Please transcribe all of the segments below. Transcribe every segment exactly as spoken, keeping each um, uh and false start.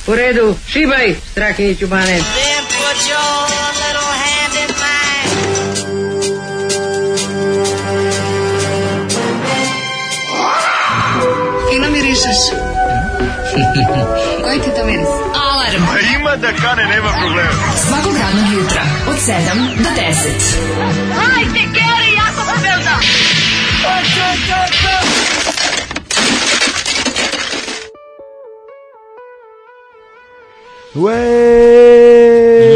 U redu, šibaj, Strahinjiću Bane. Fino mirišeš. Koji ti to miris? Alarm. A ima da kane, nema problema. Svakog radnog jutra od sedam do deset. Hajde, Geri, jako se velda.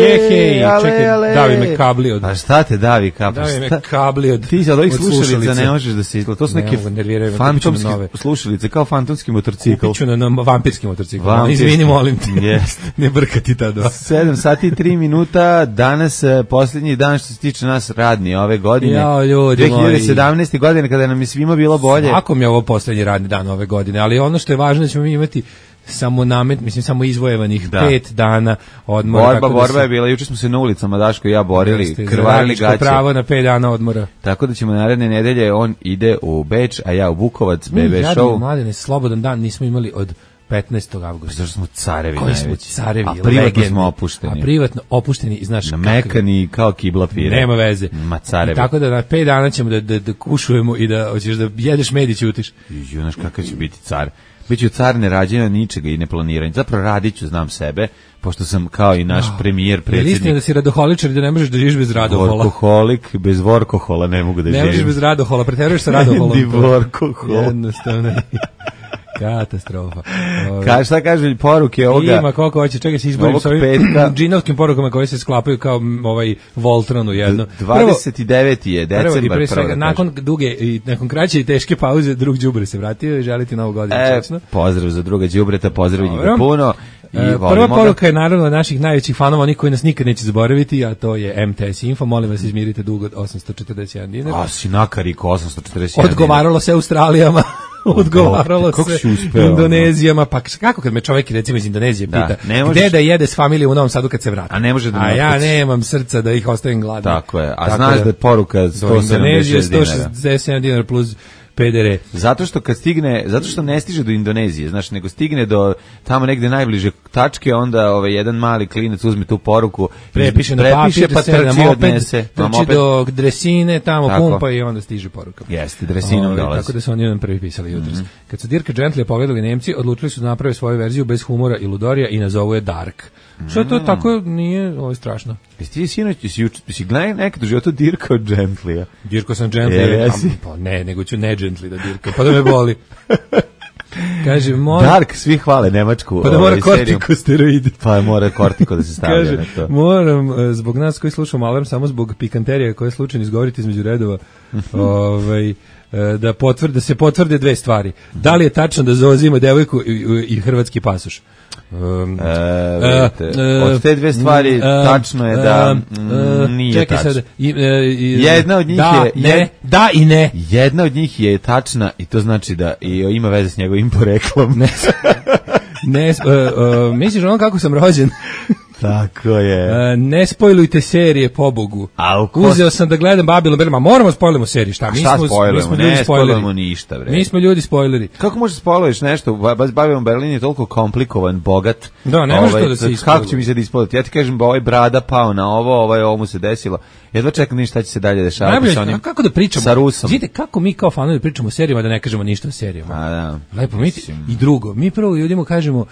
Jehej, čekaj, davi me kabli od... A šta te davi kabli? Davi me kabli od... Ti od ovih od slušalica ne možeš da se izgleda. To su neke fantomske slušalice, kao fantomski motorcikl. Kupiću na, na vampirski motorcikl. Izvini, molim ti. Yes. Ne brkati ta dva. sedam sati i tri minuta, danas posljednji dan što se tiče nas radni ove godine. Jao, ljudi dve hiljade sedamnaeste. godine kada nam je svima bilo bolje. Svakom je ovo posljednji radni dan ove godine, ali ono što je važno da ćemo mi imati samo namet, mislim samo izvojevanih da. pet dana odmora. Borba, borba se... je bila, juče smo se na ulicama Daško i ja borili, Jeste, krvarili gaće. Pravo na pet dana odmora. Tako da ćemo naredne nedelje, on ide u Beč, a ja u Bukovac, B B show. Mi, mladene, slobodan dan nismo imali od petnaestog avgusta. Zašto smo carevi Koji najveći. Smo carevi, a privatno legendi. smo opušteni. A privatno opušteni, znaš kako... Mekani kao kibla pire. Nema veze. Ma carevi. I tako da na pet dana ćemo da, da, da kušujemo i da hoćeš da jedeš med i ćutiš. Ju, znaš kakav će biti car. Biću car nerađena ničega i neplaniranja. Zapravo radit ću, znam sebe, pošto sam kao i naš oh, premijer, predsjednik. Je li istina da si radoholičar i da ne možeš da živiš bez radohola? Vorkoholik, bez vorkohola ne mogu da živim. Ne možeš bez radohola, preteruješ sa radoholom. Ni vorkohol. Jednostavno. Katastrofa. Ka, šta kaže poruke ovoga? Ima koliko hoće, čekaj se izborim sa ovim džinovskim porukama koje se sklapaju kao ovaj Voltron u jedno. dvadeset deveti je decembar. Prvo, svega, nakon duge i nakon kraće i teške pauze drug đubre se vratio i želiti novu godinu. E, pozdrav za druga đubreta, pozdrav njega puno. I e, prva poruka je naravno od naših najvećih fanova, oni koji nas nikad neće zaboraviti, a to je M T S Info. Molim vas, izmirite dug od osamsto četrdeset jedan dinar. A si nakariko osamsto četrdeset jedan Odgovaralo se Australijama. Odgovaralo se Indonezijama, pa kako kad me čovjek recimo iz Indonezije pita da, možeš, gde da jede s familijom u Novom Sadu kad se vrati, a ne može da a ja nemam srca da ih ostavim gladne. Tako je, a tako znaš da, da je poruka sto sedamdeset sedam dinara plus P D R. Zato što kad stigne, zato što ne stiže do Indonezije, znači nego stigne do tamo negde najbliže tačke, onda ovaj jedan mali klinac uzme tu poruku, prepiše na papir, pa trči odnese, trči do dresine, tamo tako. Pumpa i onda stiže poruka. Jeste, dresinom o, dolazi. Tako da su oni jedan prvi pisali jutros. Mm -hmm. Kad su Dirka Gentlya pogledali Nemci, odlučili su da naprave svoju verziju bez humora i ludorija i nazovu je Dark. Mm. Što to tako nije, ovo je strašno. Jesi ti sinoć, si, si gledaj nekad u životu Dirka od Gentlya? Dirko sam Gentlya, pa ne, nego ću ne Gently da Dirka, pa da me boli. Kaže, mora... Dark, svi hvale Nemačku. Pa da mora kortikosteroidi. Pa mora kortiko da se stavlja. Kaže, na to. Moram, zbog nas koji slušamo Alarm, samo zbog pikanterija koje je slučajno izgovoriti između redova, ovaj, da, potvrde, da se potvrde dve stvari. Da li je tačno da Zoza ima devojku i, i hrvatski pasoš? Um, e, vidite, uh, od te dve stvari uh, tačno je da uh, nije čekaj tačno. Sad, i, uh, i, jedna od njih da, je ne, jed, da i ne. Jedna od njih je tačna i to znači da i ima veze s njegovim poreklom. Ne, ne uh, uh, misliš ono kako sam rođen? Tako je. Uh, ne spojlujte serije, pobogu. Ko... Uzeo sam da gledam Babylon Berlin, ma moramo spojlimo seriju, šta? Mi šta smo, spojlujemo? mi smo ne spojlujemo ništa, bre. Mi smo ljudi spojleri. Kako možeš spojluješ nešto? Babylon Berlin je toliko komplikovan, bogat. Da, ne može to da se ispoluje. Kako će mi se da ispoliti? Ja ti kažem, ovaj brada pao na ovo, ovaj ovo mu se desilo. Jedva čekam ništa će se dalje dešavati sa onim. Kako da pričamo? Sa Rusom. Vidite kako mi kao fanovi pričamo o serijama da ne kažemo ništa o serijama. A da. Lepo mi i drugo. Mi prvo ljudima kažemo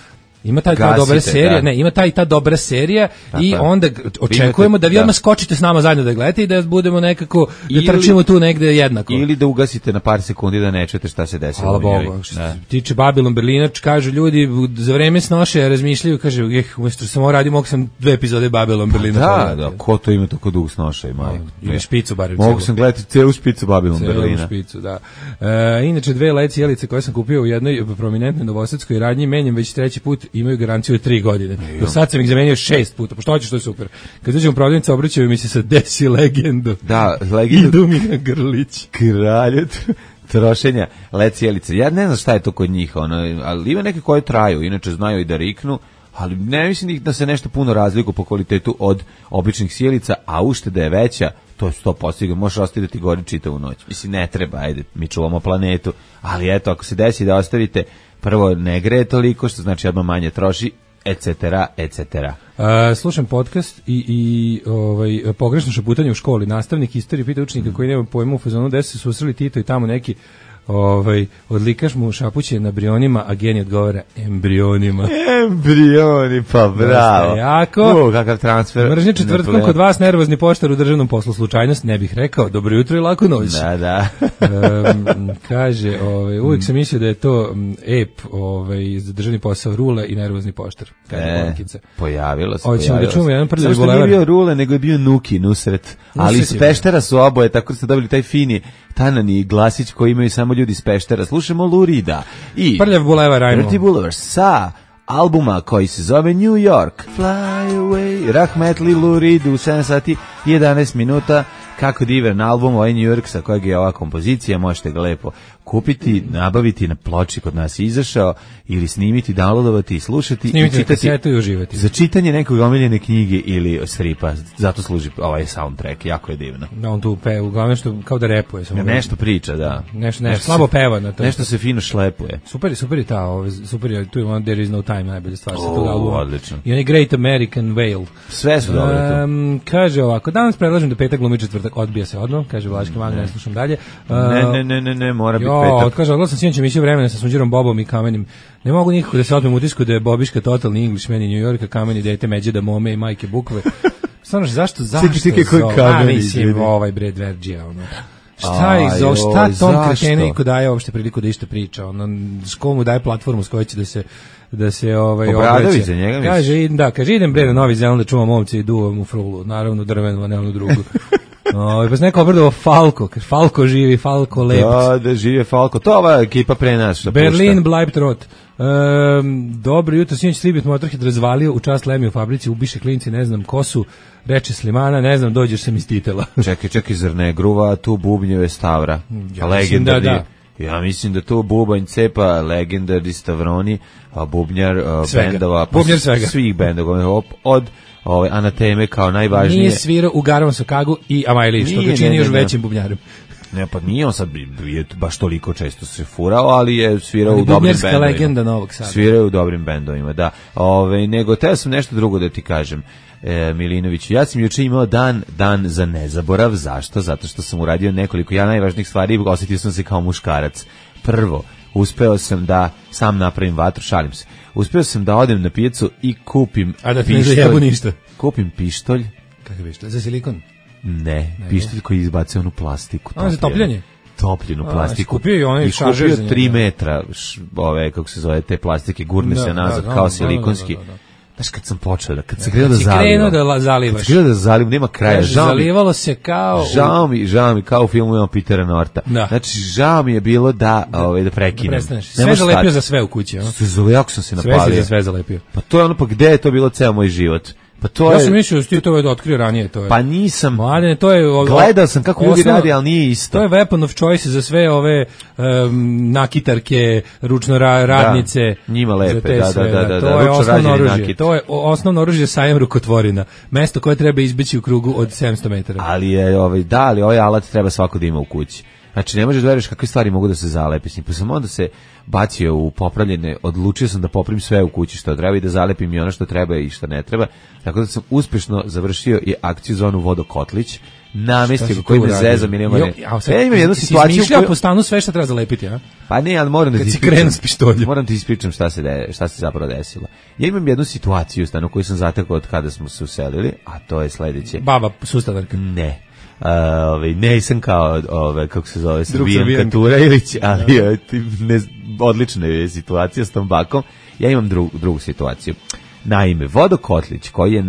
ima taj ta dobra serija, da. ne, ima taj ta dobra serija tako, i onda očekujemo da vi odmah skočite s nama zajedno da gledate i da budemo nekako da ili, trčimo tu negde jednako. Ili da ugasite na par sekundi da ne čujete šta se desilo. Hvala Bogu. Što se tiče Babylon Berlina, kažu ljudi za vreme snoše razmišljaju, kaže, eh, umjesto samo radim, mogu sam dve epizode Babylon Berlina. Da, da, ko to ima tako dug snoša ima. Ili špicu barem. Mogu sam gledati celu špicu Babylon Berlina. Celu špicu, da. E, inače dve led jelice koje sam kupio u jednoj prominentnoj novosadskoj radnji, menjam već treći put, imaju garanciju tri godine. Do sad sam ih zamenio šest puta, pošto hoćeš, to je super. Kad uđem u prodavnicu, obraćaju mi se sa desi legendu. Da, legendu. Idu mi na grlić. Kralju trošenja led cijelice. Ja ne znam šta je to kod njih, ono, ali ima neke koje traju, inače znaju i da riknu, ali ne mislim da se nešto puno razliku po kvalitetu od običnih sjelica, a ušteda je veća, to je sto posto, možeš ostaviti da ti gori čitavu noć. Mislim, ne treba, ajde, mi čuvamo planetu, ali eto, ako se desi da ostavite, prvo ne greje toliko, što znači odmah manje troši, et cetera, et cetera. Uh, slušam podcast i, i ovaj, pogrešno šaputanje u školi. Nastavnik istorije pita učenika koji nema pojma u fazonu gde se susreli Tito i tamo neki ovaj, odlikaš mu šapuće na brionima, a genij odgovara embrionima. Embrioni, pa bravo. Dosta jako. O, kakav transfer. Mržnje četvrtkom kod vas, nervozni poštar u državnom poslu. Slučajnost, ne bih rekao. Dobro jutro i laku noć. Da, da. um, kaže, ovaj, uvijek sam mislio da je to um, ep ovaj, za državni posao Rule i nervozni poštar. Kaže E, Bolekica. pojavilo se, Hoćemo pojavilo da čujemo se. jedan prljavi Samo što bulevar. nije bio Rule, nego je bio Nuki, Nusret. Ali iz Nusret je Peštera su oboje, tako da ste dobili taj fini tanani glasić koji imaju samo ljudi iz Peštera. Slušamo Lurida i Prljav bulevar, ajmo. Dirty Boulevard sa albuma koji se zove New York. Fly away, Rahmetli Lurid u sedam sati i jedanaest minuta. Kako divan album, ovaj New York sa kojeg je ova kompozicija, možete ga lepo kupiti, nabaviti na ploči kod nas je izašao ili snimiti, downloadovati i slušati Snimiti i na čitati. kasetu i uživati. Za čitanje nekog omiljene knjige ili stripa, zato služi ovaj soundtrack, jako je divno. Da, on tu pe, uglavnom što kao da repuje. Samo Nešto priča, da. Nešto, nešto, slabo se- peva na to. Nešto se fino šlepuje. Super je, super je ta, ove, super je, tu je ono There is no time, najbolja stvar sa O, tog albuma. odlično. I onaj Great American Whale. Sve su dobro to. Um, kaže ovako, danas predlažem da petak glumi četvrtak, odbija se odmah, kaže Vlaški mag, ne slušam dalje. Uh, Ne, ne, ne, ne, ne, mora biti Jo, petak. kaže, odgledao sam sinoć emisiju Vremena sa Sunđerom Bobom i Kamenim. Ne mogu nikako da se otmem utisku da je Bobiška totalni Englishman i New Yorka, Kameni dete Međeda Mome i majke Bukve. Stvarno, zašto, zašto? Čekaj, čekaj, koji zo- Kameni, A, mislim, ljudi? ovaj bre Dverđija, ono. Šta ih Aj, zo, šta oj, tom zašto? kreteniku daje uopšte priliku da ište priča? Ono, ško mu daje platformu s kojoj će da se da se ovaj Obradović obraća. za njega, misliš? Kaže, idem, da, kaže idem bre na Novi Zeland da čuvam ovce i duvam u frulu, naravno drvenu, a ne onu drugu. Ovaj pa se neko obradovao Falko, kaže Falko živi, Falko lep. Da, da žive Falko. To ova ekipa pre nas što Berlin pušta. bleibt rot. Um, dobro jutro, sinoć Slibit Motorhead razvalio u čast Lemi u fabrici, ubiše klinci, ne znam ko su, reče Slimana, ne znam, dođeš se mi s titela. Čekaj, čekaj, zar ne gruva tu bubnjeve Stavra? Ja Legendarni. mislim da, Ja mislim da tu bubanj cepa legendarni Stavroni, a bubnjar a, Svega. bendova, pa Bubnjar s- svega. svih bendova, op- od ove Anateme kao najvažnije. Nije svirao u Garovom Sokagu i Amajli, što Nije, ga čini ne, još ne, ne. većim bubnjarom. Ne, pa nije on sad je baš toliko često se furao, ali je svirao Ali u dobrim bubnjarska bendovima. legenda Novog Sada. Svirao u dobrim bendovima, da. Ove, nego, teo sam nešto drugo da ti kažem, e, Milinoviću. Ja sam juče imao dan, dan za nezaborav. Zašto? Zato što sam uradio nekoliko ja najvažnijih stvari i osjetio sam se kao muškarac. Prvo, uspeo sam da sam napravim vatru, šalim se. Uspeo sam da odem na pijacu i kupim A da ti ne pištolj. zajebu ništa. Kupim pištolj. Kakav je što? Za silikon? Ne, pištolj koji izbacio onu plastiku. A, za topljenje? Topljenu A, plastiku. si kupio i onaj I šaržer za kupio njega. tri metra, š, ove, kako se zove, te plastike, gurne Da, se nazad da, da, kao da, silikonski. da, da, da. Znaš, kad sam počeo da, kad se krenuo da si zalivam. krenuo da la- Kad zalivaš. se krenuo da zalivam, nema kraja. Kaže, Žao mi, zalivalo se kao... u- žao mi, žao mi, kao u filmu imamo Petera Norta. Da. Znači, žao mi je bilo da, ove, da Da prekinem. prestaneš. Ne Sve može zalepio stati. za sve u kući, a? Sve zale- jako sam se Sve si napalio. za sve zalepio. Pa to je ono, pa gde je to bilo ceo moj život? Pa to Ja je... sam mislio da si ti to da otkrio ranije, to je. Pa nisam... Mladene, to je... o- Gledao sam kako ljudi osnova- radi, ali nije isto. To je weapon of choice za sve ove um, nakitarke, ručno ra radnice. njima lepe, za te da, da, sve, da, da, To da, je ručno osnovno rađeni oružje. nakit. To je o- osnovno oružje sajam rukotvorina. Mesto koje treba izbeći u krugu od sedamsto metara. Ali je ovaj da, ali ovaj alat treba svako da ima u kući. Znači ne možeš da veruješ kakve stvari mogu da se zalepi s njim. Pa sam onda se bacio u popravljene, odlučio sam da poprim sve u kući što treba i da zalepim i ono što treba i što ne treba. Tako da sam uspešno završio i akciju za onu vodokotlić. Namestio koji me zeza milione. Ja imam jednu situaciju Smišljao koju... po stanu sve što treba zalepiti, a? Pa ne, ali moram da Kad ti si ispričam. krenuo s pištoljem. Moram ti ispričam šta se de, šta se zapravo desilo. Ja imam jednu situaciju u stanu koju sam zatekao od kada smo se uselili, a to je sledeće. Baba, sustavarka. Ne. Uh, ovaj nisam kao ove kako se zove Srbijan Srbijanka. Katura Ilić, ali je ne, odlična je situacija s tom bakom. Ja imam dru, drugu situaciju. Naime, vodokotlić koji je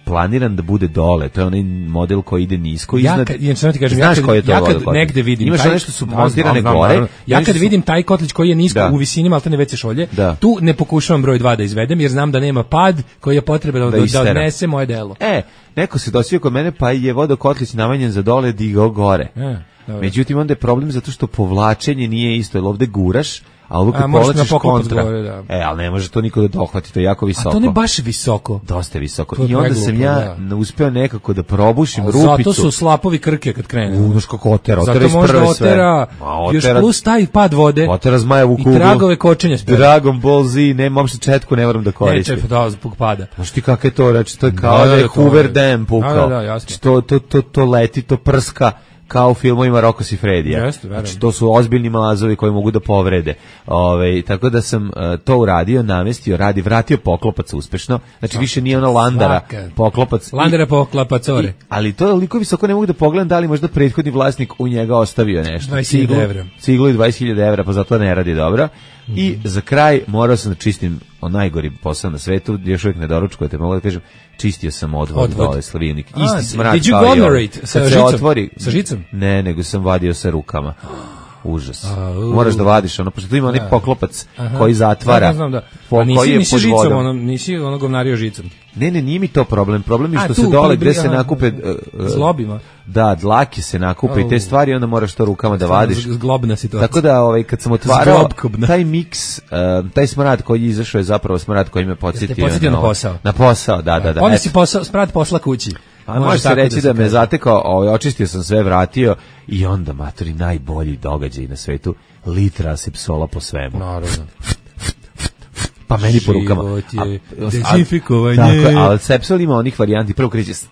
planiran da bude dole, to je onaj model koji ide nisko Ja iznad. kad, ja, ti kažem, Znaš ja kad, koji je to ja kad vodokotlić? negde vidim Imaš taj- nešto su Da, montirane znam, znam, gore. naravno. Ja nešto kad su- vidim taj kotlić koji je nisko Da. u visini maltene veće šolje, Da. tu ne pokušavam broj dva da izvedem jer znam da nema pad koji je potreban da, Da da, istera. odnese moje delo. E, neko se dosio kod mene pa je vodokotlić navanjen za dole digao gore. E, dobro. Međutim, onda je problem zato što povlačenje nije isto, jer ovde guraš, a ovo kad A, moraš na povlačiš poklopac kontra. gore, da. E, ali ne može to niko da dohvati, to je jako visoko. A to ne baš visoko. Dosta je visoko. To je I onda preglupo, sam ja da. uspeo nekako da probušim Ali rupicu. zato su slapovi krke kad krene. Unoš kako otera, otera Zato iz možda prve sve. otera, Ma, još otera- plus taj pad vode. Otera zmajevu I kuglu. tragove kočenja spere. Dragon Ball Z, nema uopšte četku, ne moram da Ne, koristim. čep, da, zbog pada. Znaš ti kako je to, reći, to je kao Da, da, da, je to Hoover je- Dam pukao. Da, da, da, jasno. Znači, to, to, to, to leti, to prska kao u filmovima Rocco Siffredija. Jeste, verujem. Znači, to su ozbiljni mazovi koji mogu da povrede. Ove, tako da sam uh, to uradio, namestio, radi, vratio poklopac uspešno. Znači, više nije ona landara, Svaka. poklopac. Landera I- poklapacore. i- ali to je toliko visoko, ne mogu da pogledam da li možda prethodni vlasnik u njega ostavio nešto. dvadeset hiljada Ciglu- evra. Ciglu i dvadeset hiljada evra, pa zato ne radi dobro. I za kraj morao sam da čistim o najgori posao na svetu, još uvijek ne doručkujete, mogu da kažem, čistio sam odvod, Odvod. dole Slavivnik. A, Isti smrad did you kao i ovaj. glomerate sa Kad se žicom? otvori, Sa žicom? Ne, nego sam vadio sa rukama. Užas. A, u. Moraš da vadiš ono, pošto tu ima onaj Da. poklopac Aha. koji zatvara. Da, znam da. po- A nisi, koji je nisi pod žicom, vodom. ono, nisi ono govnario žicom. Ne, ne, nije mi to problem. Problem je A, što tu, se dole pa gde se aha, nakupe uh, uh, zlobima. Da, dlake se nakupe i te Au. stvari, onda moraš to rukama da vadiš. Z- Zglobna situacija. Tako da ovaj kad sam otvarao Zglobkobna. taj miks, uh, taj smrad koji je izašao je zapravo smrad koji me podsjetio, podsjetio na ovo- posao. Na posao, da, da, da. Onda eto. si posao, sprat posla kući. A može se tako reći da, me kaže. zatekao, ovaj, očistio sam sve, vratio i onda, matori, najbolji događaj na svetu, litra asepsola po svemu. Naravno. Pa meni po rukama. Život je A- a- dezinfikovanje. Tako je, ali sepsol ima onih varijanti, prvo kreće s-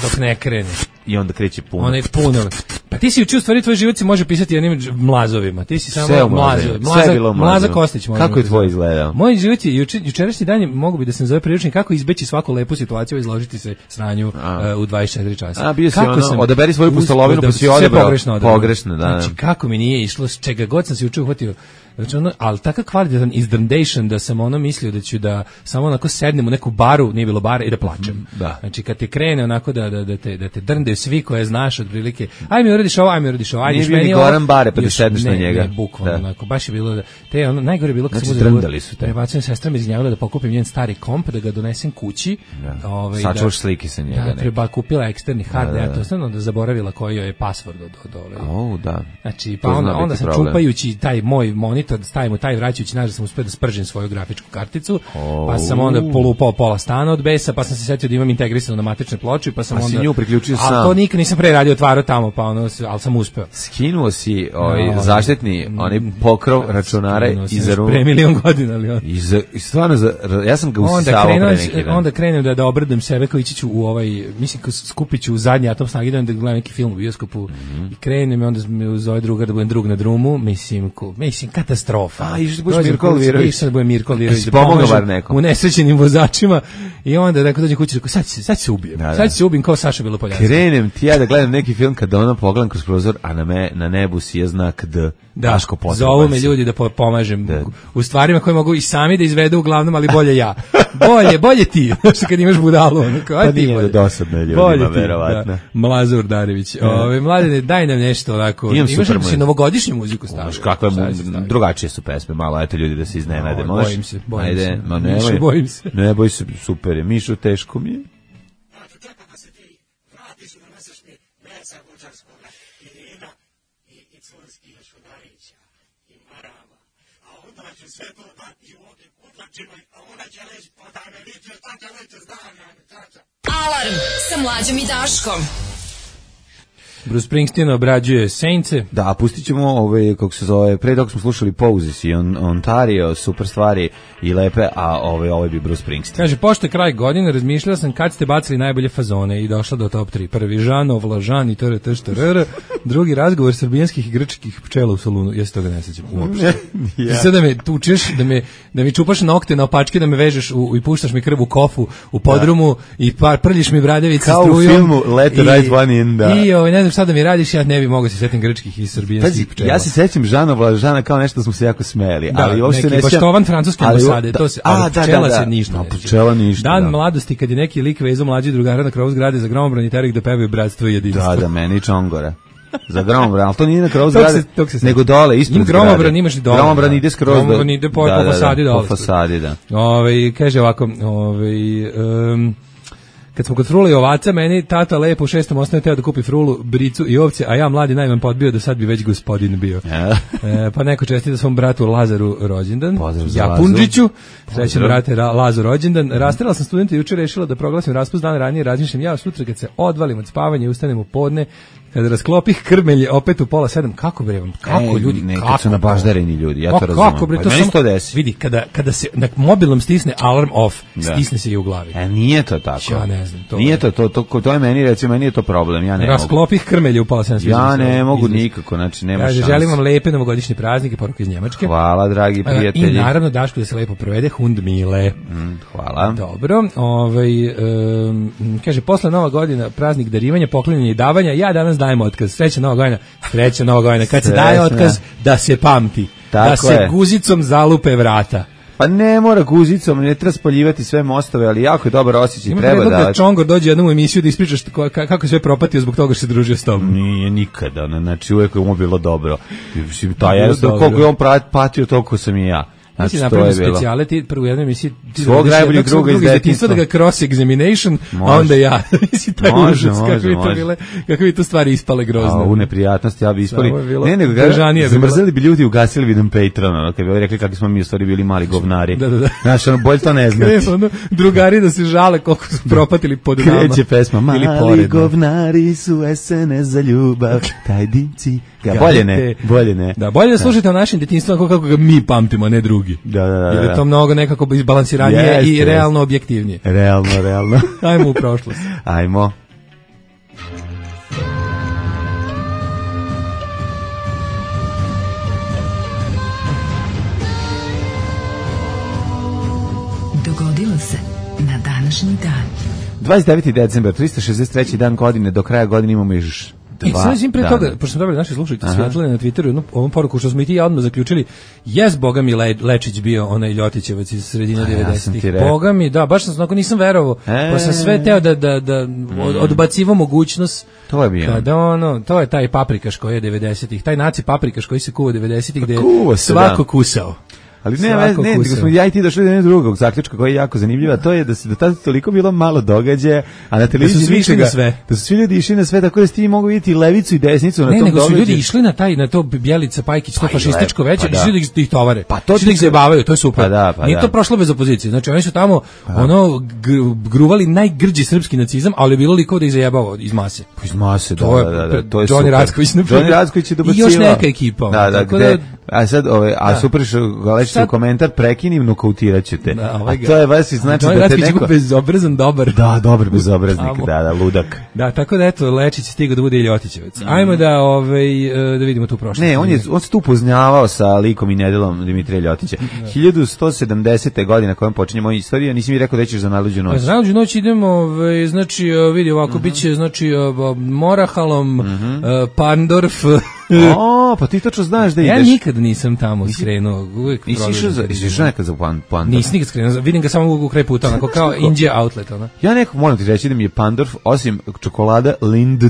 Dok ne krene. i onda kreće puno. Onaj puno. Pa ti si učio, u stvari tvoj život se može pisati jednim dž- mlazovima. Ti si samo Sve u mlazo. mlazovima, sve je bilo u Mlaza mlazovima. Kostić. možemo Kako je da tvoj zovemo. izgledao? Moj život je juče, jučerašnji dan je, mogu bi da sam zove priručnik kako izbeći svaku lepu situaciju i izložiti se sranju A. uh, u dvadeset četiri časa. A, bio si Kako ono, sam odaberi svoju uspeo pustolovinu, da- pa si sve odabrao pogrešno odabrao. pogrešno, da, da. Znači, kako mi nije išlo, s čega god sam se juče uhvatio. Znači, ono, ali takav kvalitetan izdrndation da sam ono mislio da ću da samo onako sednem u neku baru, nije bilo bara, i da plačem. Da. Znači, kad te krene onako da, da, da, te, da te drndaju svi koje znaš otprilike, aj mi uradiš ovo, aj mi uradiš ovo, aj Nije još bio ni meni ovo. Goran Bare, pa da Još- sedneš na ne, njega. Ne, bukvalno, Da. onako, baš je bilo da, te, ono, najgore je bilo kad Znači, sam uzeo- drndali su te. prebacujem sestram iz gnjavila da pokupim njen stari komp, da ga donesem kući. Da. Ovaj, Sačuvaš slike sa njega Da, neke. treba kupila eksterni hard, Da, da, ja da. to stvarno da zaboravila koji joj je password od, od ove. O, da. Znači, To pa zna onda, biti onda sam problem. čupajući taj moj monitor, stavim u taj vraćajući, znaš da sam uspio da spržim svoju grafičku karticu, pa sam onda polupao pola stana od besa, pa sam se setio da imam integrisano na matičnoj ploči, pa sam Pa si onda... nju priključio Ali sam. to nikad nisam pre radio, otvarao tamo, pa ono, ali sam uspeo. Skinuo si ovaj, No, zaštitni, onaj pokrov računara Skinuo sam iza još rume. pre milion godina, ali on... I, za, I stvarno, za, ja sam ga Onda, usisavao krenuo, pre neki dan. onda krenem da, da obradujem sebe kao ići ću u ovaj, mislim kao skupit ću u zadnji atom snage da gledam neki film u bioskopu Mhm. i krenem i onda me zove drugar da budem drug na drumu, mislim, ko, mislim katastrofa. A, išao da budeš Dođem Mirko kući, Alvirović. išao da budem Mirko Alvirović, Jesi da pomogao pomažem bar nekom? u nesrećenim vozačima i onda da dođem kući rekao sad ću se- sad ću se ubijem. Da, da. Sad ću se ubijem kao Saša Belopoljanski. Krenem ti ja da gledam neki film kada ono pogledam kroz prozor, a na, me, na nebu si je znak D. Da, Daško potreban zovu me si. ljudi da po- pomažem Da. u stvarima koje mogu i sami da izvedu uglavnom, ali bolje ja. Bolje, bolje ti. Znaš kad imaš budalu. Ono, kao, aj Pa ti nije bolje. dosadno ljudima, Bolje ti, verovatno. Da. Mlaza Urdarević. Ove, mladene, daj nam nešto onako. Imam Imaš super da si moj- novogodišnju muziku stavio? Znaš kakve mu, Šta si stavio? drugačije su pesme, malo, eto ljudi da se iznenade. Oj, Možeš? bojim se, bojim Ajde, se. ma Mišo, nemoj. bojim se. Ne boj se, super je. Mišo, teško mi je. Alarm sa Mlađom i Daškom. Bruce Springsteen obrađuje Saintse. Da, pustit ćemo ove, kako se zove, pre dok smo slušali Poses i on, Ontario, super stvari i lepe, a ove, ove bi Bruce Springsteen. Kaže, pošto je kraj godine, razmišljala sam kad ste bacili najbolje fazone i došla do top tri. Prvi Žanov, Lažan i trt štrr. Drugi razgovor srbijanskih i grčkih pčela u salunu. Ja se toga ne sećam uopšte. Ti sad da me tučeš, da, me, da mi čupaš nokte na opačke, da me vežeš u, i puštaš mi krv u kofu u podrumu i par, prljiš mi bradavice Kao u strujom. filmu Let the I- Right One In, da. I ovaj, ne znam šta da mi radiš, ja ne bi mogao se setim grčkih i Pazi, srbijanskih pčela. ja se sećam Žana Vlažana kao nešto da smo se jako smejali, Da, ali uopšte neki ne sjećam- baštovan francuske ali- ambasade, da, to se, a, ali da, pčela da, da. se ništa No, ne sjeća. pčela ništa, Dan da. mladosti kad je neki lik vezao mlađi drugara na krovu zgrade za gromobran i terek da pevaju bratstvo i jedinstvo. Da, da, meni Čongora. Za gromobran, ali to nije na krovu Tog se- zgrade, tog se nego dole, ispred Ima zgrade. gromobran, imaš i dole. Gromobran da. ide skroz do... Gromobran ide po, po fasadi dole. Po fasadi, da. Ove, kaže ovako, ove, um, kad smo kod frula i ovaca, meni tata lepo u šestom osnovne teo da kupi frulu, bricu i ovce, a ja mladi najman podbio da sad bi već gospodin bio. e, pa neko čestita svom bratu Lazaru rođendan. Pozdrav za Japunđiću. Srećan brate Ra, Lazo rođendan. Rastrela sam studenta i juče rešila da proglasim raspust dan ranije, razmišljam ja sutra kad se odvalim od spavanja i ustanem u podne, kada rasklopih krmelje opet u pola sedam, kako bre vam, kako Ej, ljudi, nekad kako su nabaždareni ljudi, ja Pa to razumem. kako bre, Pa to meni samo, to desi. vidi, kada, kada se na mobilnom stisne alarm off, Da. stisne se i u glavi. E, nije to tako. Ja ne znam, to Nije je- to, to, to, to je meni, recimo, meni je to problem, ja ne mogu. Rasklopih krmelje u pola sedam. sviđa Ja mi se ne ovo mogu izraz. nikako, znači nema Kaže, šanse. želim vam lepe novogodišnje praznike, poruka iz Njemačke. Hvala, dragi E, prijatelji. I naravno Daško da se lepo provede, hund mile. Mm, Hvala. Dobro, ovaj, um, kaže, posle Nova godina, praznik darivanja, poklanjanja i davanja, ja danas dajem otkaz. Sreća Nova godina, sreća Nova godina. Kad se daje Srećna. otkaz, da se pamti. Tako da se je. guzicom zalupe vrata. Pa ne mora guzicom, ne treba spaljivati sve mostove, ali jako je dobar osjećaj, Ima treba predlog da da... Čongor dođe jednom u emisiju da ispričaš ko- ka- kako je sve propatio zbog toga što se družio s tobom. Nije nikada, ne, znači uvijek je mu bilo dobro. Mislim, Bilo taj jednostavno, dobro. koliko je on pra- patio, toliko sam i ja. Znači, Znači, to je napravimo bilo. specijale, ti prvo u jednoj emisiji ti Svog dovediš najboljeg jednog svog druga iz druga detinjstva da ga detinjstva. cross examination, a Može. onda ja. Mislim, taj Može, užas, kako može, bi to može. bile, kako bi to stvari ispale grozne. A u neprijatnosti ja bi ispali. Samo je bilo Ne, nego držanije ga bi bilo. zamrzeli bi ljudi, ugasili bi nam Patreon, ono, kad bi rekli kako smo mi u stvari bili mali govnari. Da, da, da. Znaš, ono, bolje to ne znati. Kreće, ono, drugari da se žale koliko su propatili pod nama. Kreće pesma, Ili mali pored nas. govnari su S N S za ljubav, taj dimci. Ja, bolje ne, bolje ne. Da, bolje da slušate o našem detinjstvu kako kako ga mi pamtimo, a ne drugi. Da, da, da. Jer je da. to mnogo nekako izbalansiranije Jeste, i jeste. realno objektivnije. Realno, realno. Ajmo u prošlost. Ajmo. Dogodilo se na današnji dan. dvadeset deveti decembar, trista šezdeset treći dan godine, do kraja godine imamo još I dva sad im pre dana. toga, pošto smo dobili naši slušajci Aha. svijetlili na Twitteru jednu ovom poruku što smo i ti ja odmah zaključili, jes Boga mi Le, Lečić bio onaj Ljotićevac iz sredine A, ja sam ti devedesetih. rekao. Boga mi, da, baš sam onako nisam verovao, E. pa sam sve teo da, da, da od, odbacivo mogućnost. To je bio. Kada ono, to je taj paprikaš koji je devedesetih, taj naci paprikaš koji se kuva devedesetih gde je kuva se, svako da. kusao. Ali ne, Svako ne, nego kusao. smo ja i ti došli do jednog drugog zaključka koji je jako zanimljiv, a to je da se do tada toliko bilo malo događaja, a na televiziji svi išli ničega- na sve. Da su svi ljudi išli na sve, tako da ste ti mogu vidjeti i levicu i desnicu na Ne, tom nego su događaju. ljudi išli na taj, na to Bjelica Pajkić, to Pa i fašističko lepo, veće, pa da. išli da ih, da ih tovare. Pa to Išli da ih ti- zajebavaju, to je super. Pa da, pa Nije da. to prošlo bez opozicije. Znači oni su tamo ono gr- gruvali najgrđi srpski nacizam, ali je bilo likova da ih zajebavao iz mase. Pa iz mase, da, To je da, da, da, to je Johnny super. Racković, na primjer. Johnny Racković je I dobacivao. još neka ekipa, Da, da, tako gde, da- a sad, ove, a Da. super što ga lećete Sad- u komentar, prekinim, nokautirat ću te. Da, A ovaj ga- to je baš i znači Johnny da te Racković je neko... bezobrazan dobar. Da, dobar bezobraznik, Tamo. da, da, ludak. Da, tako da eto, Lečić je stigao da bude i Ljotićevac. Ajmo da, ovaj, e, da vidimo tu prošlost. Ne, on je on se tu poznavao sa likom i nedelom Dimitrija Ljotića. hiljadu sto sedamdesete godine kojom počinje moja istorija, nisi mi rekao da ćeš za najluđu noć. Za najluđu noć idemo, ovaj, znači, e, vidi ovako, bit će, znači, e, Morahalom, e, Pandorf. O, pa ti točno znaš da ideš. Ja nikad nisam tamo skrenuo, uvijek Nisi išao prolazim. za, jesi išao nekad za pan, pan, Nisam nikad skrenuo, vidim ga samo u kraj puta, onako kao Inđija outlet, ono. Ja neko moram ti reći da mi je Pandorf, osim čokolada Lindt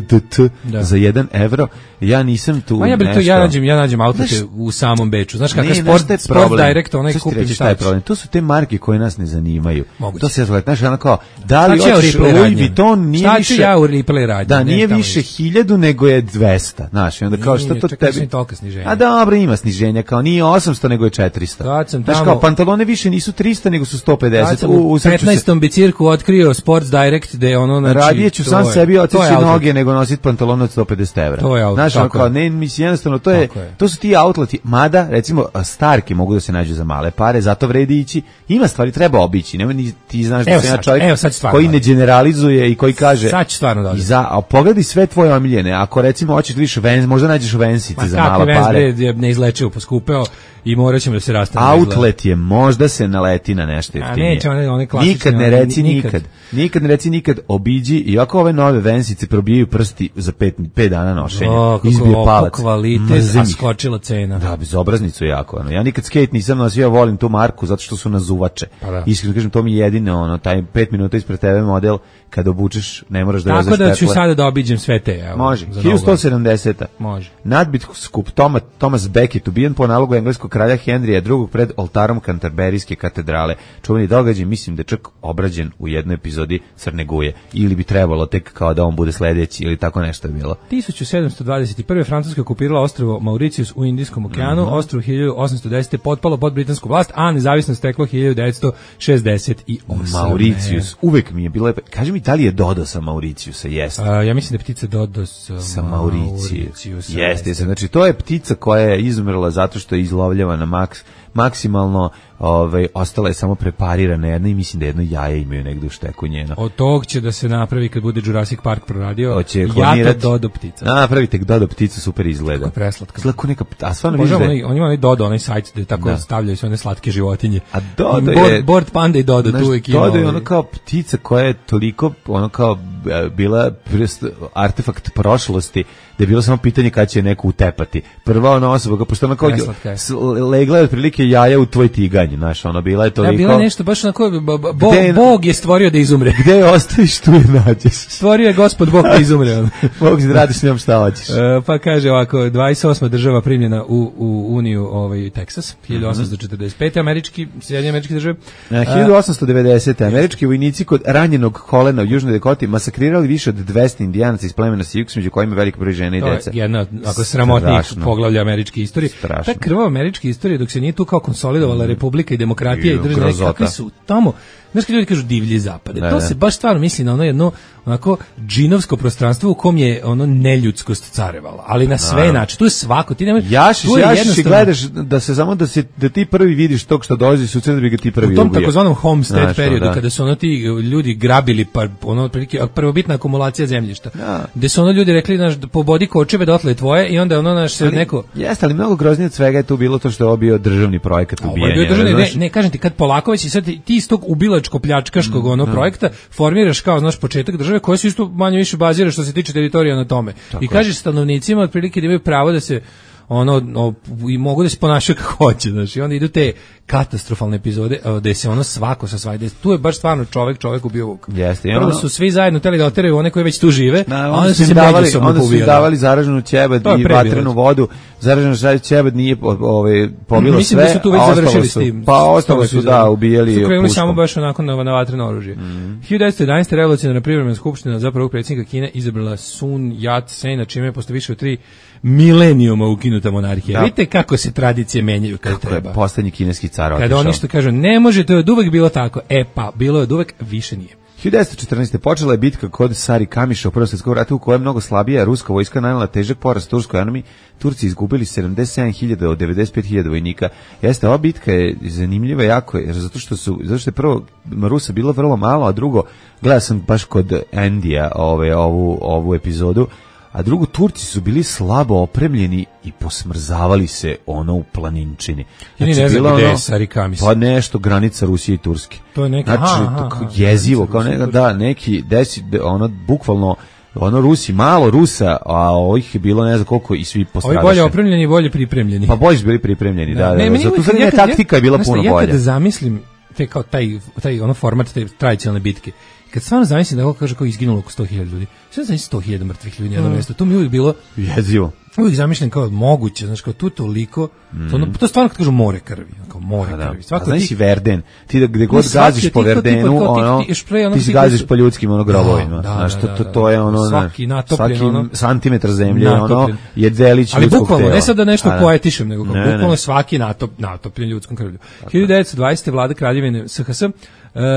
Da. za jedan evro, ja nisam tu Ma ja bih to, nešto. ja nađem, ja nađem outlete Znaš- u samom Beču. Znaš kakav Ne, je znaš sport, šta je sport problem? direct, onaj Sad ću ti kupiš reći i šta je staviš. problem. To su te marke koje nas ne zanimaju. Moguće. To se ja znaš, ono kao, da li Šta ću ja u hoćeš replay Louis radnje? Vuitton nije Šta ću više... ja u replay radnje? Da, Ne, nije tamo više više. hiljadu, nego je dvesta. Znaš, i onda kao šta Nije, to čekaj, tebi... nisam tolika sniženja. A dobro, ima sniženja, kao nije osamsto, nego je četiristo. Kad sam Znaš, tamo- kao pantalone više nisu trista, nego su sto Kad pedeset. sam U, u u srcu se- petnaestom bicirku otkrio Sports Direct, gde je ono, znači... Radije ću to sam je- sebi to je otići outlet. noge nego nositi pantalon od sto pedeset evra. To je outlet, Znaš, ono tako kao, je. ne, mislim, jednostavno, to je, Tako je. to su ti outleti, mada, recimo, starke mogu da se nađu za male pare, zato vredi ići. Ima stvari, treba obići, nema ni, ti znaš da Evo sam ja sad, čovjek evo sad stvarno koji da. ne generalizuje i koji kaže, Sad ću stvarno da odem. i za, a pogledaj sve tvoje omiljene, ako recimo hoćeš da vidiš Vans, možda nađeš Vansice Ma za kakvi mala Vans pare. bre, je neizlečivo poskupeo i morat ćemo da se rastanemo. Outlet je, možda se naleti na nešto jeftinije. neće one- one klasične, Nikad ne one- reci nikad. nikad. Nikad ne reci nikad, obiđi, i ako ove nove Vansice probijaju prsti za pet, pet dana nošenja. O, kako Izbije ovo palac. kvalitet, Mrzim a ih. skočila cena. Da, bezobraznicu jako. Ono. Ja nikad skate nisam nosio, ja volim tu marku zato što su nazuvače. Pa da. Iskreno kažem, to mi je jedino, ono, taj pet minuta ispred tebe model, kad obučeš, ne moraš da Tako vezeš da ću petle. sada da obiđem sve te. Evo, Može. za hiljadu sto Novu sedamdeseta. Može. Nadbiskup Toma, Thomas Becket ubijen po nalogu engleskog kralja Henrija drugog pred oltarom Kanterberijske katedrale. Čuveni događaj, mislim da je čak obrađen u jednoj epizodi Crne Guje. Ili bi trebalo tek kao da on bude sledeći ili tako nešto je bilo. tisuću sedamsto dvadeset prve. Francuska okupirala ostrvo Mauricius u Indijskom okeanu, mm-hmm. ostrvo hiljadu osamsto desete. potpalo pod britansku vlast, a nezavisnost steklo hiljadu devetsto šezdeset osme. Mauricius, uvek mi je bilo... Kaži mi, da li je Dodo sa Mauriciusa? Jeste. A, ja mislim da je ptica Dodo sa, sa Mauriciusa. Jeste, jeste. Znači, to je ptica koja je izumrla zato što je izlovljavana maks, maksimalno, ovaj, ostala je samo preparirana jedna i mislim da jedno jaje imaju negde u šteku njeno. Od tog će da se napravi kad bude Jurassic Park proradio. Hoće Jato Dodo ptica. Napravite Dodo pticu, super izgleda. Kako preslatka. Izgleda neka, a stvarno vidiš da je... On ima onaj Dodo, onaj sajt gde tako da. stavljaju sve one slatke životinje. A Dodo board, je... Board Panda i Dodo, znaš, tu uvijek ima. Dodo je ono kao ptica koja je toliko, ono kao bila artefakt prošlosti, da je bilo samo pitanje kada će neko utepati. Prva ona osoba, pošto ona kao legla je otprilike jaja u tvoj tiganj, znaš, ono bila je toliko... Da, bila je nešto, baš onako, bo, je, Bog je stvorio da izumre. Gde je ostaviš, tu je nađeš. Stvorio je gospod Bog da izumre. Bog da radiš s njom šta hoćeš. Uh, pa kaže ovako, dvadeset osma država primljena u, u Uniju ovaj, Teksas, hiljadu osamsto četrdeset pete. američki, Sjedinjene američke države. Uh, hiljadu osamsto devedesete. američki vojnici kod ranjenog kolena u Južnoj Dakoti masakrirali više od dvesta indijanaca iz plemena Sioux, među kojima veliki broj žena i deca. To je jedna ako sramotnih poglavlja američke istorije. Strašno. Ta krvava američke istorije, dok se nije tu kao konsolidovala mm. republika i demokratija i država, kakvi su tamo, znaš kad ljudi kažu divlji zapade, ne, to ne. se baš stvarno misli na ono jedno onako džinovsko prostranstvo u kom je ono neljudskost carevala, ali na sve načine, tu je svako, ti nema, jašiš, jašiš i gledaš da se samo da se da ti prvi vidiš tog što dolazi sutra da bi ga ti prvi ubio. U tom takozvanom homestead znaš, periodu, da. kada su ono ti ljudi grabili, pa ono otprilike prvobitna akumulacija zemljišta, ja. gde su ono ljudi rekli, znaš, pobodi kočeve dotle tvoje i onda ono naš se neko... Jeste, ali mnogo groznije od svega je tu bilo to što je obio državni projekat ubijanja. Ne, ne, ne, kažem ti, kad polako već i sad ti iz tog ubilačko-pljačkaškog ono mm, projekta formiraš kao, znaš, početak države koje su isto manje više bazira što se tiče teritorija na tome. Tako I kažeš stanovnicima otprilike da imaju pravo da se ono o, i mogu da se ponašaju kako hoće, znači onda idu te katastrofalne epizode gde se ono svako sa svajde, tu je baš stvarno čovek čovek ubio vuk. Jeste, prvo ono... su svi zajedno teli da oteraju one koji već tu žive, na, a onda su se davali, onda su davali zaraženu ćebad i vatrenu vodu, zaraženu ćebad nije ovaj pobilo mislim sve, da su tu već završili s tim. Pa ostalo su da ubijali su krenuli samo baš onako na, na vatreno oružje. Mm. hiljadu devetsto jedanaeste. revolucionarna privremena skupština za prvog predsjednika Kine izabrala Sun Yat-sen, čime je posle više od tri milenijuma ukinuta monarhija. Da. Vidite kako se tradicije menjaju kada kako treba. Je poslednji kineski car otišao. Kada oni što kažu, ne može, to je od uvek bilo tako. E pa, bilo je od uvek, više nije. hiljadu devetsto četrnaeste. počela je bitka kod Sari Kamiša u Prvom svjetskom ratu u kojem mnogo slabija ruska vojska nanijela težak poraz turskoj armiji. Turci izgubili sedamdeset sedam hiljada od devedeset pet hiljada vojnika. Jeste, ova bitka je zanimljiva jako, jer zato što su, zato što je prvo Rusa bilo vrlo malo, a drugo, gledao sam baš kod Endija ove, ovu, ovu epizodu, a drugo, Turci su bili slabo opremljeni i posmrzavali se ono u planinčini. Znači, ne znam gde je Sari Kamis. Pa nešto, granica Rusije i Turske. To je neka, znači, aha, aha, jezivo, kao neka, da, neki, desi, ono, bukvalno, ono Rusi, malo Rusa, a ovih je bilo ne znam koliko i svi postradaše. Ovi bolje opremljeni i bolje pripremljeni. Pa bolje su bili pripremljeni, da, da. Ne, da, zato sad taktika je bila puno ja bolja. Ja kada zamislim te kao taj, taj ono format, te tradicionalne bitke, kad stvarno zamislim da ovo kaže kao izginulo oko sto hiljada ljudi, sve zamislim sto hiljada mrtvih ljudi na jednom mjestu, to mi uvijek bilo jezivo. Uvijek zamišljam kao moguće, znaš, kao tu toliko, mm. to, ono, to stvarno kad kažu more krvi, kao more da. krvi. Svako a znaš ti, i Verden, ti da gde god gaziš po Verdenu, ono, ti, ti, ono, ti si gaziš po ljudskim ono grobovima, da, znaš, da, to, to, to je ono, svaki natopljen, svaki ono, santimetar zemlje, ono, je delić ljudskog tela. Ali bukvalno, ne sad da nešto poetišem, nego kao, bukvalno svaki natop, natopljen ljudskom krvlju. hiljadu devetsto dvadesete. vlada Kraljevine S H S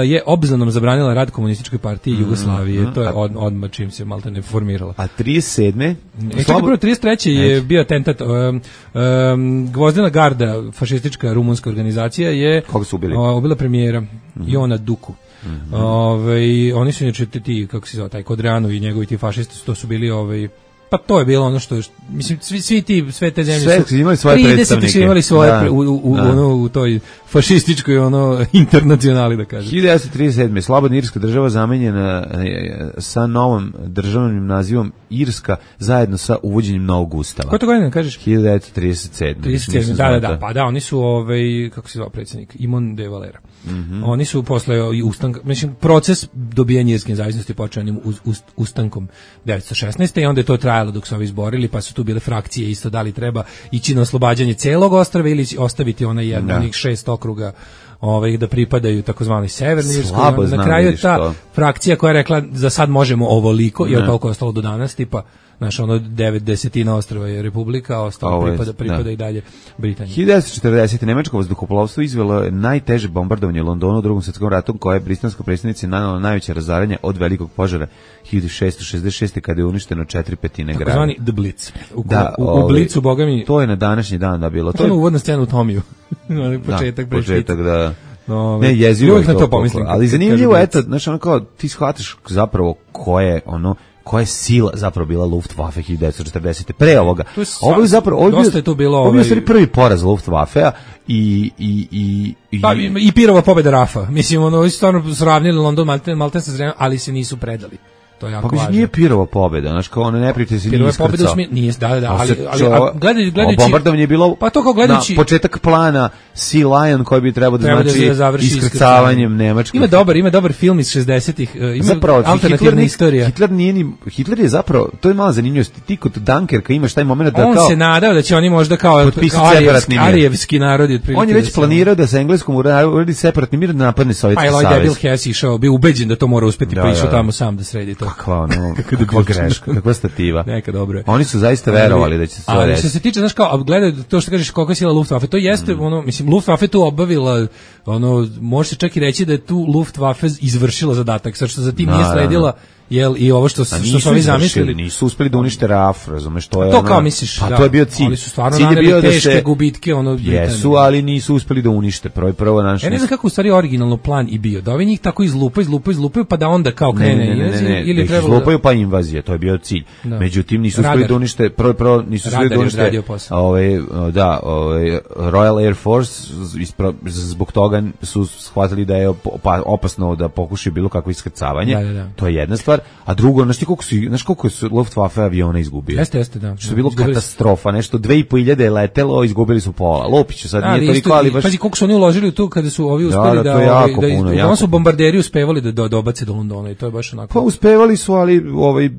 je obznanom zabranila rad komunističkoj partiji mm, Jugoslavije, mm, to je od, odmah čim se malta ne formirala. A trideset sedme E, čekaj, prvo, trideset treće je bio atentat, um, um, Gvozdena garda, fašistička rumunska organizacija, je koga su ubili? O, ubila premijera, mm-hmm. Jona Duku. Mm-hmm. Ove, oni su inače ti, kako se zove, taj Kodreanu i njegovi ti fašisti, to su bili ovaj. Pa to je bilo ono što, mislim, svi, svi ti, sve te zemlje sve su imali svoje predstavnike. Su imali svoje da, u, u, da. Ono, u toj fašističkoj ono, internacionali, da kažem. hiljadu devetsto trideset sedme. Slobodna irska država zamenjena sa novom državnim nazivom Irska zajedno sa uvođenjem novog ustava. Koje to godine kažeš? hiljadu devetsto trideset sedme. trideset sedme. Da, da, da, pa da, oni su, ovaj, kako se zvao predsjednik, Imon de Valera. Mm-hmm. Oni su posle i ustanka, mislim, proces dobijanja irske nezavisnosti počeo uz, uz, ustankom devetsto šesnaeste. i onda je to trajalo trajalo dok su ovi izborili, pa su tu bile frakcije isto, da li treba ići na oslobađanje celog ostrva ili ostaviti onaj jedan, onih šest okruga ovaj, da pripadaju takozvanoj severnoj Irskoj. Na kraju je ta to. frakcija koja je rekla za sad možemo ovoliko, jer koliko je ostalo do danas, tipa znaš, ono devet desetina ostrva je republika, a ostalo Ovo pripada, pripada da. i dalje Britaniji. hiljadu devetsto četrdeset. Nemačko vazduhoplovstvo izvelo je najteže bombardovanje Londona u Drugom svjetskom ratu, koje je britanskoj predsjednici nanelo najveće razaranje od velikog požara hiljadu šessto šezdeset šeste kada je uništeno četiri petine grada. Takozvani The Blitz. U, da, u, u Blitzu, boga mi... To je na današnji dan da bilo. To je uvodna scena u Tomiju. početak, da, početak, da... No, ne, jezivo je to, to pomislim, ali zanimljivo, eto, znaš, ono kao, ti shvataš zapravo ko je, ono, koja je sila zapravo bila Luftwaffe hiljadu devetsto četrdesete. Pre ovoga. Ovo je zapravo, ovo je to bilo, ovo je ovaj... prvi poraz Luftwaffe-a i i i i pa i Pirova pobeda Rafa. Mislim, ono, stvarno sravnili London Malten, Malten sa Zrenjanin, ali se nisu predali. To je jako pa važno. Nije Pirova pobeda, znači kao ono ne prijete se nije iskrcao. Pirova pobeda nije, da, da, ali, ali a, gledajući, gledajući... bombardovanje je bilo pa to kao gledajući, na početak plana Sea Lion koji bi trebao da treba znači da iskrcavanjem nemačkog. Ima dobar, ima dobar film iz šezdesetih, ima zapravo, alternativna istorija. Hitler nije ni, Hitler je zapravo, to je mala zanimljivost, ti kod Dunkerka imaš taj moment da on kao... On se nadao da će oni možda kao, kao arijevski, arijevski narod. On je već planirao da se engleskom uradi separatni mir da napadne Sovjetski savez. Pa je debil Hess išao, bio ubeđen da to mora uspeti, pa išao tamo sam da sredi to. Kakva ono... kakva greška, kakva stativa. Neka dobro je. Oni su zaista verovali da će se to reći. Ali što se tiče, znaš kao, gledaj to što kažeš koliko je sila Luftwaffe, to jeste, mm. ono, mislim, Luftwaffe tu obavila, ono, može se čak i reći da je tu Luftwaffe izvršila zadatak, sad što za tim nije sledila, jel, i ovo što, što su ovi zamislili. Nisu uspeli da unište R A F, razumeš, to je to ono... kao misliš, pa da. To je bio cilj. Ali su stvarno cilj naneli bio teške da se, gubitke, ono... Jesu, ali nisu uspeli da unište. Prvo, prvo naš... Ja ne znam kako u stvari originalno plan i bio. Da ovi njih tako izlupaju, izlupaju, izlupaju, pa da onda kao krene ne, ne, ne, ne, ne, ili da ih izlupaju pa invazije, to je bio cilj. Da. Međutim, nisu uspeli da unište, prvo, prvo, nisu uspeli da unište... Ove, da, ove, Royal Air Force, ispra, zbog toga su shvatili da je opasno da pokušaju bilo kakvo iskrcavanje. Da, da, da. To je jedna stvar. A drugo, znaš ti koliko su, znaš koliko su Luftwaffe aviona izgubili? Jeste, jeste, da. Što je bilo katastrofa, nešto dve i po hiljade je letelo, izgubili su pola. Lopiću sad nije toliko, ali baš... Pazi koliko su oni uložili u tu kada su ovi uspeli da... Da, da, to je jako da, puno, da, jako su bombarderi uspevali da, da dobace do Londona i to je baš onako... Pa uspevali su, ali ovaj,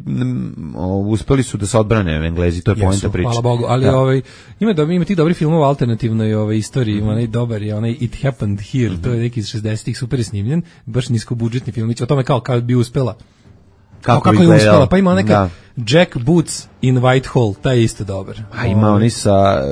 uspeli su da se odbrane Englezi, to je poenta priče. Hvala Bogu, ali da. ovaj, ima, do, ima ti dobri filmova alternativnoj ovaj, istoriji, mm-hmm. onaj dobar je, onaj It Happened Here, mm-hmm. to je neki iz šezdesetih, super je snimljen, baš niskobudžetni filmić, o tome kao kad bi uspela. Kako, kako je uspela, pa ima neka Jack Boots in Whitehall, taj je isto dobar. A ima oni sa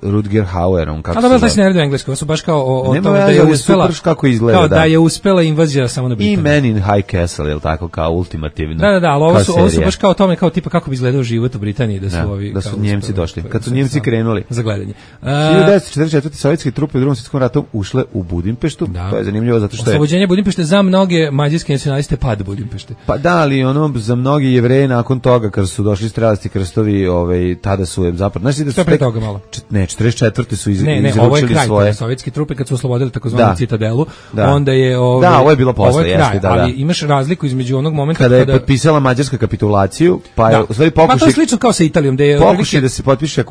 Rutger Hauerom, kako se zove. A da, taj se ne radi u engleskom, su baš kao o, o Nema tome ja, da je uspela, super kako izgleda, kao da. da je uspela invazija samo na Britaniju. I Man in High Castle, je li tako, kao ultimativno. Da, da, da, ali ovo su, ovo su baš kao o tome, kao tipa kako bi izgledao život u Britaniji, da su ja, ovi... Da su kao Njemci uspeli, došli, kad su Njemci krenuli. Za gledanje. hiljadu devetsto četrdeset četvrte. sovjetske trupe u Drugom svjetskom ratu ušle u Budimpeštu, da. To je zanimljivo zato što je... Oslobođenje Budimpešte za mnoge mađarske nacionaliste pad Budimpešte. Pa da, ali ono, za mnogi Jevreje nakon toga, kad su došli strelasti krstovi, ovaj, tada su je zapravo... Znači da su pre toga malo. Čet, ne, četrdeset četvrte su iz, ne, ne, izručili ovo je kraj, svoje... sovjetske trupe kad su oslobodili takozvanu Citadelu, da. Onda je... Ove, da, ovo je bilo posle, ovo je kraj, jeste, da, da. Ali imaš razliku između onog momenta kada... Kada je potpisala Mađarska kapitulaciju, pa je da. u stvari pokušaj... Pa to je slično kao sa Italijom, da je... Pokušaj da se potpiše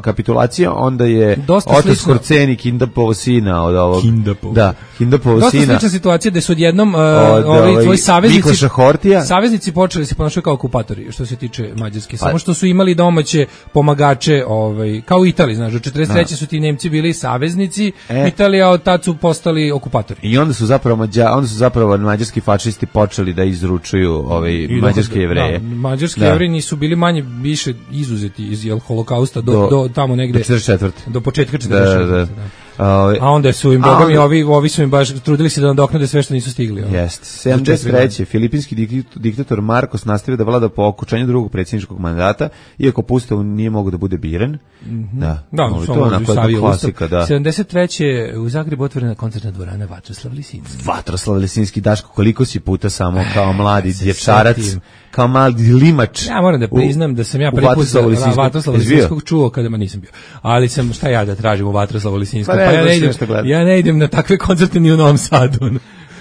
kapitulacija, onda je Oto Skorceni, Kindapovo sina od ovog... Kindapovo. Da, Kindapovo dosta sina. Dosta slična situacija da su odjednom uh, od, ovi ovaj, tvoji saveznici... Hortija. Saveznici počeli se ponašati kao okupatori, što se tiče Mađarske. Samo što su imali domaće pomagače, ovaj, kao u Italiji, znaš, do četrdeset treće su ti Nemci bili saveznici, e. Italija od tad su postali okupatori. I onda su zapravo Mađa, onda su zapravo mađarski fašisti počeli da izručuju ovaj mađarske Jevreje. Da, mađarski da. Jevreji nisu bili manje više izuzeti iz jel holokausta do, do, do tamo negde do četrdeset četvrte. Do početka četrdeset četvrte. Da, da. Da. Uh, a onda su im bogom i ovi, ovi su im baš trudili se da nadoknade sve što nisu stigli. Jeste. sedamdeset treće. Filipinski diktator Marcos nastavio da vlada po okončanju drugog predsjedničkog mandata, iako po ustavu nije mogao da bude biran. Mm-hmm. Da, da no, to je onako klasika. Da. sedamdeset treće. u Zagrebu otvorena koncertna dvorana Vatroslav Lisinski. Vatroslav Lisinski, Daško, koliko si puta samo kao mladi dječarac, kao mladi limač. Ja moram da priznam da sam ja prvi put Vatroslava Lisinskog čuo kada ma nisam bio. Ali sam, šta ja da tražim u Vatroslavu Lisinskog? Pa, pa ja, ne idem, ja ne idem na takve koncerte ni u Novom Sadu.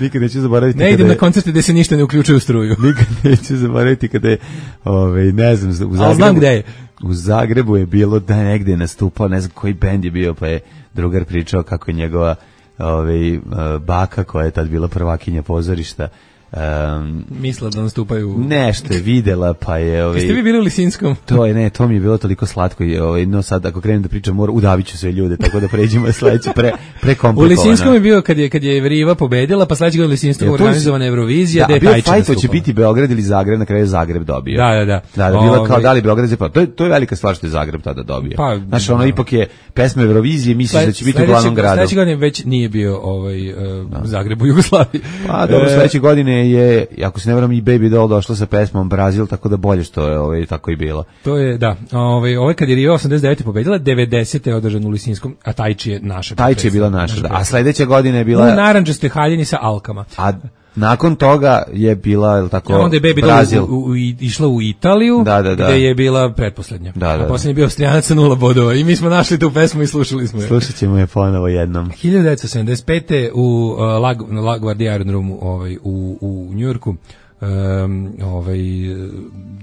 Nikad neću zaboraviti. Ne idem je, na koncerte gde se ništa ne uključuje u struju. Nikad neću zaboraviti kada je, ovaj, ne znam, u Zagrebu, znam gde je. U Zagrebu je bilo da negde je nastupao, ne znam koji bend je bio, pa je drugar pričao kako je njegova ovaj, baka, koja je tad bila prvakinja pozorišta, Um, Misla da nastupaju. nešto je videla, pa je... Ovaj, Jeste vi bili u Lisinskom? To je, ne, to mi je bilo toliko slatko. Je, ovaj, no sad, ako krenem da pričam, mora, udavit ću sve ljude, tako da pređemo sledeće pre, prekomplikovano. U Lisinskom je bio kad je, kad je Riva pobedila, pa sledeće godine u Lisinskom organizovana Eurovizija, da, gde je Tajči bio fajt, nastupao. će biti Beograd ili Zagreb, na kraju Zagreb dobio. Da, da, da. Da, da, bilo Ove, kao da li Beograd, pa to je, to je velika stvar što je Zagreb tada dobio. Pa, znači, ono ipak je pesma Eurovizije, misliš Sled, da će biti u glavnom gradu. Sledeće godine već nije bio ovaj, uh, Zagreb u Jugoslaviji. Pa dobro, sledeće godine je, ako se ne varam, i Baby Doll došla sa pesmom Brazil, tako da bolje što je ovaj, tako i bilo. To je, da, ovaj, ovaj kad je Riva osamdeset devete pobedila, devedesete je održan u Lisinskom, a Tajči je naša. Tajči je bila naša, da. A sledeće godine je bila... U narandžastoj haljini sa alkama. A nakon toga je bila, je li tako, a onda je Baby Brazil. Doll u, u, u, išla u Italiju, da, da, da. gde je bila pretposlednja. Da, da, a poslednji je bio Austrijanac sa nula bodova i mi smo našli tu pesmu i slušali smo je. Slušat ćemo je ponovo jednom. hiljadu devetsto sedamdeset pete u uh, La, na LaGuardia aerodromu ovaj, u, u Njujorku um, ovaj,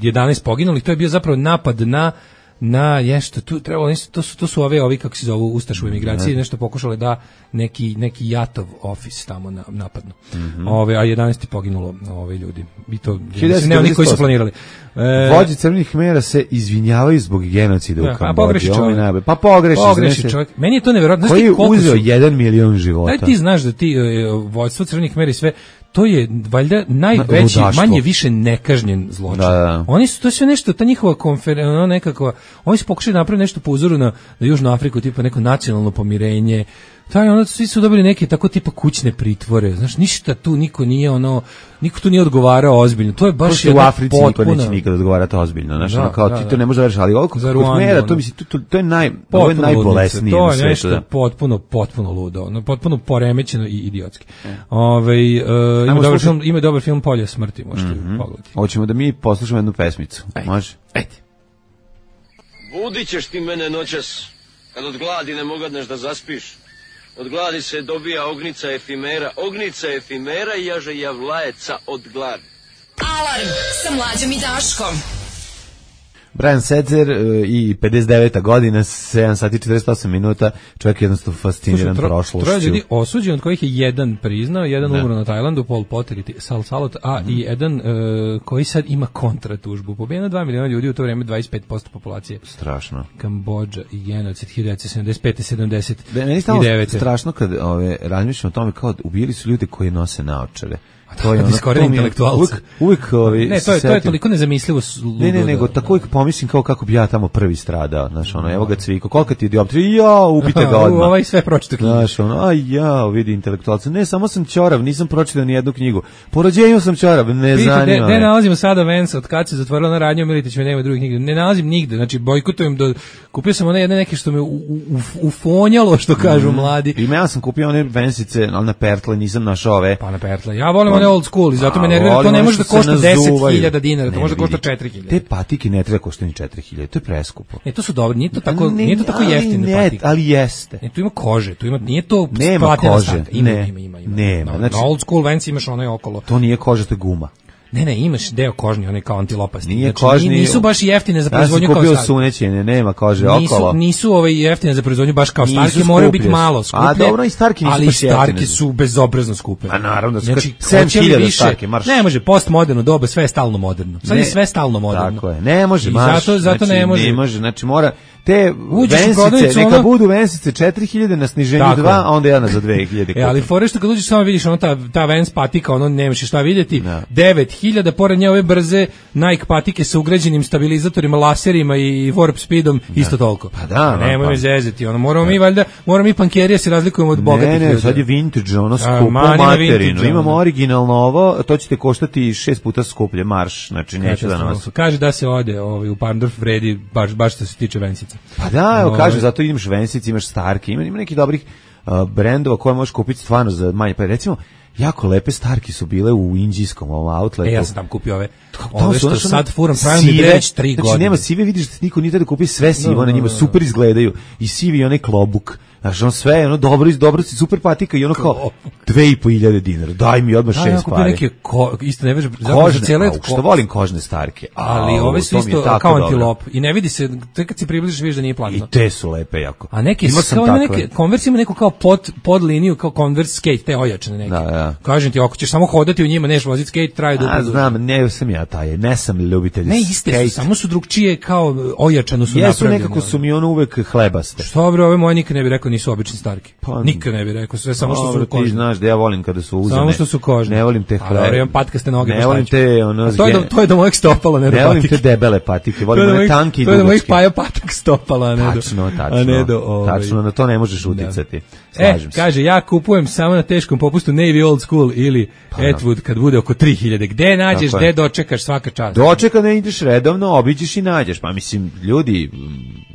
jedanaest poginulih, to je bio zapravo napad na na nešto tu trebalo to su to su ove ovi kako se zovu ustaše u emigraciji, nešto pokušale da neki neki Jatov ofis tamo na, napadnu. Mm -hmm. Ove a jedanaest je poginulo ove ljudi. I to ne oni koji su planirali. E, vođe crvenih mera se izvinjavaju zbog genocida da, u Kambodži. Pa pogreši čovjek. Pa pogreši, pogreši čovjek. Meni je to neverovatno. Koji je uzeo jedan milion života. Daj ti znaš da ti uh, vođstvo crvenih mera i sve to je valjda najveći, ludaštvo. Manje više nekažnjen zločin. Da, da. Oni su, to sve nešto, ta njihova konferencija, nekakva, oni su pokušali napraviti nešto po uzoru na, na Južnu Afriku, tipa neko nacionalno pomirenje, taj, ono, svi su dobili neke tako tipa kućne pritvore, znaš, ništa tu, niko nije, ono, niko tu nije odgovarao ozbiljno, to je baš jedna u Africi potpuna... niko neće nikad odgovarati ozbiljno, znaš, da, ono, kao da, ti to da. ne može da veriš, ali ovo kod mera, to, misli, to, to je, naj, ovo je najbolesnije to na je svetu. nešto da. potpuno, potpuno ludo, ono, potpuno poremećeno i idiotski. E. Ove, uh, ima, dobar slušati... film, ima dobar film Polje smrti, možete mm-hmm. pogledati. Hoćemo da mi poslušamo jednu pesmicu, Ajde. može? Ajde. Budit ćeš ti mene noćas, kad od gladi ne mogadneš da zaspiš. Od gladi se dobija ognica efimera, ognica efimera i jaže javlajeca od gladi. Alarm sa Mlađom i Daškom. Brian Setzer i pedeset deveta godina, sedam sati i četrdeset osam minuta, čovjek je jednostavno fasciniran Slušaj, tro, prošlošću. Troje ljudi osuđen, od kojih je jedan priznao, jedan umro na Tajlandu, Pol Pot i Sal Salot, a mm. i jedan uh, koji sad ima kontratužbu. Pobijeno dva miliona ljudi, u to vrijeme dvadeset pet posto populacije. Strašno. Kambodža i genocid hiljadu devetsto sedamdeset pete sedamdeset devete. Meni je stalo strašno kad ove, razmišljam o tome kao ubili su ljude koji nose naočare. To je ono, intelektualca. Uvijek, uvijek ovi, ne, to je, to je toliko nezamislivo. Ne, ne, nego tako uvijek pomislim kao kako bi ja tamo prvi stradao, znaš, ono, evo ga Cviko, koliko ti je dioptrija, ja, ubite ga odmah. Ovaj sve pročito knjigu. Znaš, ono, aj, ja, vidi intelektualca, ne, samo sam ćorav, nisam pročitao ni jednu knjigu. Po rođenju sam ćorav, ne Vidite, zanima ne, me. Ne nalazimo sada Vance, od kad se zatvorila na radnju, Militić me nema drugih nigde. Ne nalazim nigde, znači bojkotujem do... Kupio sam one jedne neke što me u, u, ufonjalo, što kažu mm. mladi. I ja sam kupio one Vensice, ali na pertle, nisam našao ove. Pa na pertle. Ja volim one old school i zato me nervira, to ne može da košta deset hiljada dinara, to može da košta četiri hiljade. Te patike ne treba košta ni četiri hiljade, to je preskupo. Ne, to su dobre, nije to tako, ne, nije to tako jeftine ne, patike. Ali jeste. Ne, tu ima kože, tu ima, nije to nema kože. Ima, ne, ima, ima, ima. Nema. Na, znači, na old school Vance imaš onaj okolo. To nije koža, to je guma. Ne, ne, imaš deo kožni, onaj kao antilopasti. Nije znači, kožni, nisu baš jeftine za proizvodnju kao starke. Ja sam kupio sunećene, nema kože nisu, okolo. Nisu ove jeftine za proizvodnju baš kao starke, moraju biti malo skuplje. A dobro, i starke nisu ali baš jeftine. Ali starke su bezobrazno skupe. A naravno, da su znači, sedam hiljada starke, marš. Ne može, postmoderno doba, sve je stalno moderno. Sad ne, je sve stalno moderno. Tako je, ne može, marš. Zato, zato znači, ne može. Ne može, znači mora... Te uđeš vensice, neka ono... budu vensice četiri hiljade na sniženju dva, a onda jedna za dve hiljade. E, ali fore što kad uđeš samo vidiš ono ta, ta Vans patika, ono nemaš šta vidjeti, no. devet hiljada, pored nje ove brze Nike patike sa ugrađenim stabilizatorima, laserima i warp speedom, no. isto toliko. Pa da, no, nemoj pa. me zezati, ono, moramo mi valjda, moramo mi pankerija se razlikujemo od bogatih. Ne, ne, ljudi. sad je vintage, ono skupo materinu. Imamo originalno ovo, to će te koštati šest puta skuplje, marš, znači neću da nas. Kaže da se ode ovaj, u Parndorf vredi, baš, baš što se tiče Vensica. Pa da, evo kaže, zato imaš Vensice, imaš Starke, ima, ima nekih dobrih uh, brendova koje možeš kupiti stvarno za manje. Pa recimo, jako lepe Starke su bile u indijskom ovom outletu. E, ja sam tam kupio ove, ove, ove što sad furam, pravim mi već tri znači, godine. Nema sive, vidiš da niko nije da kupi sve sivo, no, na njima super izgledaju. I sivi onaj klobuk. Znaš, on sve, ono, dobro, iz dobro si, super patika i ono kao dve i po hiljade dinara, daj mi odmah Da, šest ja kupio pari. neke, ko, isto ne veže, Kožne, a, što volim kožne starke. Ali A, ove su to mi je isto tako kao dobro. antilop i ne vidi se, tek kad se približiš vidiš da nije I platno. te su lepe jako. A neke Imao sam kao ima takve. neke Converse ima neku kao pod pod liniju kao Converse skate te ojačane neke. Da, da. Kažem ti, ako ćeš samo hodati u njima, neš voziti skate, traje dugo. A, znam, ne sam ja taj, ne sam ljubitelj Ne iste skate. su, samo su drugčije kao ojačano su Jesu, napravljene. nekako su mi ono uvek hlebaste. Što bre, ove moje nikad ne bih rekao nisu obični starki. Pa, nikad ne bih rekao, sve samo što Dobro, su kožne. ti znaš da ja volim kada su uzane. Samo što su kožne. Ne volim te A, hle. dobro, imam patkaste noge, Ne pa volim šta ću? te ono. A to je do, to je do mojeg stopala, ne do Ne volim patike. te debele patike, To volim je do one mojih- tanke i To je do mojih dugačke. paja patak stopala, a ne do. Tačno, tačno. A ne do, ovaj. Tačno, na to ne možeš uticati. E, Slažem se. kaže, ja kupujem samo na teškom popustu Navy Old School ili Atwood kad bude oko tri hiljade. Gde nađeš, Tako je. gde dočekaš svaka čast? Dočeka ne ideš redovno, obiđeš i nađeš. Pa mislim, ljudi,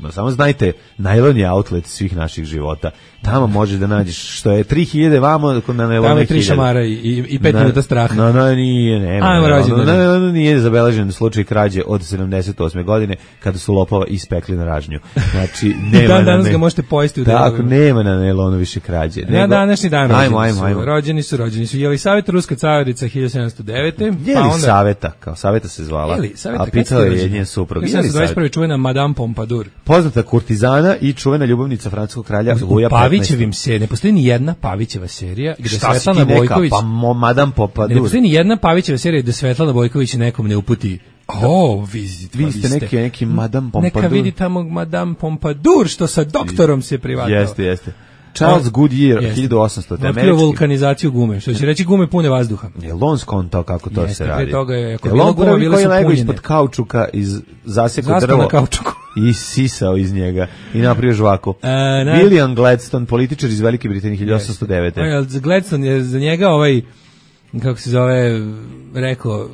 m, samo znajte, najlon je outlet svih naših života. Tamo može da nađeš što je tri hiljade vamo na Tamo najlone je tri šamara i, i, i pet minuta straha. No, no, nije, nema. Ajmo, na rođendan. najlonu. Na najlonu nije zabeležen slučaj krađe od sedamdeset osme godine kada su lopova ispekli na ražnju. Znači, nema Dan na danas ne- ga možete pojesti u Tako, delovima. nema na najlonu više krađe. Na Nego- današnji dan rođeni Ajmo, ajmo, su. ajmo. Rođeni su, rođeni su. Jelisaveta, ruska carica hiljadu sedamsto devete. Je li Saveta, kao Saveta se zvala, Jeli, Saveta, a kad pitala ste je rođeni? njen suprug. hiljadu sedamsto dvadeset prve čuvena Madame Pompadour. Poznata kurtizana i čuvena ljubavnica francuskog kralja U Luja Pavićevim se ne postoji ni jedna Pavićeva serija gde Šta si ti Svetlana neka, Bojković pa mo, Madame ne Pompadour. postoji ni jedna Pavićeva serija gde Svetlana Bojković nekom ne uputi. O, vi, Vi ste neki, neki Madame Pompadour. Neka vidi tamo Madame Pompadour što sa doktorom se privatao. Jeste, jeste. Charles Goodyear, Jeste. hiljadu osamsto. Otkrio američki. vulkanizaciju gume, što će reći gume pune vazduha. Je on skontao kako to Jeste, se pre radi? toga je- ako je Jel bilo on guma, prvi bile koji su je legao punjene. ispod kaučuka iz zaseko Zaspao drvo na kaučuku. i sisao iz njega i napravio žvaku. E, na- William Gladstone, političar iz Velike Britanije, hiljadu osamsto devete. Ovaj, ali Gladstone je za njega ovaj, kako se zove, rekao,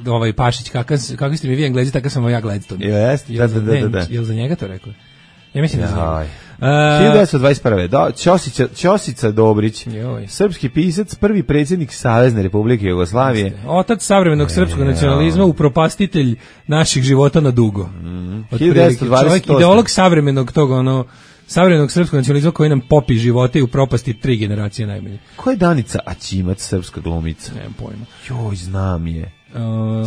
ovaj Pašić, kakav, kakvi ste mi vi Englezi, takav sam ja Gladstone. Jeste, da, da, da, da, da. Jel za njega to rekao? Ja mislim da za njega. Jaj. E, hiljadu devetsto dvadeset prve. Da, Ćosića, Ćosica Dobrić, Joj. srpski pisac, prvi predsjednik Savezne Republike Jugoslavije. Otac savremenog srpskog nacionalizma, upropastitelj naših života na dugo. Otprilike, hiljadu devetsto dvadeset osme. čovjek, ideolog savremenog tog, ono, savremenog srpskog nacionalizma koji nam popi živote i upropasti tri generacije najmanje. Ko je Danica Aćimac, srpska glumica? Nemam pojma. Joj, znam je. Uh,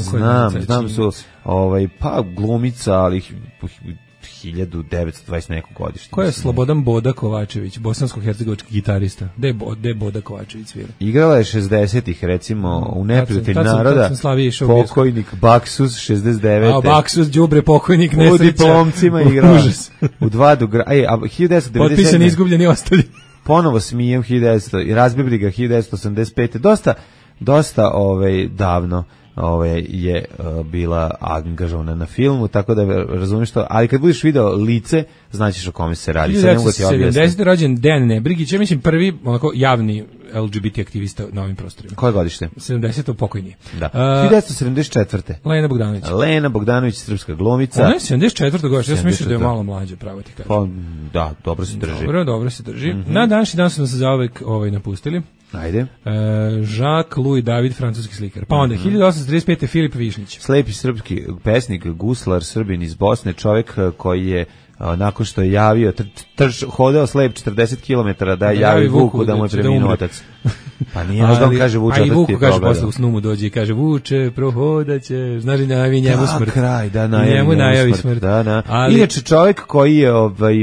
ko je Znam, Danica znam su, Aćimović? ovaj, pa glumica, ali hi- hiljadu devetsto dvadeset neko godište. Ko je mislim. Slobodan Boda Kovačević, bosansko-hercegovački gitarista? Gde je Bo- gde je Boda Kovačević svira? Igrala je šezdesetih, recimo, u Neprijatelj Tad sam- tad sam- naroda, tad sam Slaviji išao u bioskop. pokojnik Baksus, šezdeset devete. A Baksus, đubre, pokojnik, U nesreća. diplomcima igrala. Užas. U dva dugra... Ej, a hiljadu devetsto devedeset sedme. Potpisan, izgubljen i ostali. Ponovo smijem hiljadu devetsto i razbibri ga hiljadu devetsto osamdeset pete. Dosta, dosta ovaj, davno ovaj, je uh, bila angažovana na filmu, tako da razumiješ to, ali kad budeš video lice, znaćeš o kome se radi. Sad ne mogu ti objasniti. sedamdesete rođen Dejan Nebrigić, ja mislim prvi onako javni L G B T aktivista na ovim prostorima. Koje godište? sedamdeseto pokojni. Da. Uh, hiljadu devetsto sedamdeset četvrte. Lena Bogdanović. Lena Bogdanović, srpska glumica. Ona je sedamdeset četvrtog godište, ja sam mislio da je sedamdeset četvrtog. malo mlađa, pravo ti kažem. Pa, da, dobro se drži. Dobro, dobro se drži. Mhm. Na današnji dan su nas zaovek ovaj, napustili. Ajde. E, Jacques Louis David, francuski slikar. Pa onda, Mhm. hiljadu osamsto trideset pete Filip Višnić. Slepi srpski pesnik, guslar, Srbin iz Bosne, čovjek eh, koji je a, nakon što je javio, tr, trč, hodao slep četrdeset kilometara da je javi Vuku da mu je će da preminuo umre. otac. Pa nije možda on kaže Vuče, a i otac ti Vuku je kaže progledao. posle u snu mu dođe i kaže Vuče, prohodaće, znaš li da najavi njemu Da, smrt. kraj, da, I najavi njemu njemu najavi smrt, smrt. Da, da. Ali- Inače čovjek koji je ovaj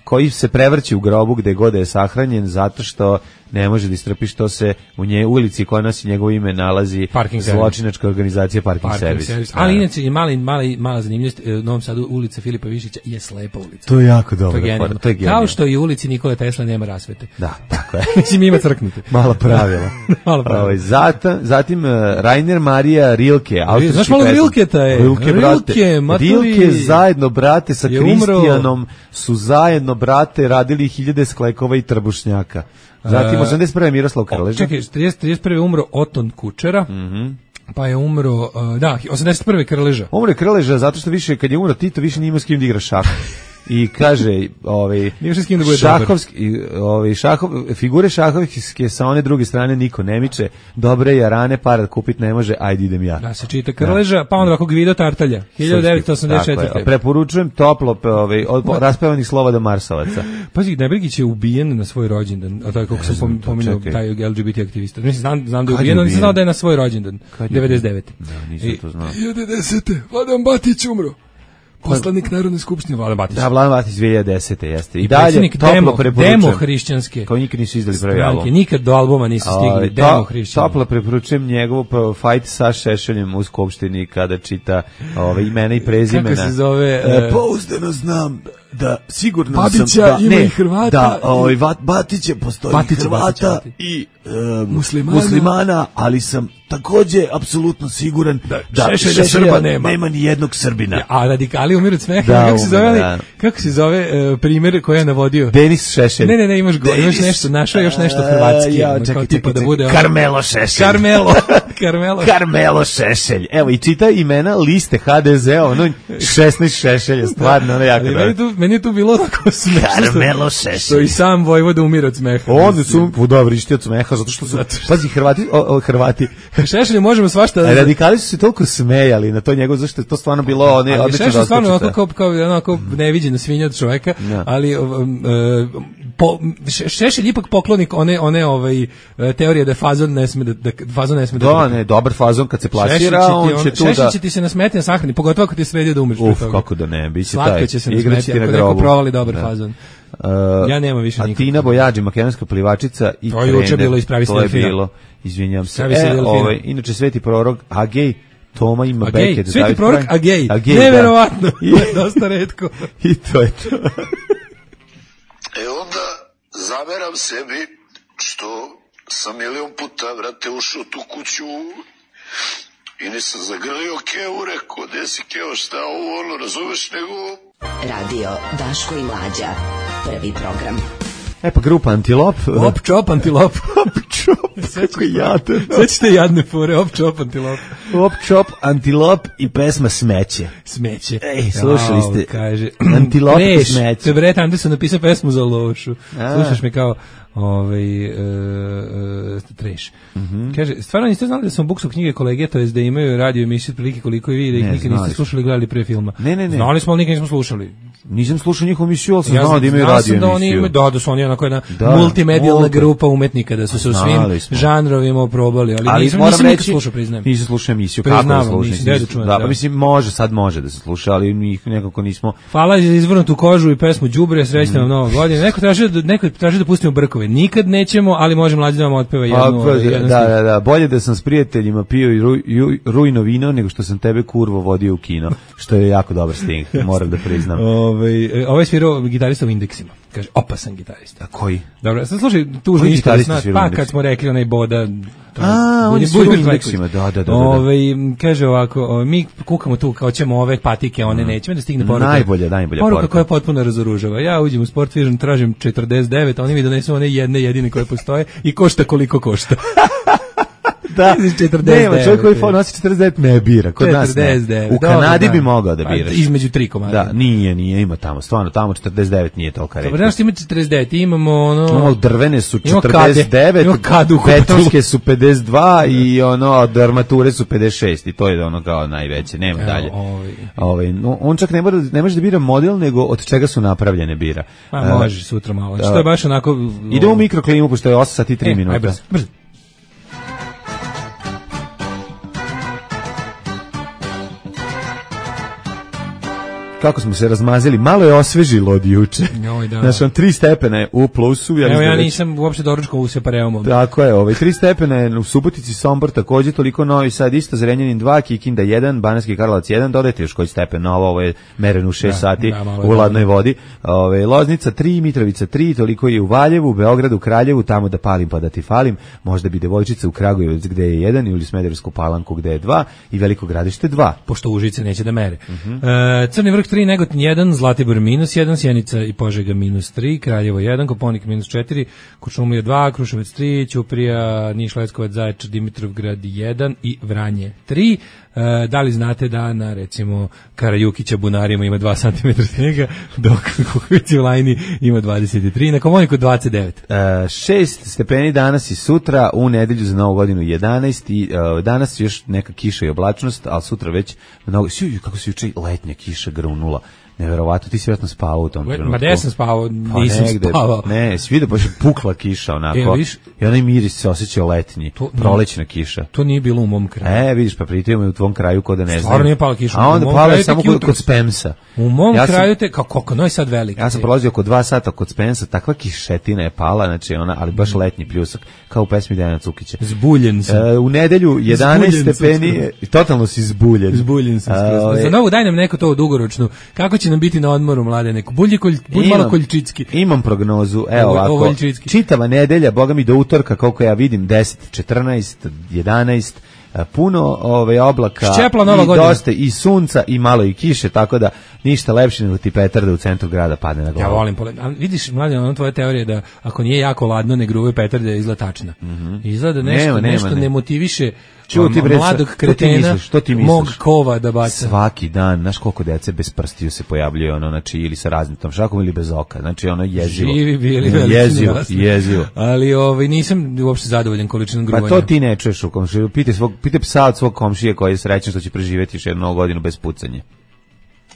koji se prevrće u grobu gde god je sahranjen zato što ne može da istrpi što se u nje ulici koja nosi njegovo ime nalazi Parking servis. zločinačka organizacija Parking, Parking servis. servis. Da, Ali da. inače i mali mali mala zanimljivost, e, u Novom Sadu ulica Filipa Višića je slepa ulica. To je jako To dobro. je genijalno. To je genijalno. Kao što i u ulici Nikole Tesla nema rasvete. Da, tako je. Mislim, ima crknute. Mala pravila. Malo pravila. Ovaj, zata, zatim uh, Rainer Maria Rilke, austrijski Znaš malo pesnik. Rilketa je? Rilke, brate. Rilke, maturi. Rilke zajedno, brate, sa Je umro. Kristijanom su zajedno, brate, radili hiljade sklekova i trbušnjaka. Zatim, E, osamdeset prve Miroslav Krleža. Čekaj, trideset, trideset prve umro Oton Kučera, Mhm. pa je umro, uh, da, osamdeset prve Krleža. Umro je Krleža zato što više, kad je umro Tito, više nije imao s kim da igra šah. i kaže, ovaj Nije s kim da bude šahovski, ovaj šahov, figure šahovske sa one druge strane niko ne miče, dobre jarane para kupit ne može, ajde idem ja. Da se čita Krleža, pa onda ovako Gvido Tartalja, hiljadu devetsto osamdeset četvrte. Preporučujem toplo ovaj od raspevanih Slobodana Marsovaca. Pazi, Nebrigić je ubijen na svoj rođendan, a to je kako sam pominjao taj L G B T aktivista. Mislim, znam, znam da je ubijen, ali nisam znao da je na svoj rođendan, devedeset devete. Da, nisam to znao. hiljadu desete. Vladan Batić umro. Poslanik Narodne skupštine Vladan Batić. Da, Vladan Batić dve hiljade desete jeste. I, I dalje toplo preporučujem. Demo hrišćanske. Kao nikad nisu izdali prvi album. Nikad do albuma nisu stigli. To, demo hrišćanske. Toplo preporučujem njegov fight sa Šešeljem u skupštini kada čita ove imena i prezimena. Kako se zove? E, pouzdano znam da sigurno Babića sam da, ima ne, i Hrvata. Da, ovaj Batiće postoji Batić, Hrvata Batić, i um, muslimana. muslimana, ali sam takođe apsolutno siguran da, da Šešelja Srba nema. Nema ni jednog Srbina. Ja, a radikali umiru od smeha. Da, kako se zove? umire, da. Kako se zove uh, primjer koji je navodio? Denis Šešelj. Ne, ne, ne, imaš go, imaš nešto, našao još nešto hrvatski. Ja, kao čekaj, tipa čekaj, da bude Karmelo Šešelj. Karmelo. Karmelo. Karmelo Šešelj. Evo i čita imena liste ha de ze, ono šesnaest Šešelja, stvarno, ono jako. Meni, tu, meni je tu bilo tako smešno. Karmelo Šešelj. Što i sam Vojvoda umire od smeha. On su dobro išti od smeha, zato što su, pazi, Hrvati, o, o, Hrvati. Šešelju možemo svašta. A radikali su se toliko smejali na to njegovo, zašto je to stvarno bilo one odlično doskočice. Šešelj stvarno onako kao, kao onako neviđena svinja od čoveka, no. ali um, po, Šešelj ipak poklonik one one ovaj teorije da fazon ne sme da, da fazon ne sme da. Da, ne, dobar fazon kad se plasira, on će tu da. Šešelj će ti se nasmeti na sahrani, pogotovo ako ti sredi da umreš. Uf, kako da ne, biće taj. Slatko će se nasmeti ako neko provali dobar fazon. Uh, ja nema više nikog. A Tina Bojađi, makedonska plivačica i to je juče bilo ispravi se to je bilo, izvinjam se. E, ovaj, inače Sveti prorok Agej Toma ima beket. Sveti prorok Agej, neverovatno, dosta retko. I to je to. E onda zameram sebi što sam milion puta, vrate, ušao tu kuću i nisam zagrlio Kevu, rekao, gde si Keo, šta ovo, ono, razumeš, nego... Radio Daško i Mlađa, prvi program. E pa grupa Antilop. Op čop Antilop. Op čop, kako jadan. Sećate jadne fore, op čop Antilop. Op čop Antilop i pesma Smeće. Smeće. Ej, slušali ste. O, kaže, Antilop i Smeće. To je Brett Anderson napisao pesmu za lošu. A. Slušaš me kao ovaj uh, uh, treš. Mm -hmm. Kaže, stvarno niste znali da sam buksu knjige kolege, to je da imaju radio emisiju prilike koliko i vi, da ih nikad niste slušali, gledali pre filma. Ne, ne, ne. Znali smo, ali nikad nismo slušali. Nisam slušao njihovu emisiju, ali sam ja znao da imaju radio emisiju. Da, oni imaju, da, da su oni onako jedna da, multimedijalna multi. grupa umetnika, da su se u svim smo. žanrovima oprobali, ali, ali nisam, nisam nikad slušao, priznajem. Nisam slušao emisiju, kako da slušam? Da, da, pa mislim, može, sad može da se sluša, ali mi nekako nismo... Hvala za izvrnutu kožu i pesmu Đubre, srećna vam nova godina. Neko traži da, neko traži da pustimo brkove. Nikad nećemo, ali možemo Mlađi da vam otpeva jednu. Pa, jednu da, da, da, bolje da sam s prijateljima pio i ru, ju, rujno vino, nego što sam tebe kurvo vodio u kino, što je jako dobar sting, moram da priznam. Ove, ovaj svirao gitarista u Indeksima. Kaže, opasan gitarista. A koji? Dobro, sad slušaj, tužni gitarista. Pa kad smo rekli onaj Boda... A, on je svirao u Indeksima, da, da, da. da. Ove, kaže ovako, o, mi kukamo tu kao ćemo ove patike, one mm. nećemo da stigne poruka. Najbolja, najbolja poruka. Poruka koja potpuno razoružava. Ja uđem u Sport Vision, tražim četrdeset devet, a oni mi donesu one jedne jedine koje postoje i košta koliko košta. Da, nema, čovjek koji nosi četrdeset devet ne bira, kod nas ne. U Kanadi bi mogao da biraš. Između tri komada. Da, nije, nije, ima tamo, stvarno, tamo četrdeset devet nije tolika reč. Dobro, znaš ti ima četrdeset devet, imamo ono... Ono, drvene su četrdeset devet, betonske su pedeset dva i ono, od armature su pedeset šest i to je ono kao najveće, nema Evo, dalje. Ovaj. Ovaj, no, on čak ne, mora, ne može da bira model, nego od čega su napravljene bira. Pa može sutra malo, što je baš onako... Idemo u mikroklimu, pošto je osam sati i tri e, minuta. Aj, brzo, brzo. Kako smo se razmazili, malo je osvežilo od juče. Joj, da. Znači, on tri stepena je u plusu. Ja Evo, ja nisam uopšte doručkao u Separeumom. Tako je, ovaj, tri stepena je u Subotici, Sombor takođe, toliko Novi Sad isto, Zrenjanin dva, Kikinda jedan, Banatski Karlovac jedan, dodajte još koji stepen novo, ovo je mereno u šest da, sati da, u ladnoj vodi. Ove, Loznica tri, Mitrovica tri, toliko je u Valjevu, Beogradu, Kraljevu, tamo da palim pa da ti falim, možda bi Devojčica u Kragujevac gde je jedan, ili Smederevsku Palanku gde je dva i Veliko Gradište dva. Pošto Užice neće da mere. Uh -huh. e, Crni vrh tri, Negotin jedan, Zlatibor minus jedan, Sjenica i Požega minus tri, Kraljevo jedan, Koponik minus četiri, Kuršumlija dva, Kruševac tri, Ćuprija, Niš, Leskovac, Zaječar, Dimitrovgrad jedan i Vranje tri. E, da li znate da na, recimo, Karajukića bunarima ima dva centimetra snijega, dok Kukovici u Lajni ima dvadeset tri, na Komoniku dvadeset devet. E, šest stepeni danas i sutra, u nedelju za novu godinu jedanaest i e, danas još neka kiša i oblačnost, ali sutra već mnogo, sju, kako se juče letnja kiša grunula. Neverovatno, ti si vjerojatno spavao u tom trenutku. Ma gde sam spavao, pa nisam negde, spavao. Ne, svi vidio, baš je pukla kiša onako. E, viš, i onaj miris se osjećao letnji, to, prolećna kiša. To nije bilo u mom kraju. E, vidiš, pa pritom je u tvom kraju kod da ne znam. Stvarno nije pala kiša. A onda pala je samo kod, kod Spemsa. U mom ja kraju sam, te, kao koliko, no je sad veliki. Ja sam prolazio oko dva sata kod Spemsa, takva kišetina je pala, znači ona, ali baš letnji pljusak, kao u pesmi Dejana Cukića. Zbuljen sam. E, u nedelju jedanaest stepeni, totalno si zbuljen. Zbuljen sam. A, za novu daj nam neko to dugoročno. Kako će nam biti na odmoru, mlade, neko? Bulji kolj, bulj malo koljčicki. Imam prognozu, evo Ovo, ovako, ovo čitava nedelja, boga mi do utorka, koliko ja vidim, deset, četrnaest, jedanaest, puno ove oblaka Šćepla Nova i godina. Dosta i sunca i malo i kiše, tako da ništa lepše nego ti petarda u centru grada padne na glavu. Ja volim pole. A vidiš, mlađe, ono tvoja teorija da ako nije jako ladno, ne gruvaju petarde, je izgleda tačna. Mm-hmm. Izgleda nešto, nema, nema, nešto ne. ne motiviše Čuti, bre, mladog što ti kretena, misliš, što ti misliš? mog kova da baca. Svaki dan, znaš koliko dece bez prstiju se pojavljuje, ono, znači, ili sa raznim tom šakom ili bez oka, znači, ono, jezivo. Živi bili veliki jezivo, narasli. jezivo. Ali ovaj, nisam uopšte zadovoljan količinom gruvanja. Pa to ti ne čuješ u komšiju. Pitaj, svog, pitaj psa od svog komšije koji je srećan što će preživjeti još jednu novu godinu bez pucanja.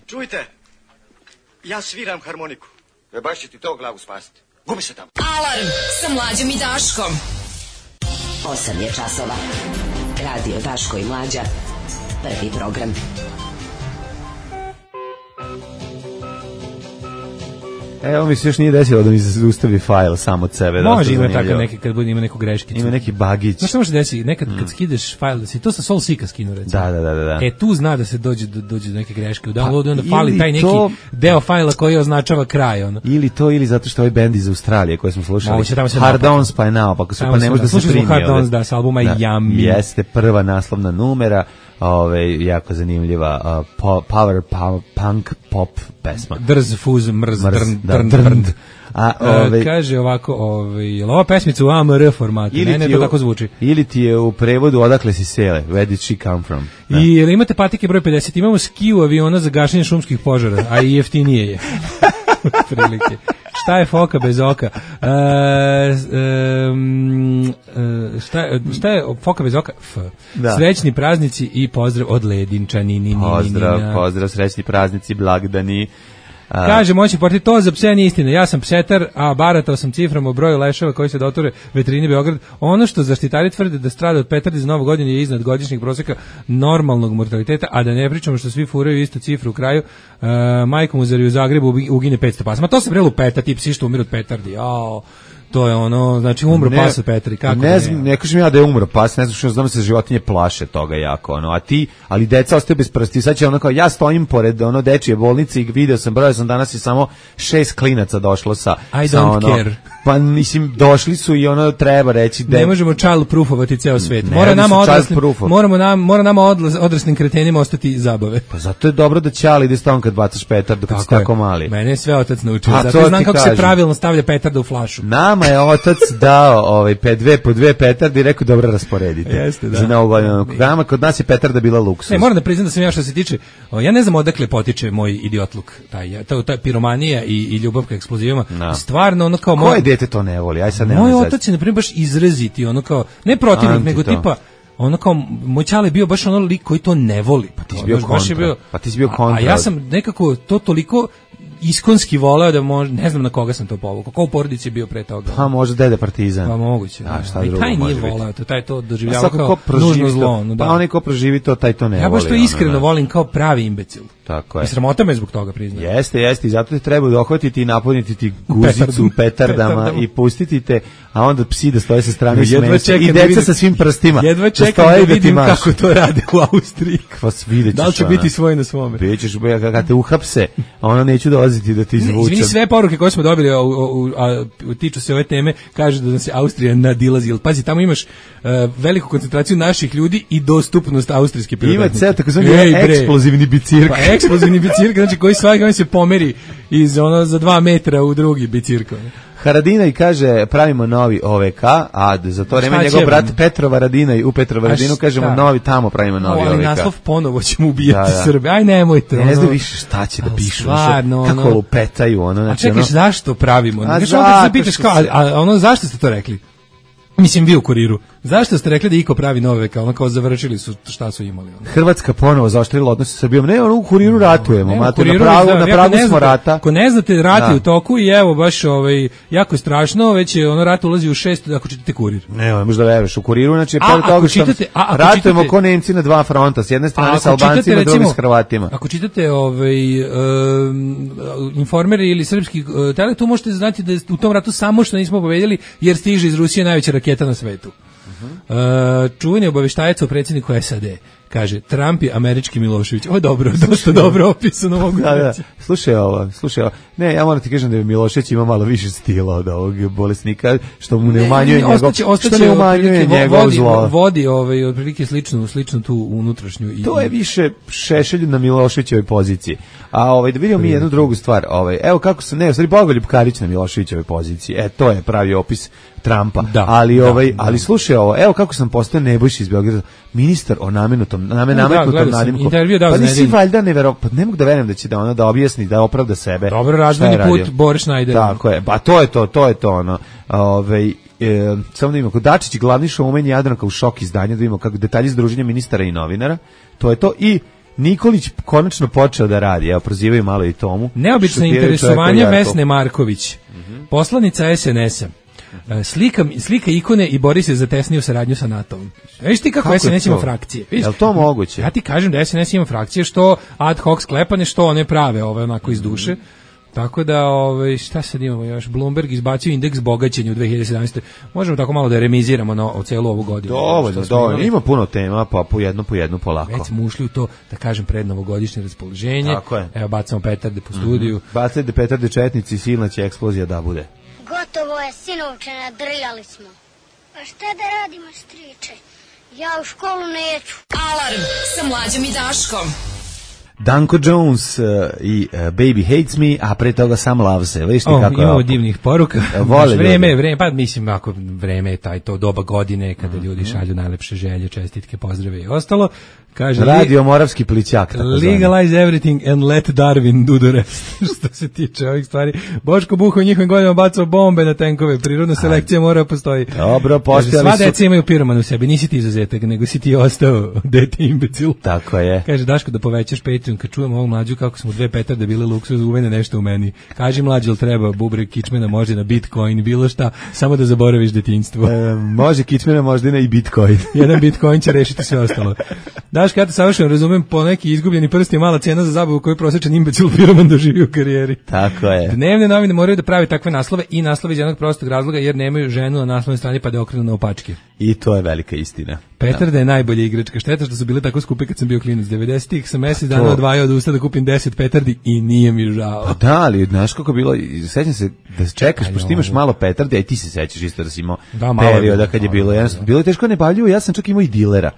Čujte, ja sviram harmoniku. E baš će ti to glavu spasiti. Gubi se tamo. Alarm sa Mlađom i Daškom. osam je časova. Radio Daško i Mlađa. Prvi program. Evo mi se još nije desilo da mi se zaustavi fajl sam od sebe. Može ima tako neke, kad bude ima neku greškicu. Ima neki bagić. Znaš što može desiti? Nekad kad mm. skideš fajl, da si to sa Sol Sika skinu, recimo. Da, da, da, da. E, tu zna da se dođe do, dođe do neke greške u downloadu, pa, onda fali taj neki to, deo fajla koji označava kraj. Ono. Ili to, ili zato što ovaj bend iz Australije koje smo slušali. Moguće, Hard Ons pa je naopako, pa ne može da se primi. Hard Ons, da, sa albuma da, Yummy. Jeste prva naslovna numera. Ove, jako zanimljiva uh, po, power, power, punk, pop pesma. Drz, fuz, mrz, mrz drn, da, drn, drn. drn. A, ove, uh, kaže ovako, ove, je li ova pesmica u A M R formatu? Ne, ne, to tako zvuči. Ili ti je u prevodu Odakle si sele, Where did she come from? Da. I jel imate patike broj pedeset? Imamo skiju aviona za gašenje šumskih požara, a i jeftinije je. Prilike. Šta je foka bez oka? E, um, šta, šta je foka bez oka? F. Da. Srećni praznici i pozdrav od Ledinčani. Pozdrav, pozdrav, srećni praznici, blagdani. A. Kaže, moći porti, to za pse nije istina. Ja sam psetar, a baratao sam cifram o broju leševa koji se doture veterini Beograd. Ono što zaštitari tvrde da strada od petardi za novu godinu je iznad godišnjeg proseka normalnog mortaliteta, a da ne pričamo što svi furaju istu cifru u kraju. Uh, majkom uzari u Zagrebu ugine petsto pasa. Ma to se vrelo peta, ti psi što umiru od petardi. Jao. To je ono, znači umro pas od Petri, kako ne znam, ne kažem ja da je umro pas, ne znam što znam da se životinje plaše toga jako, ono, a ti, ali deca ostaju bez prsti, sad će ono kao, ja stojim pored ono dečije bolnice i video sam, brojao sam danas i samo šest klinaca došlo sa, I sa don't ono, care. pa mislim, došli su i ono treba reći da... Ne možemo child proofovati ceo svet, mora nama odraslim, moramo nam, mora nama odraslim kretenima ostati zabave. Pa zato je dobro da ćali ide stalno kad bacaš petardu, kad si tako mali. Mene je sve otac naučio, zato znam kako kažem. Se pravilno stavlja petarda u flašu. Nama je otac dao ovaj pe dve po dve petarde i rekao dobro rasporedite. Jeste, da. Za novu godinu. Nama kod nas je petarda bila luksuz. Ne, moram da priznam da sam ja što se tiče, ja ne znam odakle potiče moj idiotluk, taj taj, taj piromanija i, i ljubav ka eksplozivima. No. Stvarno ono kao koje moj, dete to ne voli? Aj sad ne. Moj otac je na primjer baš izraziti, ono kao ne protivnik, nego to. Tipa ono kao moj čale bio baš ono lik koji to ne voli. Pa ti si bio kontra. Bio, pa ti si bio kontra. A, a ja sam nekako to toliko iskonski voleo da može, ne znam na koga sam to povukao. Ko u porodici je bio pre toga? Pa možda dede Partizan. Pa moguće. A šta drugo? Taj nije voleo to, taj to doživljava kao nužno zlo. No, pa onaj ko proživi to, taj to ne voli. Ja baš to iskreno ono, volim kao pravi imbecil. Tako je. I sramota me zbog toga, priznam. Jeste, jeste, i zato te treba dohvatiti i napuniti ti guzicu petardama, petardama i pustiti te, a onda psi da stoje sa strane i deca sa svim prstima. Jedva čekam da, da vidim da kako to rade u Austriji. Vas videćeš. Da li će ona. Biti svoj na svome? Bićeš, kada te uhapse, a ona neću da dolaziti da ti izvučem. Izvini, sve poruke koje smo dobili a, a, a, tiču se ove teme, kaže da se Austrija nadilazi. Pazi, tamo imaš uh, veliku koncentraciju naših ljudi i dostupnost austrijske prirodnosti. Ima ceo takozvani eksplozivni bicirk. Pa eksplozivni bicirk, znači koji svaki on se pomeri iz ono za dva metra u drugi bicirk. Haradina i kaže pravimo novi O V K, a za to vreme njegov brat Petro Varadinaj u Petro Varadinu kažemo novi tamo pravimo novi O V K. Ali naslov ponovo ćemo ubijati da, da. Srbe. Aj nemojte. Ne ono, znam više šta će da pišu. Stvarno, kako ono, lupetaju. Ono, znači, a čekaš, ono, zašto pravimo? A znači, onda se pitaš kao, a, a ono, zašto ste to rekli? Mislim, vi u Kuriru. Zašto ste rekli da iko pravi nove, kao ono kao završili su šta su imali? Ono. Hrvatska ponovo zaoštrila odnose sa Srbijom. Ne, ono u Kuriru ratujemo. Ne, Mate, kuriru, na pravu, da, na pravu smo znate, rata. Ako ne znate, rat je u toku i evo, baš ovaj, jako je strašno, već je ono rat ulazi u šest, ako čitate Kurir. Ne, možda veruješ u Kuriru, znači, pored toga što ratujemo ko Nemci na dva fronta, s jedne strane sa Albancima, druge s Hrvatima. Ako čitate ovaj, um, informeri ili srpski uh, tele, tu možete znati da u tom ratu samo što nismo pobedili, jer stiže iz Rusije najveća raketa na svetu. Uh, čuveni obaveštajac o predsjedniku S A D kaže Trump je američki Milošević. O dobro, dosta dobro opisano mogu da, da. Slušaj ovo, slušaj ovo. Ne, ja moram ti kažem da je Milošević ima malo više stila od ovog bolesnika, što mu ne umanjuje njegov, ostaće, ostaće, što ne umanjuje njegov vodi, zlo. Vodi ovaj otprilike sličnu, sličnu tu unutrašnju i to je više Šešelj na Miloševićevoj poziciji. A ovaj da vidimo mi jednu drugu stvar, ovaj evo kako se ne, u stvari Bogoljub Karić na Miloševićevoj poziciji. E to je pravi opis Trumpa. Da, ali da, ovaj, da. ali slušaj ovo, evo kako sam postao Nebojša iz Beograda, ministar o namenutom, namen nametnutom nadimku. Pa nisi valjda neverovatno, pa ne mogu da verujem da će da ona da objasni, da opravda sebe. Dobro razvojni put Boris Schneider. Tako je, pa to je to, to je to ono. Ovaj e, samo da vidimo, kod Dačić glavni showman Jadranka u šok izdanja, da vidimo kako detalji združenja ministara i novinara. To je to i Nikolić konačno počeo da radi, evo prozivaju malo i Tomu. Neobično interesovanje Vesne Marković, mm-hmm. poslanica S N S-a. Slika, slika ikone i bori se za tesniju saradnju sa NATO-om. Viš ti kako, kako S N S ima frakcije? Je li to moguće? Ja ti kažem da S N S ima frakcije što ad hoc sklepane, što one prave, ove onako iz duše. Mm. Tako da, ove, šta sad imamo još? Bloomberg izbacio indeks bogaćenja u dve hiljade sedamnaestoj. Možemo tako malo da remiziramo na o celu ovu godinu. Dovoljno, dovoljno. Ima puno tema, pa po jedno, po jedno, polako. Već smo ušli u to, da kažem, prednovogodišnje raspoloženje. Tako je. Evo, bacamo petarde po studiju. Mm-hmm. Bacajte petarde četnici, silna će eksplozija da bude. Gotovo je, sinovče, nadrljali smo. A šta da radimo, striče? Ja u školu neću. Alarm sa Mlađom i Daškom. Danko Jones uh, i uh, Baby Hates Me, a pre toga Sam Loves Se. Viš ti oh, kako je imamo divnih poruka. Vole vreme, vreme, pa mislim, ako vreme je taj to doba godine kada mm-hmm. ljudi šalju najlepše želje, čestitke, pozdrave i ostalo. Kaže, Radio Moravski plićak. Legalize everything and let Darwin do the rest. Što se tiče ovih stvari. Boško Buho njihovim godinama bacao bombe na tenkove. Prirodna selekcija mora postoji. Dobro, postojali su. Sva deca imaju piroman u sebi. Nisi ti izuzetak, nego si ti ostao dete imbecil. Tako je. Kaže, Daško, da povećaš Patreon kad čujemo ovu mlađu kako smo dve petarde bile luksuz, uvene nešto u meni. Kaži mlađe, ili treba bubreg kičmena, može na Bitcoin, bilo šta, samo da zaboraviš detinjstvo. E, može kičmena, možda i na i Bitcoin. Jedan Bitcoin će rešiti sve ostalo. Daško, ja te savršeno razumem, po neki izgubljeni prst je mala cena za zabavu koju prosječan imbecil piroman doživi u karijeri. Tako je. Dnevne novine moraju da prave takve naslove i naslove iz jednog prostog razloga jer nemaju ženu na naslovnoj strani pa da okrenu na opačke. I to je velika istina. Petarda da. je najbolja igračka. Šteta što su bile tako skupe kad sam bio klinac. devedesetih sam mesec dana odvajao od usta da kupim deset petardi i nije mi žao. Pa da, ali znaš kako bilo, sećam se da čekaš, pošto imaš malo petardi, a i ti se sećaš isto da si imao da, perioda kad je bilo, jednostavno, bilo je teško nebavljivo, ja sam čak imao i dilera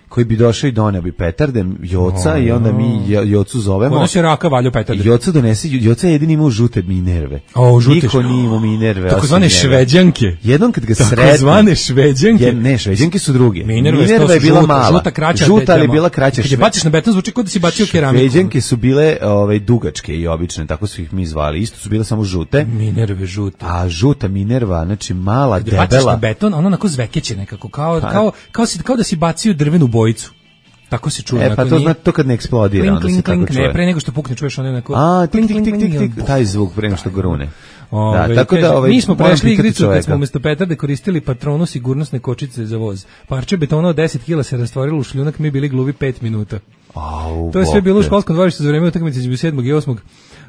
koji bi došao i doneo bi petarde, Joca, oh, i onda mi Jocu zovemo. Ono se raka valio petarde. Joca donese, Joca je jedini imao žute Minerve. O, žute. Niko nije imao Minerve. Tako zvane šveđanke. Jednom kad ga sretno. Tako zvane šveđanke. Je, ne, šveđanke su druge. Minerve, Minerva je bila žuta, mala. Žuta, kraća. Žuta, ali je bila kraća. Kad je baciš na beton, zvuči kao da si bacio keramiku. Šveđanke su bile ovaj, dugačke i obične, tako su ih mi zvali. Isto su bile samo žute. Minerve žute. A žuta Minerva, znači mala, kad debela. Kad baciš na beton, ono onako zvekeće nekako, kao, kao, kao, kao da si bacio drvenu bojicu. Tako se čuje. E, pa to zna to kad ne eksplodira, klink, onda klink, se tako klink, čuje. Ne, pre nego što pukne, čuješ ono neko... A, tik, tik, tik, tik, tik, taj zvuk pre nego što grune. Ove, da, tako da, ovaj, mi smo prešli igricu kad smo umjesto petarde koristili patronu sigurnosne kočice za voz. Parče betona od deset kila se rastvorilo u šljunak, mi bili gluvi pet minuta. Au, to je sve bilo u školskom dvorištu za vreme utakmice između sedmog i osmog.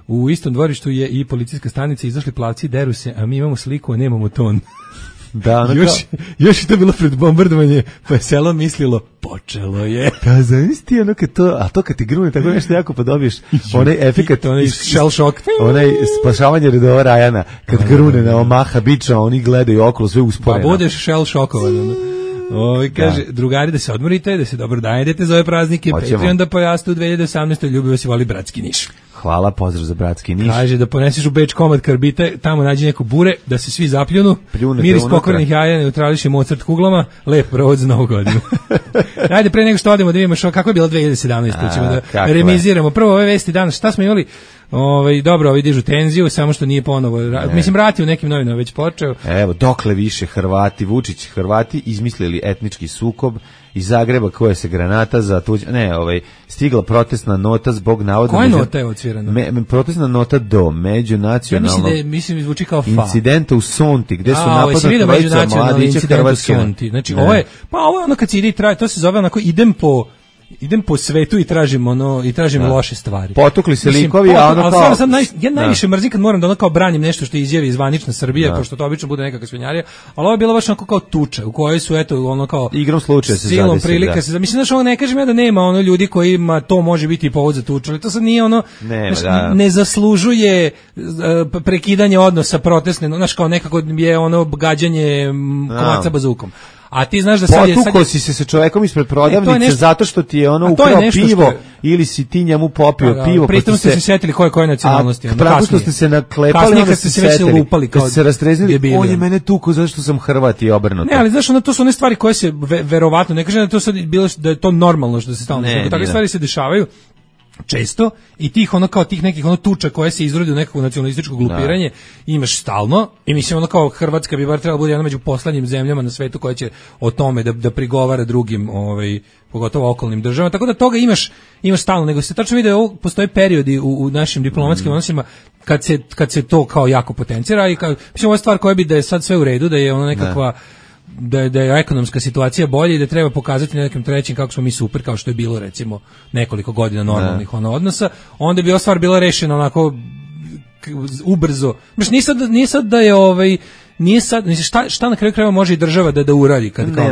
U istom dvorištu je i policijska stanica, izašli plavci, deru se, a mi imamo sliku, a nemamo ton. Da, ono još, kao... još je to bilo pred bombardovanje, pa je selo mislilo, počelo je. Da, znaš ti ono kad to, a to kad ti grune tako nešto jako pa dobiješ onaj efekat, onaj shell shock, onaj spašavanje redova Rajana, kad grune na Omaha biča, oni gledaju okolo sve usporeno. Pa budeš shell shockovan. Ovi kaže, da. Drugari da se odmorite, da se dobro dajedete za ove praznike, Patreon da pojaste u dve hiljade osamnaestoj ljubi vas i voli bratski Niš. Hvala, pozdrav za bratski Niš. Kaže da poneseš u Beč komad karbite, tamo nađi neko bure, da se svi zapljunu, Pljunete miris pokvarnih jaja, neutrališe Mozart kuglama, lep provod za novu godinu. Ajde, pre nego što odemo da vidimo što, kako je bilo dve hiljade sedamnaeste. ćemo da remiziramo. Prvo ove vesti danas, šta smo imali? Ovaj dobro, ovi dižu tenziju, samo što nije ponovo. Ne. Mislim, rati u nekim novinama već počeo. Evo, dokle više Hrvati, Vučić, Hrvati izmislili etnički sukob iz Zagreba koje se granata za tuđ... Ne, ovaj, stigla protestna nota zbog navodno... Koja nota je odsvirana? Me, me, protestna nota do međunacionalnog... Ja mislim da je, mislim, zvuči kao fa. Incidenta u Sonti, gde su napadnuti trojica mladića Hrvatske. Znači, ovo je, pa ovo je ono kad se ide i traje, to se zove onako, idem po... idem po svetu i tražim ono i tražim da. loše stvari. Potukli se likovi, a ono kao... Ali sad naj, ja najviše mrzim kad moram da ono kao branim nešto što izjavi zvanična Srbija, da. pošto to obično bude nekakva svinjarija, ali ovo je bilo baš onako kao tuča, u kojoj su, eto, ono kao... Igrom slučaja se silom zadesi, prilika da. se... Mislim, znaš, ovo ne kažem ja da nema ono ljudi kojima to može biti povod za tuču, ali to sad nije ono... Nema, znaš, da. ne zaslužuje uh, prekidanje odnosa protestne, znaš, kao nekako je ono gađanje kovaca bazukom. A ti znaš da sad je... Potuko si se sa čovekom ispred prodavnice nešto, zato što ti je ono ukrao pivo je, ili si ti njemu popio da, pivo. Pritom ste se setili koje koje nacionalnosti. A pravo što ste se naklepali, kasnije kad ste se već lupali. Kad ste se rastreznili, on je mene tuko zato što sam Hrvat i obrnuto. Ne, ali znaš, ono, to su one stvari koje se ve, verovatno, ne kažem da to sad bilo, da je to normalno što se stalno dešava. Takve stvari se dešavaju često i tih ono kao tih nekih ono tuča koje se izrode u nekako nacionalističko glupiranje da. imaš stalno i mislim ono kao Hrvatska bi bar trebala bude jedna među poslednjim zemljama na svetu koja će o tome da, da prigovara drugim ovaj pogotovo okolnim državama, tako da toga imaš imaš stalno, nego se tačno vidi da postoje periodi u, u našim diplomatskim mm. odnosima kad se, kad se to kao jako potencira i kao, mislim ovo je stvar koja bi da je sad sve u redu, da je ono nekakva da je, da je ekonomska situacija bolja i da treba pokazati na nekim trećim kako smo mi super, kao što je bilo recimo nekoliko godina normalnih ono odnosa, onda bi ova stvar bila rešena onako ubrzo. Znaš, nije sad, nije sad da je ovaj nije sad, mislim, šta, šta na kraju krajeva može i država da da uradi kad kao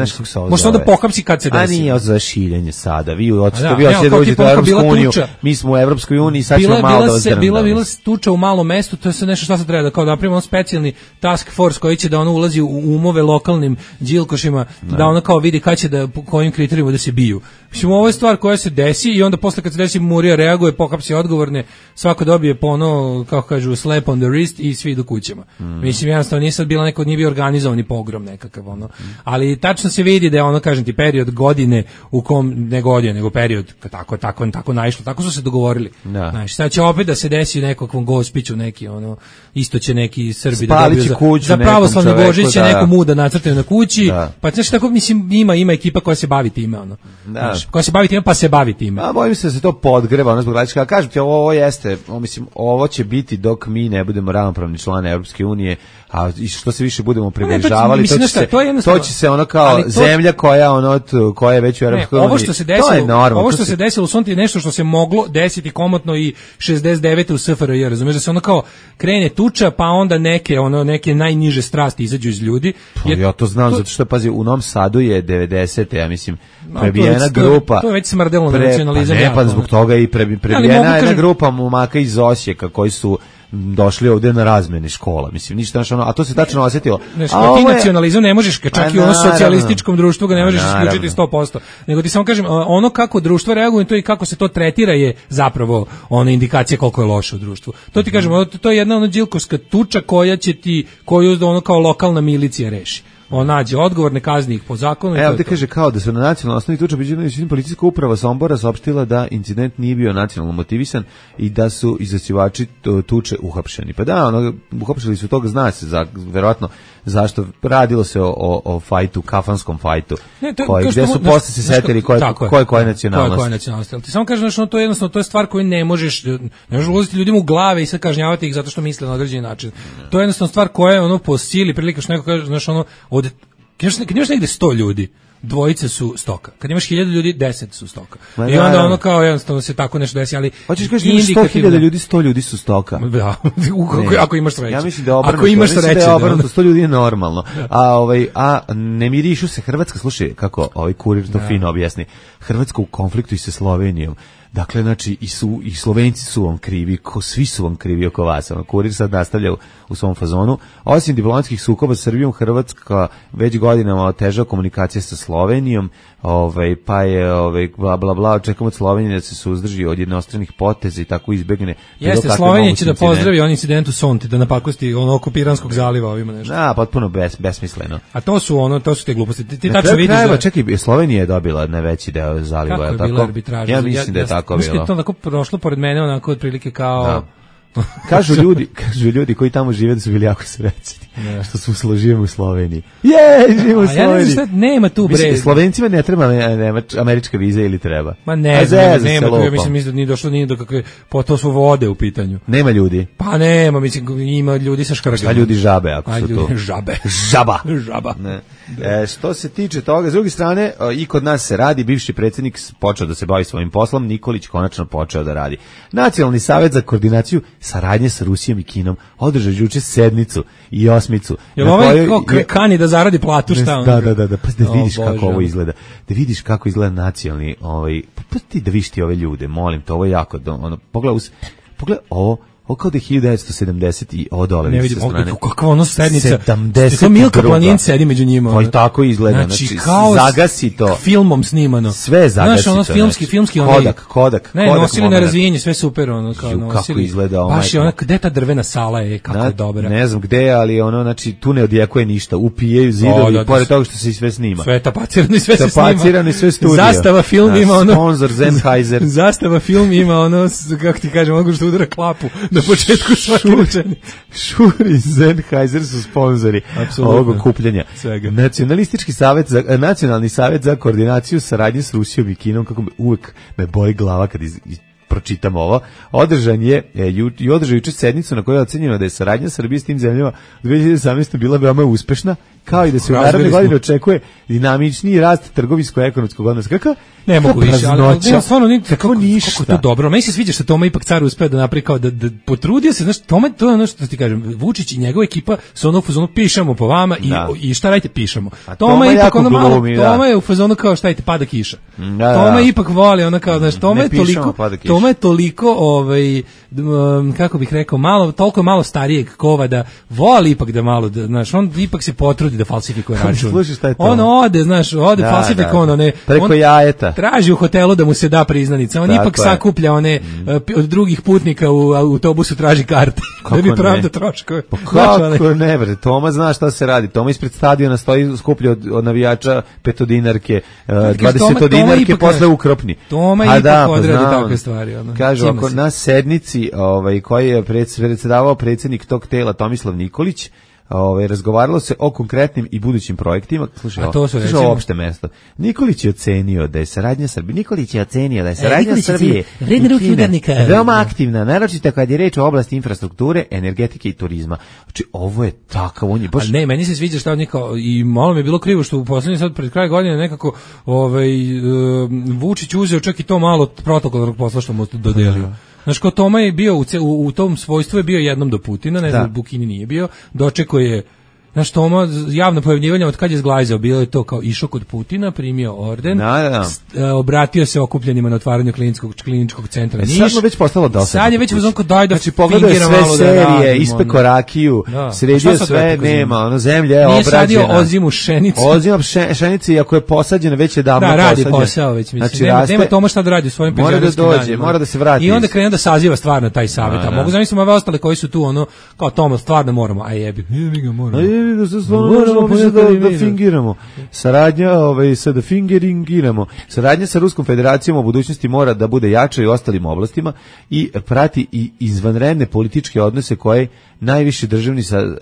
može onda pohapsi kad se desi. A nije za širenje sada. Vi hoćete vi hoćete da uđete u Evropsku uniju. Mi smo u Evropskoj uniji, sad ćemo malo da vas drndamo. Bila bila tuča u malom mestu, to je sve nešto šta se treba da kao da napravimo specijalni task force koji će da ono ulazi u umove lokalnim đilkošima, da, da ono kao vidi kad će da po kojim kriterijima da se biju. Mislim, ovo je stvar koja se desi i onda posle kad se desi Murija reaguje, pohapsi odgovorne, svako dobije po ono, kako kažu, slap on the wrist i svi idu kućama. Mm. Mislim, jednostavno nije sad bila neko, nije bio organizovani pogrom nekakav, ono. Ali tačno se vidi da je ono, kažem ti, period godine u kom, ne godine, nego period, tako, tako, tako naišlo, tako su se dogovorili. Da. Znaš, sad će opet da se desi u nekakvom Gospiću, neki, ono, isto će neki Srbi da dobiju za, za pravoslavni Božić će neko muda nacrtaju na kući, da. Pa znači tako, mislim, ima, ima ekipa koja se bavi time, ono. Da. Znaš, koja se bavi time, pa se bavi time. A bojim se da se to podgreva, ono zbog različika. Kažem ti, ovo, ovo jeste, ovo, mislim, ovo će biti dok mi ne budemo ravnopravni član Evropske unije, a što se više budemo približavali, to, to, to, to, to će se ono kao to, zemlja koja ono koja je već u Evropskoj uniji. Ovo što se desilo, ovo što se desilo u Sonti je nešto što se moglo desiti komotno i šezdeset devete u S F R J, razumeš, da se ono kao krene tuča, pa onda neke ono neke najniže strasti izađu iz ljudi. Pa, ja to znam to, zato što pazi, u Novom Sadu je devedesete, ja mislim, prebijena no, grupa. To, to je već smrdelo na nacionalizam. Pa ne, pa zbog toga i prebijena jedna kažem, grupa momaka iz Osijeka koji su došli ovdje na razmene škola, mislim, ništa naš ono, a to se tačno osjetilo. Znači, ti je... nacionalizam ne možeš, čak i u ono socijalističkom društvu ga ne možeš isključiti sto posto, nego ti samo kažem, ono kako društvo reaguje to i kako se to tretira je zapravo ona indikacija koliko je loše u društvu. To ti kažem, to je jedna ono džilkovska tuča koja će ti, koju ono kao lokalna milicija reši. On nađe odgovorne, kazni ih po zakonu. Evo te kaže kao da su na nacionalnoj osnovi tuča biđena policijska uprava Sombora saopštila da incident nije bio nacionalno motivisan i da su izasivači tuče uhapšeni. Pa da, ono, uhapšili su toga, zna se za, verovatno zašto radilo se o, o, o fajtu, kafanskom fajtu, ne, to, koji, gde su mu, posle se setili koje je koje koje nacionalnosti. Koje je nacionalnosti. Ali ti samo kažeš, ono, to je jednostavno, to je stvar koju ne možeš, ne možeš ulaziti ljudima u glave i sad kažnjavati ih zato što misle na određeni način. To je jednostavno stvar koja je ono po sili, prilika što neko kaže, znaš, ono, od, kad imaš negde sto ljudi, dvojice su stoka. Kad imaš hiljadu ljudi, deset su stoka. Ma I onda da, ono kao jednostavno se tako nešto desi, ali hoćeš kažeš imaš sto hiljada ljudi, sto ljudi su stoka. Da, ako, ako imaš sreće. Ja mislim da je obrnuto. Ako imaš sreće, da je obrnuto, sto ljudi je normalno. A ovaj a ne mirišu se Hrvatska, slušaj kako ovaj kurir to da. fino objasni. Hrvatska u konfliktu i sa Slovenijom. Dakle, znači, i, su, i Slovenci su vam krivi, ko, svi su vam krivi oko vas. Ono, kurir sad nastavlja u, u svom fazonu. Osim diplomatskih sukoba s Srbijom, Hrvatska već godinama otežava komunikacije sa Slovenijom, ovaj, pa je ovaj, bla, bla, bla, očekamo od Slovenije da se suzdrži od jednostranih poteza i tako izbegne. Jeste, Slovenija će da pozdravi on incident u Sonti, da napakosti ono oko Piranskog zaliva ovima nešto. Da, potpuno bes, besmisleno. A to su ono, to su te gluposti. Ti, ti na tačno vidiš da... Čekaj, Slovenija je dobila najveći deo zaliva, kako je tako? bila arbitraža? Ja mislim ja, da je tako bilo. Mislim da je to onako prošlo pored mene, onako otprilike kao... Da. kažu ljudi, kažu ljudi koji tamo žive da su bili jako srećni. Ne. Što su živimo u Sloveniji. Je, živimo u Sloveniji. Ja ne znam šta, nema tu bre. Mislim, Slovencima ne treba američka viza ili treba? Ma ne, znam, nema tu, ja mislim, mislim da nije došlo nije do kakve, po to su vode u pitanju. Nema ljudi? Pa nema, mislim, ima ljudi sa škrgama. Šta ljudi žabe, ako su to? Žabe. Žaba. Žaba. Ne. E, što se tiče toga, s druge strane, i kod nas se radi, bivši predsjednik počeo da se bavi svojim poslom, Nikolić konačno počeo da radi. Nacionalni savjet za koordinaciju saradnje sa Rusijom i Kinom održao juče sednicu i osmicu. Jel ovaj kao kani da zaradi platu, šta on? Da, da, da, da, pa da vidiš o, kako Bože. Ovo izgleda. Da vidiš kako izgleda nacionalni, ovaj, pa ti da vidiš ti ove ljude, molim te, ovo je jako, ono, pogledaj, pogledaj ovo, ovo kao da je hiljadu devetsto sedamdeset i ovo dole ne vidim, kakva ono sednica, sedamdeset to Milka Planin sedi među njima. Pa i tako izgleda, znači, znači kao zagasi to. Filmom snimano. Sve zagasi znaš, ono, to. Filmski, filmski, onaj, Kodak, Kodak. Ne, Kodak nosili na razvijenje, sve super, ono, kao Ju, nosili. Kako izgleda ovo. Baš je ona, gde ta drvena sala je, kako na, je dobra. Ne znam gde, ali ono, znači, tu ne odjekuje ništa, upijaju zidovi, da, pored toga što se i sve snima. Sve tapacirano i sve se snima. Tapacirano i sve studio. Zastava film ima ono. Sponsor Sennheiser. Zastava film ima ono, kako ti kažem, mogu što udara klapu na početku Šuri i Sennheiser su sponzori ovog okupljanja. Nacionalistički savjet za, nacionalni savjet za koordinaciju saradnje s Rusijom i Kinom, kako me uvek me boji glava kad iz, iz, pročitam ovo, održan je e, ju, i održao juče sednicu na kojoj je ocenjeno da je saradnja Srbije s tim zemljama u dve hiljade osamnaestoj bila veoma uspešna, kao i da se u naredne godine očekuje dinamičniji rast trgovinsko-ekonomskog odnosa. Kako? Ne mogu više, ali, ali ne, stvarno nije kako ništa. Kako je to dobro. Meni se sviđa što Toma ipak car uspeo da napravi kao da, da potrudio se, znaš, Toma, to je ono što ti kažem, Vučić i njegova ekipa su ono u fazonu pišemo po vama i, i šta radite, pišemo. A Toma, Toma je ipak ono malo, glumi, Toma je u fazonu kao šta radite, pada kiša. Da, da. Toma ipak voli, ono kao, znaš, Toma je toliko, Toma je toliko, ovaj, kako bih rekao, malo, toliko malo starijeg kova da voli ipak da malo, da, znaš, on ipak se potrudi da falsifikuje račun. On ode, znaš, ode da, falsifikuje ono, ne, preko on jajeta. Traži u hotelu da mu se da priznanica. On tako ipak je. Sakuplja one mm. od drugih putnika u autobusu traži karte. Da bi pravda troškove. Pa kako ne, bre, Toma zna šta se radi. Toma ispred stadiona stoji skuplja od, od navijača petodinarke, dvadesetodinarke, posle ukropni. Toma ipak da, odradi pa takve stvari. Ono. Kažu, ako na sednici ovaj, koji je predsjedavao predsjednik tog tela Tomislav Nikolić, Ove, razgovaralo se o konkretnim i budućim projektima. Slušaj, a to su slušaj ovo opšte mesto. Nikolić je ocenio da je saradnja Srbije. Nikolić je ocenio da je saradnja e, Srbije veoma aktivna, naročito kad je reč o oblasti infrastrukture, energetike i turizma. Znači, ovo je takav, on je baš... A ne, meni se sviđa šta on je kao, i malo mi je bilo krivo što u poslednji sad pred kraj godine nekako ovaj, uh, Vučić uzeo čak i to malo protokolnog posla što mu dodelio. Znaš, ko Toma je bio u, u, u tom svojstvu je bio jednom do Putina, ne znam, Bukini nije bio, dočeko je, znaš, Toma, javno pojavljivanje od kad je zglajzao, bilo je to kao išao kod Putina, primio orden, da, da. S, a, obratio se okupljenima na otvaranju kliničkog, kliničkog centra Niš. Sad mu već postalo dosadno. Sad je već uzonko daj da znači, pogledaj sve malo serije, da ispe rakiju, da. Sredio sve, nema, ono, zemlja je obrađena. Nije sadio ozimu šenicu. Ozim šenici, iako je posađena, već je davno posađena. Da, radi posao već, mislim. Znači, nema, nema Toma šta da radi u svojim penzionerskim danima. Mora da dođe, mora da se vrati. I onda krene da saziva stvarno taj savjet. A mogu zamisliti ove ostale koji su tu, ono, kao Toma, stvarno moramo, a jebi. Jebi ga moramo. A jebi da se stvarno Da, da fingiramo. Saradnja, ovaj, sa da fingeringiramo. Saradnja sa Ruskom federacijom u budućnosti mora da bude jača i u ostalim oblastima i prati i izvanredne političke odnose koje najviši državni sa, uh,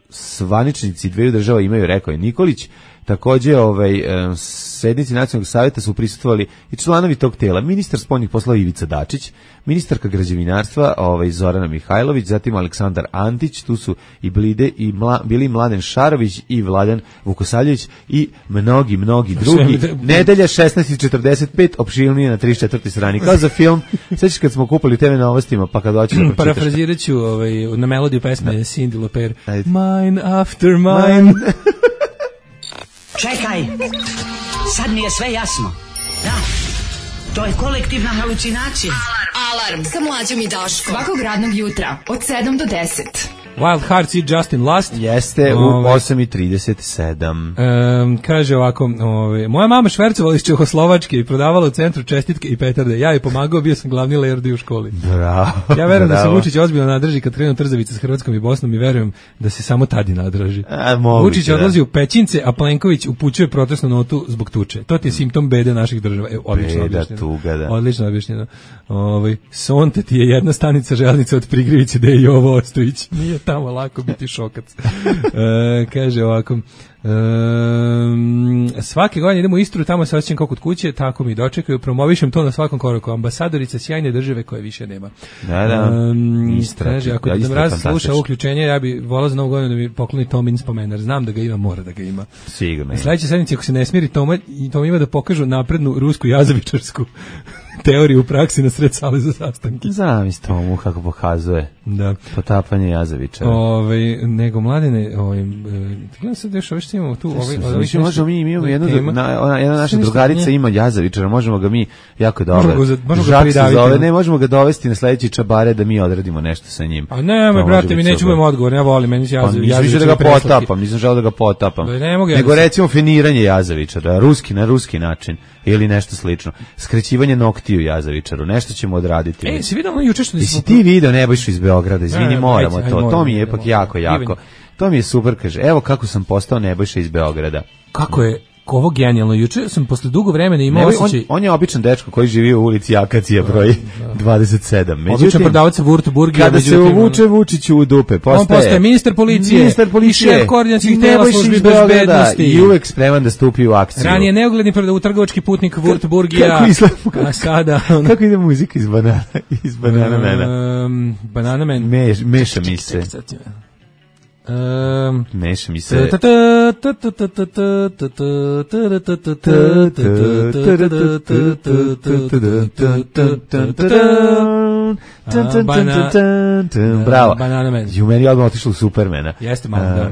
svaničnici dveju država imaju, rekao je Nikolić. Takođe, ovaj, e, sednici Nacionalnog savjeta su prisustvovali i članovi tog tela, ministar spoljnih poslova Ivica Dačić, ministarka građevinarstva ovaj, Zorana Mihajlović, zatim Aleksandar Antić, tu su i Blide i mla, bili Mladen Šarović i Vladan Vukosavljević i mnogi, mnogi drugi. Nedelja šesnaest četrdeset pet, opširnije na trideset četvrtoj strani. Kao za film, sećaš kad smo kupali te ve Novostima, pa kad hoćeš da pročitaš. Parafrazirat ću ovaj, na melodiju pesme Cindy Lauper. Mine after mine. Čekaj, sad mi je sve jasno. Da, to je kolektivna halucinacija. Alarm, Alarm sa mlađom i Daškom. Svakog radnog jutra od sedam do deset. Wild Hearts i Justin Lust. Jeste, u osam i trideset sedam. Um, kaže ovako, ove, moja mama švercovala iz Čehoslovačke i prodavala u centru čestitke i petarde. Ja joj pomagao, bio sam glavni lerdi u školi. Bravo. Ja verujem da se Vučić ozbiljno nadrži kad krenu trzavice s Hrvatskom i Bosnom i verujem da se samo tadi nadraži. A, Vučić da. odlazi u Pećince, a Plenković upućuje protestnu notu zbog tuče. To ti je simptom bede naših država. E, odlično Beda, objašnjeno. tuga, da. Odlično objašnjeno. Ovaj Sonte ti je jedna stanica železnice od Prigrivice da je Jovo Ostojić. Nije tamo lako biti šokac. E, kaže ovako, Um, svake godine idemo u Istru, tamo se osjećam kao kod kuće, tako mi dočekaju, promovišem to na svakom koraku. Ambasadorica sjajne države koje više nema. Da, da. Um, Istra, kaže, ako ja, da mraz sluša uključenje, ja bi volao za novu godinu da mi pokloni Tomin spomenar. Znam da ga ima, mora da ga ima. Sigurno. Sljedeće sedmice, ako se ne smiri Toma, i Tom ima da pokažu naprednu rusku jazavičarsku teoriju u praksi na sred sale za sastanke. Zamisli Tomu kako pokazuje. Da. Potapanje jazavičara. Ovaj nego mladene, ovaj gledam sad još što imamo tu, ovaj znači možemo mi imamo jednu na, ona jedna naša drugarica ima jazavičara, možemo ga mi jako dobro. Možemo ga pridaviti. Ne možemo ga dovesti na sledeći čabare da mi odradimo nešto sa njim. A ne, moj brate, mi nećemo imati odgovor, ja volim, meni se jazavičar. Mislim da ga potapam, nisam želeo da ga potapam. Nego recimo finiranje jazavičara, ruski na ruski način ili nešto slično. Skrećivanje noktiju jazavičaru, nešto ćemo odraditi. E, si vidio juče što nismo. Ti video Nebojšu iz Beograda, izvini, moramo to. To mi je ipak jako, jako. To mi je super, kaže. Evo kako sam postao Nebojša iz Beograda. Kako je ovo genijalno. Juče sam posle dugo vremena imao osjećaj... On, on je običan dečko koji živi u ulici Akacija broj dvadeset sedam. Međutim, običan prodavac Wurtburgija. Kada se uvuče Vučiću u dupe, postaje... On postaje ministar policije, ministar policije i šef koordinacijskih tela službi bezbednosti. I uvek spreman da stupi u akciju. Ranije neugledni trgovački putnik Wurtburgija. Kako izgleda? A sada... On... Kako ide muzika iz Banana, iz Banana Mena? Um, Banana Man. Meš, meša mi se. Um, Meša mi se. Bravo. Banana Man. Ju meni odmah otišlo u Supermana. Jeste malo, da.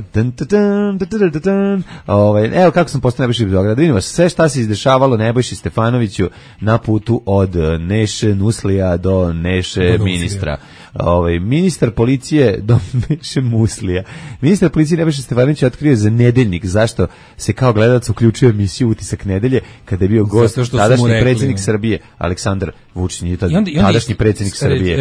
Ovaj, evo kako sam postao Nebojša iz Beograda. Vidimo sve šta se izdešavalo Nebojši Stefanoviću na putu od Neše Nuslija do Neše ministra. Ovaj ministar policije do Neše Muslija. Ministar policije Nebojša Stefanović je otkrio za Nedeljnik zašto se kao gledalac uključio u emisiju Utisak nedelje kada je bio gost tadašnji predsjednik Srbije Aleksandar Vučić, nije tadašnji predsjednik Srbije.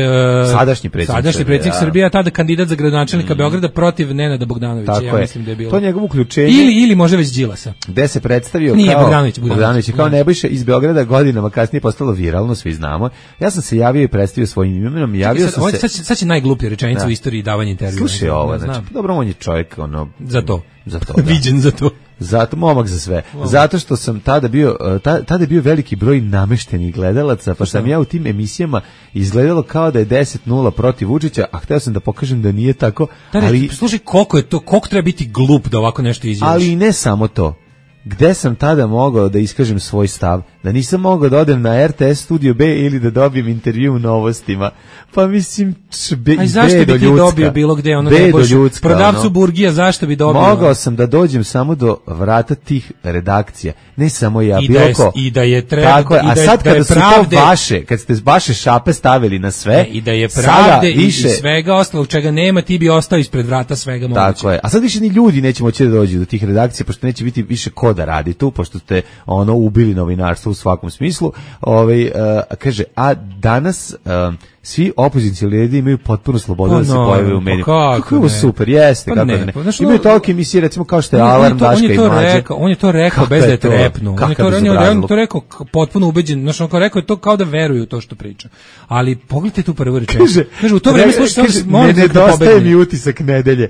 Sadašnji predsjednik Sadašnji predsjednik Srbije, tada kandidat za gradonačelnika Beograda protiv Nenada Bogdanovića, ja mislim da je bilo. To njegovo uključenje. Ili ili može već Đilasa. Gde se predstavio Nije, kao Bogdanović, Bogdanović kao Nebojša iz Beograda, godinama kasnije postalo viralno, svi znamo. Ja sam se javio i predstavio svojim imenom, javio sam se. Sad, sad će najgluplja rečenica u istoriji davanja intervjua. Slušaj ovo, znači, dobro, on je čovjek, ono... Za to. Za to, da. Viđen za to. Zato, momak za sve. Wow. Zato što sam tada bio, tada je bio veliki broj nameštenih gledalaca, pa sam ja u tim emisijama izgledalo kao da je deset nula protiv Vučića, a hteo sam da pokažem da nije tako. Da, ali, slušaj, koliko je to, koliko treba biti glup da ovako nešto izjaviš. Ali i ne samo to. Gde sam tada mogao da iskažem svoj stav? Da nisam mogao da odem na R T S Studio B ili da dobijem intervju u Novostima. Pa mislim, be, a zašto bi ti ljudska, dobio bilo gde? Ono ljudska, prodavcu ono, burgija, zašto bi dobio? Mogao sam da dođem samo do vrata tih redakcija. Ne samo ja, I bilo da je, ko. I da je treba, tako je, i da a je, sad da je kada su pravde, to vaše, kad ste vaše šape stavili na sve, ne, i da je pravde i, više, i svega ostalog čega nema, ti bi ostao ispred vrata svega moguće. Tako je. A sad više ni ljudi neće moći da dođu do tih redakcija, pošto neće biti više ko da radi tu, pošto ste ono ubili novinarstvo u svakom smislu. Ovaj uh, kaže, a danas uh, svi opozicioni lideri imaju potpuno slobodu Pa da se no, pojave u pa medijima. kako Kako je ovo ne? super, jeste, Pa kako ne, ne. pa znaš, Imaju ono- toliko emisije, recimo kao što je On je- on je Alarm, to- on je Daška i to Mlađe. rekao, on je to rekao Kako bez da je je to? trepnuo. On je Kakav to, on je, on je bezobrazluk. to rekao k- potpuno ubeđen, znači on kao rekao je to kao da veruje u to što priča. Ali pogledajte tu prvu rečenicu. Kaže, Kaže, u to vreme re- slušaj, kaže, molim ne te da nedostaje pobegne. mi utisak nedelje.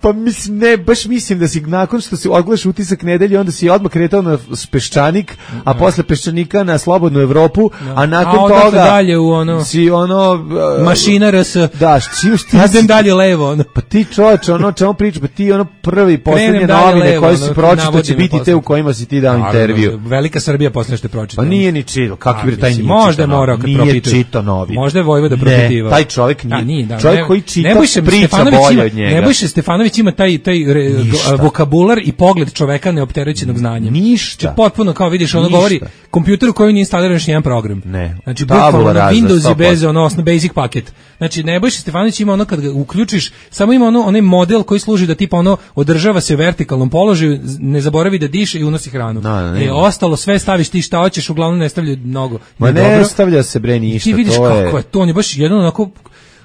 Pa mislim, ne, baš mislim da si nakon što si odgledaš utisak nedelje, onda si odmah kretao na Peščanik, a posle Peščanika na Slobodnu Evropu, a nakon A odatle toga dalje u ono- si ono... uh, Mašina R S. Da, što imaš ti... Idem dalje levo, ono. Pa ti čoveče, ono čemu priča, pa ti ono prvi, poslednje Krenem dalje novine levo, koje ono, si pročitao navodim će na biti te posle. u kojima si ti dao Naravno, intervju. Velika Srbija posle što je pročitao. Pa nije ni čitao, kakvi je taj mislim, nije možda je čitao morao novine. kad Nije propituje. čitao novine. Možda je Vojvoda Ne, propitivao. taj čovjek nije. A, nije, da, Čovjek ne- koji čita Nebojša priča Stefanović bolje ima- od njega. Nebojša Stefanović ima taj, taj re, Ništa. vokabular i pogled čoveka neopterećenog znanjem. Ništa. Znači, potpuno, kao vidiš, ono Ništa. govori kompjuter u kojem nije instaliran još jedan program. Ne. Znači, Tabula bukvalno na rasa, Windows sto i bez posto. ono, osno basic paket. Znači, Nebojša Stefanović ima ono kad ga uključiš, samo ima ono, onaj model koji služi da tipa ono, održava se u vertikalnom položaju, ne zaboravi da diše i unosi hranu. Da, da, ne. E, ostalo sve staviš ti šta hoćeš, uglavnom ne stavlja mnogo. Ma Nije ne dobro. stavlja se bre I ništa, ti vidiš to kako je... je to, on je baš jedan onako,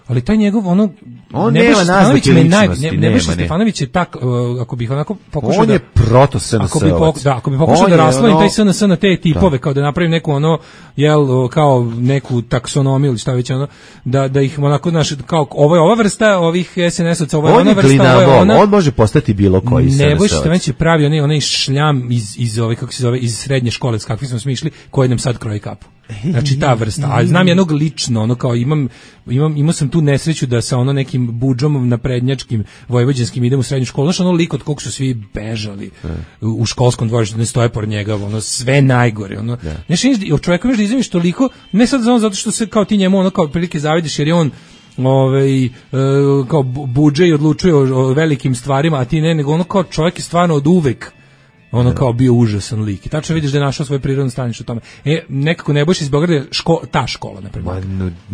ali taj njegov ono On Nebojša nema Stefanović naznake me naj- ličnosti, ne- nema, Nebojša ne. Stefanović je tak, uh, ako bih onako pokušao On da je proto-S N S-ovac. ako bi pok, da, ako bi pokušao On da je raslovim ono- taj S N S na te tipove, kao da napravim neku ono, jel, kao neku taksonomiju ili šta već ono, da, da ih onako, znaš, kao ovo je ova vrsta ovih S N S-ovaca, ovo je On ona je vrsta, ovo je glinabol, ona. on može postati bilo koji S N S-ovac. Nebojša Stefanović je pravi onaj, onaj šljam iz, iz ove, kako se zove, iz srednje škole, s kakvim smo smišli, koji nam sad kroji kapu. Znači ta vrsta. A znam jednog lično, ono kao imam, imam, imao sam tu nesreću da sa ono nekim budžom naprednjačkim vojvođanskim idem u srednju školu. Znaš, ono lik od kog su svi bežali u, u školskom dvorištu, ne stoje pored njega, ono sve najgore. Ono. Znaš, od čoveka možeš da izviš toliko, ne sad samo zato što se kao ti njemu ono kao prilike zavidiš, jer je on ovaj, e, kao bu- budže i odlučuje o, o velikim stvarima, a ti ne, nego ono kao čovjek je stvarno od uvek ono kao bio užasan lik. I tačno vidiš da je našao svoj prirodno stanište u tome. E, nekako Nebojša iz Beograda je ško, ta škola, na primjer.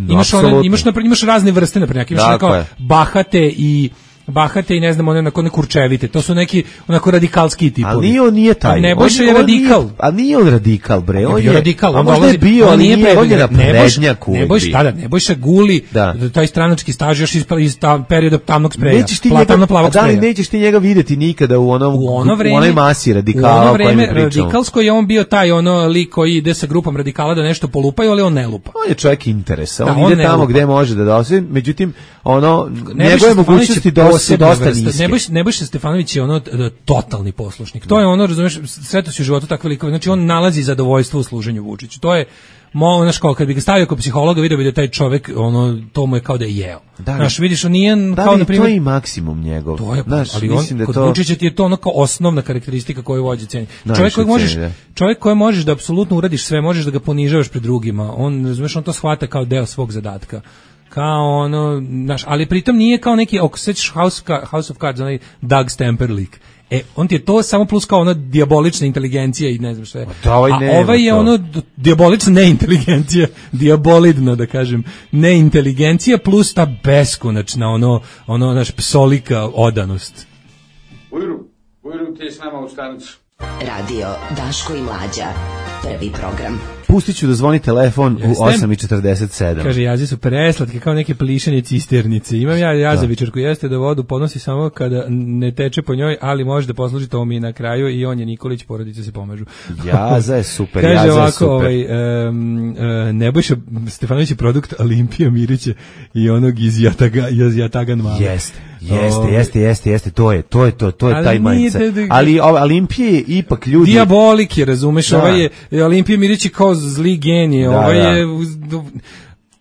Imaš, one, imaš, naprimjer, imaš razne vrste, na primjer. Imaš one Dakle. kao bahate i bahate i ne znam, one onako ne kurčevite. To su neki onako radikalski tipovi. Ali nije on nije taj. A Nebojša On- je on radikal. nije- A nije on radikal, bre. On On je bio radikal, a on možda je dolazi, bio, on ali nije nije, on je predviđen. naprednjak uvek Nebojša, bio. tada, Nebojša guli Da. taj stranački staž još iz, iz ta, perioda tamnog spreja. Nećeš ti pla- njega, tamno-plavog da li spreja. nećeš ti njega videti nikada u onom U ono vreme, u onoj masi radikala u ono o kojima vreme pričamo. radikalsko je on bio taj ono lik koji ide sa grupom radikala da nešto polupaju, ali on ne lupa. On je čovjek interesa, Da, on, on ide ne tamo lupa. gde može da dosi, međutim, ono, Nebojša njegove Stefanović mogućnosti je dosta, posebna dosta vrsta. niske. Nebojša, Nebojša Stefanović je ono e, totalni poslušnik. To je ono, razumeš, sretao si u životu takve likove. Znači on nalazi zadovoljstvo u služenju Vučiću. To je mo, znaš, kao kad bi ga stavio kod psihologa, vidio bi da taj čovjek, ono, to mu je kao da je jeo. Da li- Znaš, vidiš, on nije Da kao, li na je primjer, to i maksimum njegov? to je, Znaš, ali on, mislim da kod to... Vučića ti je to ono kao osnovna karakteristika koju vođe ceni. Najviše Čovjek koji možeš, ceni, da. čovjek koji možeš da apsolutno uradiš sve, možeš da ga ponižavaš pred drugima. On, razumeš, on to shvata kao deo svog zadatka. Kao ono, znaš, ali pritom nije kao neki, ako sećaš House, Ka- House of Cards, onaj Doug Stamper lik. E, on ti je to samo plus kao ona dijabolična inteligencija i ne znam što je. da, ovaj A nema ovaj je to. ono d- dijabolična neinteligencija, dijabolidna da kažem, neinteligencija plus ta beskonačna ono, ono, naš psolika odanost. Ujru, Ujru ti je s nama u stanicu. Radio Daško i Mlađa. Prvi program. Pustit ću da zvoni telefon Jeste? u osam i četrdeset sedam. Kaže, jaze su preslatke, kao neke plišanje cisternice. Imam ja jazavičarku, jeste da vodu ponosi samo kada ne teče po njoj, ali može da posluži to mi na kraju i on je Nikolić, porodice se pomažu. Jaza je super, Kaže Jaza je ovako, super. ovaj, um, uh, Nebojša Stefanović je produkt Olimpija Mirića i onog iz Jataga, iz Jatagan Mala. Jeste, jeste, Ovaj, jeste, jeste, jeste, to je, to je to, to je Ali taj nije mindset. da- da- Ali ova Olimpije je ipak ljudi... Dijabolik je, razumeš, Da. ovaj je, Olimpija Mirić je kao zli genije, Da, ovaj da. je...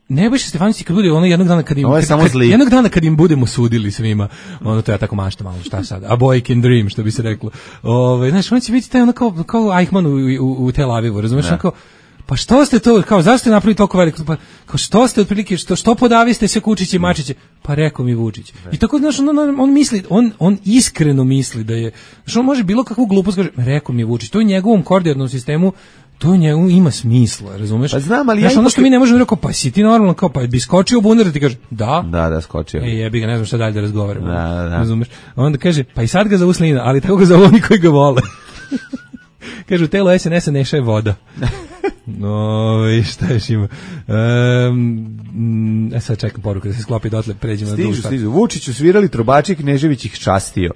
Nebojša Stefanović kad bude ono jednog dana kad im Ovo je kad, samo kad- zli. jednog dana kad im budemo sudili svima, ono to ja tako mašta malo, šta sad? A boy can dream, što bi se reklo. Ovaj, znaš, on će biti taj ono kao kao Eichmann u, u, u Tel Avivu, razumeš, Da. ono kao pa što ste to, kao zašto ste napravili toliko veliko, pa kao što ste otprilike, što, što podaviste sve Kučiće i Mačiće, pa rekao mi Vučić. I tako, znaš, on, on, on misli, on, on iskreno misli da je, znaš, on može bilo kakvu glupost kaže, rekao mi Vučić, to je u njegovom koordinatnom sistemu, to u njemu ima smisla, razumeš? Pa znam, ali znaš, ja ono ipak- što mi ne možemo rekao, pa si ti normalno, kao, pa bi skočio u bunar da ti kaže, da, Da, da, skočio. E, jebi ga, ne znam šta dalje da razgovaramo. Da, da. Razumeš? A onda kaže, pa i sad ga zovu Slina, ali tako ga zovu oni koji ga vole. Kaže, u telu S N S-a neša je voda. No, i šta još ima? Um, e sad čekam poruku da se sklopi dotle, pređemo na drugu stvar. Stižu, stižu. Vučiću svirali trubači, Knežević ih častio.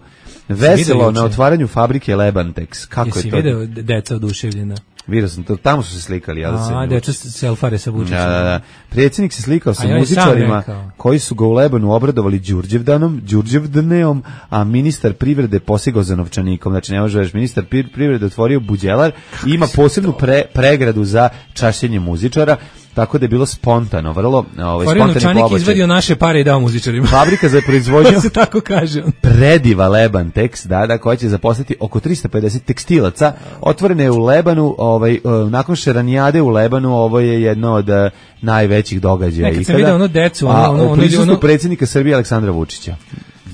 Veselo na otvaranju fabrike Lebantex. Kako Jesi je to? Jesi video deca oduševljena? Vidio sam to, tamo su se slikali. Ja A, deca selfare sa Vučićem. Da, da, da. Predsjednik se slikao sa muzičarima koji su ga u Lebanu obradovali Đurđevdanom, Đurđevdaneom, a ministar privrede posigao za novčanikom. Znači, ne može reći, ministar privrede otvorio buđelar i ima posebnu pre, pregradu za čašćenje muzičara. Tako da je bilo spontano, vrlo ovaj, spontani pobačaj. Novčanik izvadio naše pare i dao muzičarima. Fabrika za proizvodnju se tako kaže. Prediva Lebantex, da, da, koja će zaposliti oko trista pedeset tekstilaca. Otvorene je u Lebanu, ovaj, nakon Šeranijade u Lebanu, ovo je jedno od najvećih događaja. Nekad sam vidio ono decu, ono, a, ono, u prisustvu ono, predsjednika Srbije Aleksandra Vučića.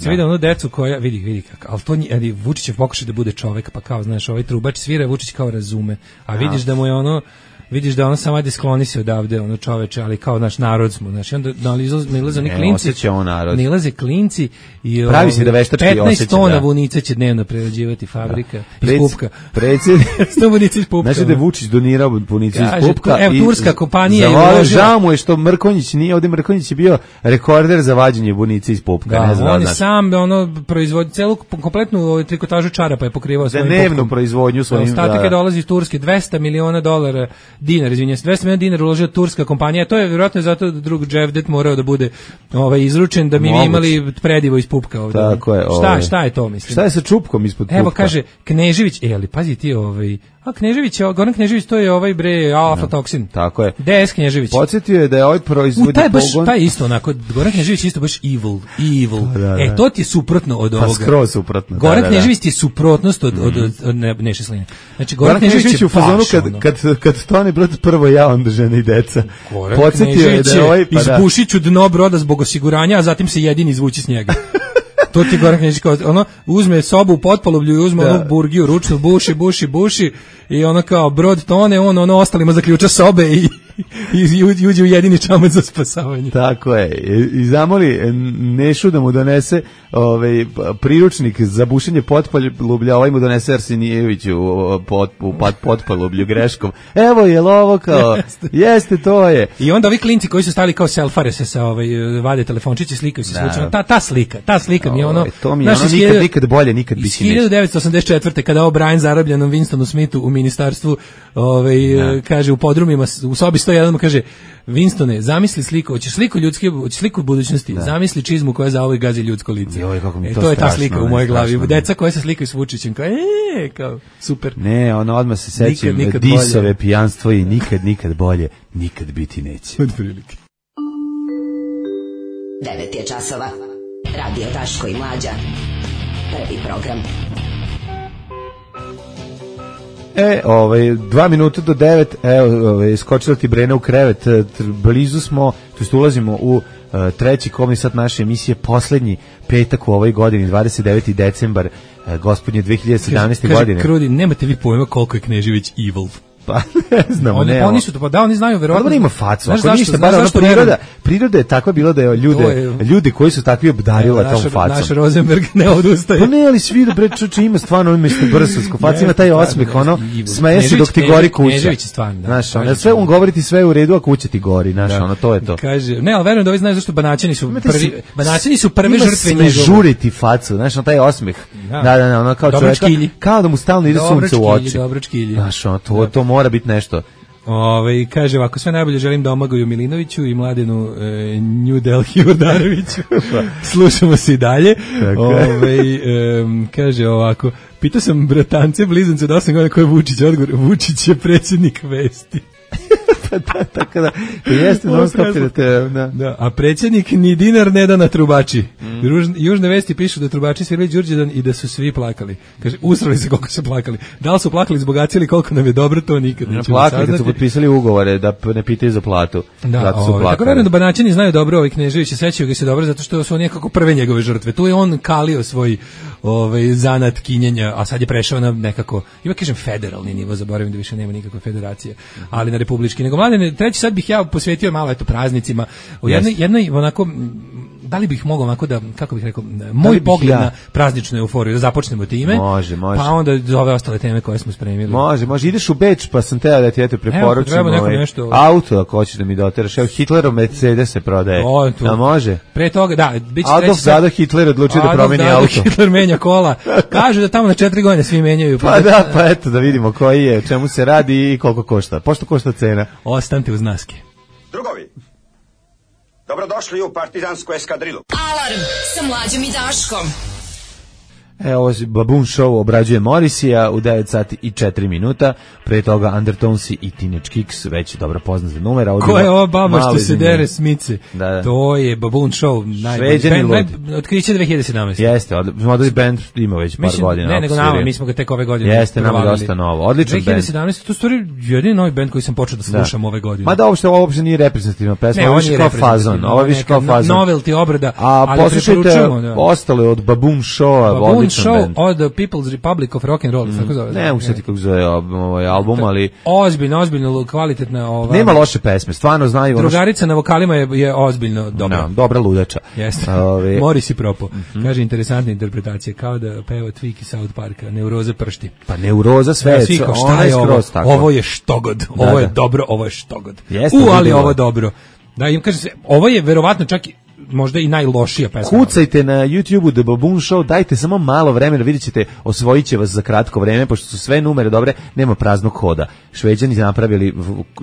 Sam vidio onu decu koja, vidi, vidi kako, ali to ali Vučićev pokušaj da bude čovek, pa kao, znaš, ovaj trubač svira, Vučić kao razume, a vidiš da mu je ono, vidiš da ono samo ajde skloni se odavde, ono čoveče, ali kao naš narod smo, znači onda nalaze oni klinci, nalaze klinci i pravi se da veštački osjeća, petnaest tona vunica će dnevno prerađivati fabrika iz pupka. Predsjednik, sto vunica iz pupka. Znači da je Vučić donirao vunice iz pupka. Evo, turska kompanija je uložila. Žao mu je što Mrkonjić nije, ovdje Mrkonjić je bio rekorder za vađenje vunice iz pupka. Da, ne znam, on je sam ono, proizvodi celu kompletnu trikotažu čarapa je pokrivao svojim pupkom. Dnevnu proizvodnju svojim. Ostatak je dolazi iz Turske, dvesta miliona dolara dinara, izvinjam se, dvesta miliona dinara uložila turska kompanija. To je vjerojatno zato da drug Dževdet morao da bude ovaj izručen da mi bi imali predivo iz pupka ovdje. Tako je. Šta, ovaj. šta je to, mislim? Šta je sa čupkom ispod pupka? Evo kaže Knežević, e, ali pazi ti ovaj, a Knežević, Goran Knežević, to je ovaj bre aflatoksin. No, tako je. D S Knežević. Podsjetio je da je ovaj proizvodi taj baš, pogon. Taj isto onako, Goran Knežević isto baš evil, evil. Da, da. E, to ti je suprotno od ovoga. Pa skroz suprotno. Goran da, da, Knežević ti je suprotnost od, od, od, od ne, Neše Sline. Znači, Goran, Goran Knežević je u fazonu kad, kad, kad tone brod prvo ja, onda žene i deca. Goran Podsjetio je da je ovaj, pa izbušiću dno broda zbog osiguranja, a zatim se jedini izvući s njega. To ti Goran Knežević kao, ono, uzme sobu u potpaluvlju i uzme da. onu burgiju ručnu, buši, buši, buši i ono kao brod tone, on ono ostalima zaključa sobe i, i, i uđe u jedini čamac za spasavanje. Tako je. I zamoli Nešu da mu donese ovaj, priručnik za bušenje potpalublja, ovaj mu donese Arsenijević u, pot, u pot, potpalublju greškom. Evo je ovo kao, jeste. jeste to je. I onda ovi klinci koji su stali kao selfare se sa ovaj, vade telefončiće, slikaju se slučajno. Ta, ta slika, ta slika mi je ono... To mi je ono nikad, nikad bolje, nikad biti neće. hiljadu devetsto osamdeset četvrte kada O'Brien zarobljenom Winstonu Smithu u ministarstvu ovaj, kaže u podrumima, u sobi sto jedan mu kaže Winstone, zamisli sliku, hoćeš sliku ljudske, hoćeš sliku budućnosti, da. Zamisli čizmu koja za ovoj gazi ljudsko lice. Joj, kako mi e, to, to je strašno, ta slika ne, u mojoj glavi. strašno, Deca koja se slikaju s Vučićem, kao, e, kao, super. Ne, ono odmah se sećam disove, bolje. Pijanstvo i nikad, nikad bolje, nikad biti neće. Od prilike. devet je časova. Radio Daško i Mlađa. Prvi program. E, ovaj, dva minuta do devet, evo, ovaj, skočila ti Brena u krevet, blizu smo, to jest ulazimo u uh, treći komni sat naše emisije, poslednji petak u ovoj godini, dvadeset deveti decembar, uh, gospodnje dve hiljade sedamnaeste. Kaže, godine. Krudi, nemate vi pojma koliko je Knežević evil. Pa ne znamo, oni, ne. Pa oni su to, pa da, oni znaju verovatno. Pa ima facu, ako zašto, ništa, bar ono priroda, priroda je takva bila da je ljude, je, ljudi koji su takvi obdarila tom facom. Naš Rosenberg ne odustaje. Pa ne, ali svi da bre čuče ima stvarno on mesto brsovsko faca, ima taj osmeh, ono, smeje se dok ti gori kuća. Knežević je stvarno, da. Znaš, ono, sve on govori ti sve u redu, a kuća ti gori, znaš, ono, to je to. Kaže, ne, al verujem da ovi znaju zašto Banaćani su prvi, Banaćani su prve žrtve njegove. Žuriti facu, znaš, taj osmeh. Da, da, da, ono kao čovjek, kao da mu stalno ide sunce u oči. Znaš, ono, to to mora biti nešto. Ove, kaže ovako, sve najbolje želim Domagoj Milinoviću i Mladenu e, New Delhi Urdareviću. Slušamo se i dalje. Ove, e, kaže ovako, pitao sam bratance blizance od osam godina ko je Vučić, odgovor, Vučić je predsjednik Vesti. Pa da, tako da, to jeste non stop da te, da. Da, a predsjednik ni dinar ne da na trubači. Mm. Ruž, južne vesti pišu da trubači sviraju Đurđedan i da su svi plakali. Kaže, usrali se koliko su plakali. Da li su plakali zbog acije ili koliko nam je dobro, to nikad nećemo plakali saznati. Kad su potpisali ugovore da ne pitaju za platu. Da, zato su ovaj, tako verujem da Banaćani znaju dobro, ovaj Knežević se sećaju ga se dobro zato što su oni nekako prve njegove žrtve. Tu je on kalio svoj ovaj zanat kinjenja, a sad je prešao na nekako, ima kažem federalni nivo, zaboravim da više nema nikakve federacije, ali na republički. Nego mladene, treći sad bih ja posvetio malo eto praznicima. U jednoj, jednoj onako da li bih mogao onako da, kako bih rekao, moj pogled ja? na prazničnu euforiju, da započnemo time, može, može. pa onda ove ostale teme koje smo spremili. Može, može, ideš u Beč, pa sam teo da ti eto preporučim evo, ovaj, nešto... auto, ako hoćeš da mi doteraš, evo Hitlerov Mercedes se prodaje, o, a može? Pre toga, da, biće Adolf Dado Hitler odlučio da promeni Dado auto. Hitler menja kola, kažu da tamo na četiri godine svi menjaju. Pa, pa da, pa eto da vidimo koji je, čemu se radi i koliko košta. Pošto košta cena? Ostanite uz naske. Drugovi, dobrodošli u partizansku eskadrilu. Alarm sa Mlađom i Daškom. E, ovo je Baboon Show, obrađuje Morrisija u devet sati i četiri minuta, pre toga Undertonesi i Teenage Kicks, već dobro poznat numera. Ko je ova baba što se dere smice? Da, da. To je Baboon Show, najbolji band, otkriće dve hiljade sedamnaeste. Jeste, modeli band ima već par Mislim, godina. Ne, nego nama, mi smo ga tek ove godine. Jeste, nama dosta novo, odličan band. dve hiljade sedamnaeste, to je stvari jedini novi band koji sam počeo da slušam da. ove godine. Ma da, uopšte ovo uopšte nije reprezentativna pesma, ne, ovo je kao fazon, ovo je više kao fazon. Novelty obrada, a ali poslušajte ostale od Baboon Showa, odličan band. The People's Republic of Rock and Roll, mm. tako zove. Ne, u sjeti kako zove ovaj album, ali ozbiljno, ozbiljno kvalitetna ova. Nema loše pesme, stvarno znaju. Drugarica na vokalima je, je ozbiljno dobra. No, dobra ludača. Jeste. Ove... Morris i propo. Mm-hmm. Kaže interesantna interpretacija, kao da peva Tweak iz South Parka, neuroza pršti. Pa neuroza sve, ja, šta je ovo? Ovo je štogod. Da, ovo je da. dobro, ovo je štogod. Jeste, U, ali ovo dobro. Da, im kaže se, ovo je verovatno čak možda i najlošija pesma. Kucajte na YouTubeu The Baboon Show, dajte samo malo vremena, vidjet ćete, osvojit će vas za kratko vreme, pošto su sve numere dobre, nema praznog hoda. Šveđani napravili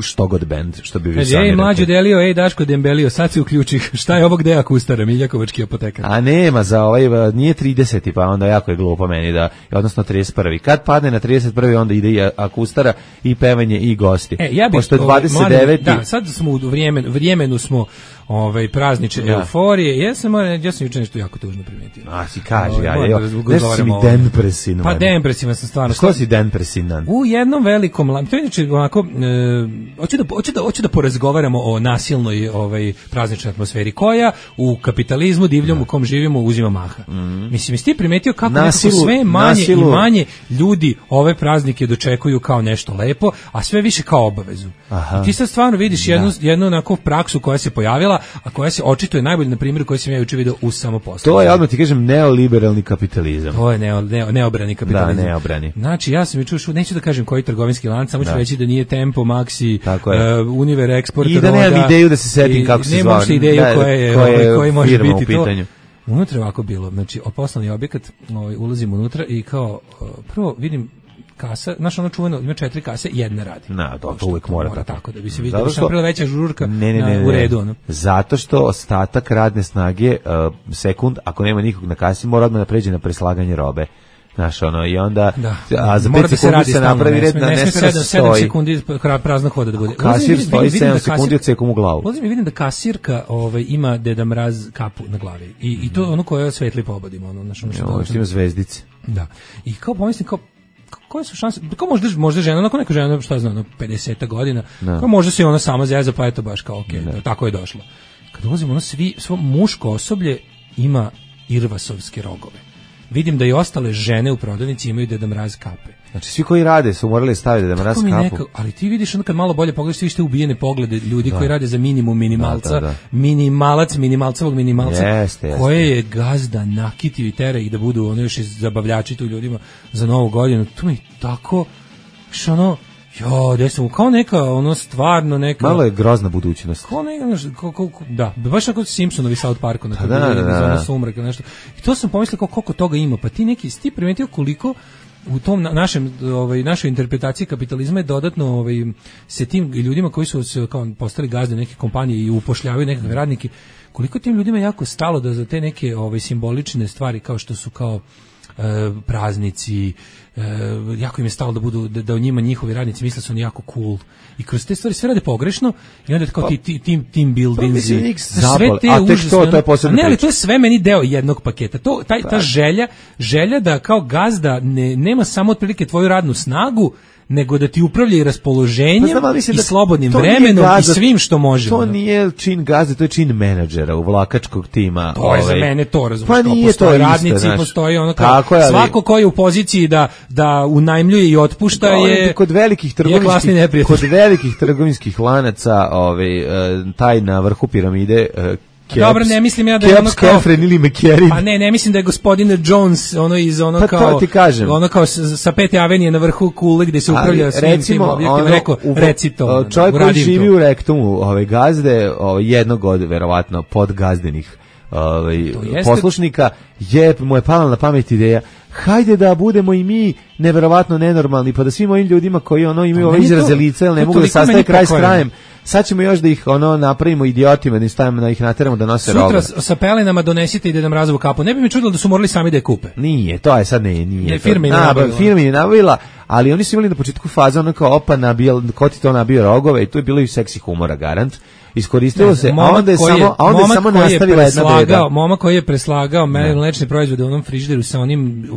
štogod band, što bi vi sami rekli. Ej, mlađo delio, ej, Daško Dembelio, sad se uključi, šta je ovo gde akustara, Miljakovački apotekar? A nema, za ovaj, nije trideseti, pa onda jako je glupo meni, da, odnosno trideset prvi. Kad padne na trideset prvi, onda ide i akustara, i pevanje, i gosti. E, ja bih, pošto je dvadeset deveti Da, sad smo u vremenu, vremenu smo ovaj praznične ja. euforije. Ja sam ja sam juče nešto jako tužno primetio. A si kaže, ja, ja. Nešto si mi depresivan. Pa depresivan sam stvarno. Što si depresivan? U jednom velikom, to je inače onako, e, hoću da hoću da hoću da porazgovaramo o nasilnoj ovaj prazničnoj atmosferi koja u kapitalizmu divljom ja. u kom živimo uzima maha. Mm. Mislim, jesi ti primetio kako nasilu, sve manje nasilu. i manje ljudi ove praznike dočekuju kao nešto lepo, a sve više kao obavezu. Aha. I ti sad stvarno vidiš jednu da. jednu onako praksu koja se pojavila, a koja se očituje najbolje na primjeru koji sam ja juče video u samoposlu. To je, odmah ti kažem, neoliberalni kapitalizam. To je neo, neo, neobrani kapitalizam. Da, neobrani. Znači, ja sam juče ušao, neću da kažem koji trgovinski lanac, samo ću reći da nije Tempo, Maxi, uh, Univer Export, i da nemam ideju da se setim kako se zove. Nemam se ideju da, koje je, koje koji može biti to. Unutra je ovako bilo, znači, poslovni objekat, ovaj, ulazim unutra i kao, uh, prvo vidim kasa, znaš ono čuveno, ima četiri kase, jedna radi. Na, to, to uvijek mora, mora tako da bi se vidio, što napravila veća žurka ne, ne, ne, na, u redu. Ono. Zato što ostatak radne snage, uh, sekund, ako nema nikog na kasi, mora odmah da pređe na preslaganje robe. Znaš, ono, i onda, da, a za pet sekundi se, se napravi red, na ne smije sedam sekundi praznog hoda da bude. Kasir stoji sedam sekundi od sekom u glavu. Ulazim i vidim da kasirka ovaj, ima Deda Mraz kapu na glavi. I, i to ono koje svetli pobodimo. Ono, znaš, ono što, što ima zvezdice. Da. I kao pomislim, kao, koje su šanse, kao možda, možda žena, onako neka žena, šta znam, ono, pedeset godina, no. kao možda se ona sama zeza, pa eto baš kao, okej, okay, no. tako je došlo. Kad ulazimo, ono svi, svo muško osoblje ima irvasovske rogove. Vidim da i ostale žene u prodavnici imaju Deda Mraz kape. Znači svi koji rade su morali staviti Deda Mraz kapu. Neka, ali ti vidiš onda kad malo bolje pogledaš, svi ste ubijene poglede ljudi da. koji rade za minimum minimalca, da, da, da. minimalac, minimalcevog minimalca, jeste, jeste. koje je gazda nakitio i tera ih da budu ono još i zabavljači tu ljudima za novu godinu. To mi tako, što ono, jo, gde sam, kao neka, ono, stvarno neka... Malo je grozna budućnost. Kao neka, kao, kao, da, baš ako Simpsonovi South Parku, na da, da, da, da. sumrak ili nešto. I to sam pomislio kao koliko toga ima, pa ti neki, ti primetio koliko u tom našem, ovaj, našoj interpretaciji kapitalizma je dodatno ovaj, se tim ljudima koji su se kao postali gazde neke kompanije i upošljavaju nekakve radnike, koliko tim ljudima je jako stalo da za te neke ovaj, simbolične stvari kao što su kao e, praznici, e, jako im je stalo da budu da, da o njima njihovi radnici misle su oni jako cool i kroz te stvari sve rade pogrešno i onda kao pa, ti team team buildings sve te a tek to, to je posebno ne, ali to je sve meni deo jednog paketa. To taj ta želja, želja da kao gazda ne nema samo otprilike tvoju radnu snagu, nego da ti upravlja i raspoloženjem pa znam, i slobodnim vremenom gazda, i svim što može. To nije čin gazde, to je čin menadžera, uvlakačkog tima. To ovaj. je za mene to, razumiješ, pa nije postoje to radnici, isto, postoji ono kao, je, svako ko je u poziciji da, da unajmljuje i otpušta to je, kod velikih trgovinskih, kod velikih trgovinskih lanaca ovaj, taj na vrhu piramide Caps, dobro, ne mislim ja da je ono Caps, kao... Kefren ili McCarry. Pa ne, ne mislim da je gospodin Jones ono iz ono pa kao... ti kažem. Ono kao sa, sa pete avenije na vrhu kule gde se upravlja ali, svim recimo, tim objektima. Ono, rekao, u, reci to. Čovjek koji živi to. U rektumu ove gazde, ove, jednog od, verovatno, podgazdenih ovaj poslušnika je mu je pala na pamet ideja hajde da budemo i mi neverovatno nenormalni pa da svim ovim ljudima koji ono imaju ove izraze lica ili ne mogu da sastave kraj s krajem sad ćemo još da ih ono napravimo idiotima da im stavimo da ih nateramo da nose rogove. Sutra sa pelenama donesite i da nam razvu kapu. Ne bi mi čudilo da su morali sami da je kupe. Nije, to je sad ne, nije. Ne, firma je nabavila. Firma je nabavila, ali oni su imali na početku faze ono kao opa nabijal, ko ti to nabio rogove i tu je bilo i seksi humora garant. Iskoristilo ne, se, a onda je samo, a onda je samo nastavila jedna beda. Momak koji je preslagao mlečne proizvode u onom frižideru sa onim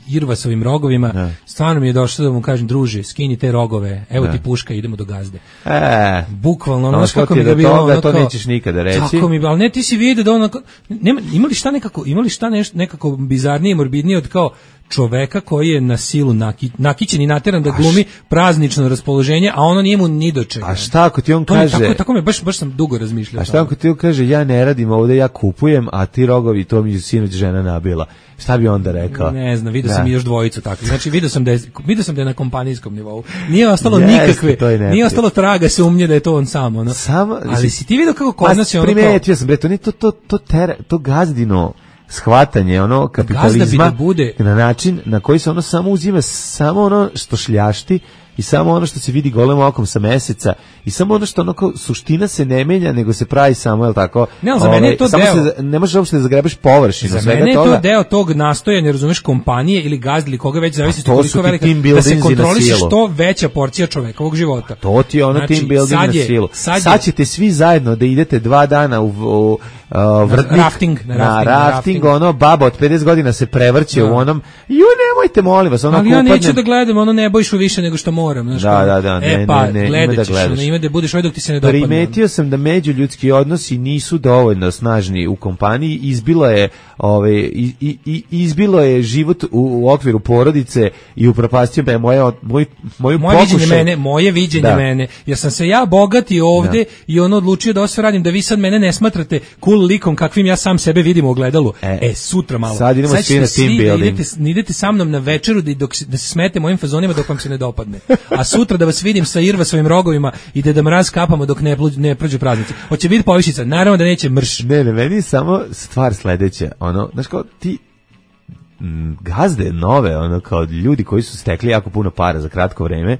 irvasovim rogovima, ne. Stvarno mi je došlo da mu kažem, druže, skini te rogove, evo ne. Ti puška, idemo do gazde. E, bukvalno, ono kako mi ga bilo, ono to nećeš nikada reći. Tako mi, ali ne, ti si vidio da ono, nema, imali šta nekako, imali šta nešto, nekako bizarnije, morbidnije od kao čoveka koji je na silu naki, nakićen i nateran da glumi praznično raspoloženje, a ono nije mu ni do čega. A šta ako ti on to kaže... Tako, tako me, baš, baš sam dugo razmišljao. A šta ako ti on kaže, ja ne radim ovde, ja kupujem, a ti rogovi, to mi je sinoć žena nabila. Šta bi onda rekao? Ne znam, vidio sam i još dvojicu takvih. Znači, vidio sam da je, vidio sam da je na kompanijskom nivou. Nije ostalo yes, nikakve, nije ostalo traga sumnje da je to on sam. Ono. Samo, ali si ti vidio kako kod nas je ono... Primetio sam, bre, to, to, to, to, ter, to gazdino shvatanje ono kapitalizma da bude... na način na koji se ono samo uzima samo ono što šljašti i samo ono što se vidi golem okom sa meseca i samo ono što ono kao suština se ne menja nego se pravi samo, je tako? Ne, ali za mene je to samo deo. Se, ne možeš uopšte da zagrebeš površinu za svega mene je toga. To deo tog nastojanja, razumeš, kompanije ili gazde ili koga već zavisi koliko velika da se kontroliše što veća porcija čovekovog života. To ti je ono znači, team building na silu. Sad, sad ćete svi zajedno da idete dva dana u, u Uh, vrtnik, na rafting, na, na rafting, rafting, rafting, ono baba od pedeset godina se prevrće da. U onom, ju nemojte molim vas, ono ali ja neću upadnem... da gledam, ono ne bojišu više nego što moram, znaš. Da, da, da, ne, e pa, ne, ne, gledat da ćeš, gledaš. Ono, ima da budeš ovaj dok ti se ne dopadne. Primetio sam da međuljudski odnosi nisu dovoljno snažni u kompaniji, izbilo je, ove, i, i, izbilo je život u, u okviru porodice i upropastio me moje, moj, moju moje pokušaj. Viđenje mene, moje viđenje da. Mene, jer sam se ja bogati ovde da. I ono odlučio da ovo sve radim, da vi sad mene ne smatrate cool likom kakvim ja sam sebe vidim u ogledalu. E, e sutra malo. Sad idemo svi na team building. Da idete, idete sa mnom na večeru da, dok, da se smete mojim fazonima dok vam se ne dopadne. A sutra da vas vidim sa irva svojim rogovima i da da mraz kapamo dok ne, ne prođu praznici. Hoće biti povišica, naravno da neće mrš. Ne, ne, meni je samo stvar sledeća. Ono, znaš kao, ti m, gazde nove, ono, kao ljudi koji su stekli jako puno para za kratko vreme,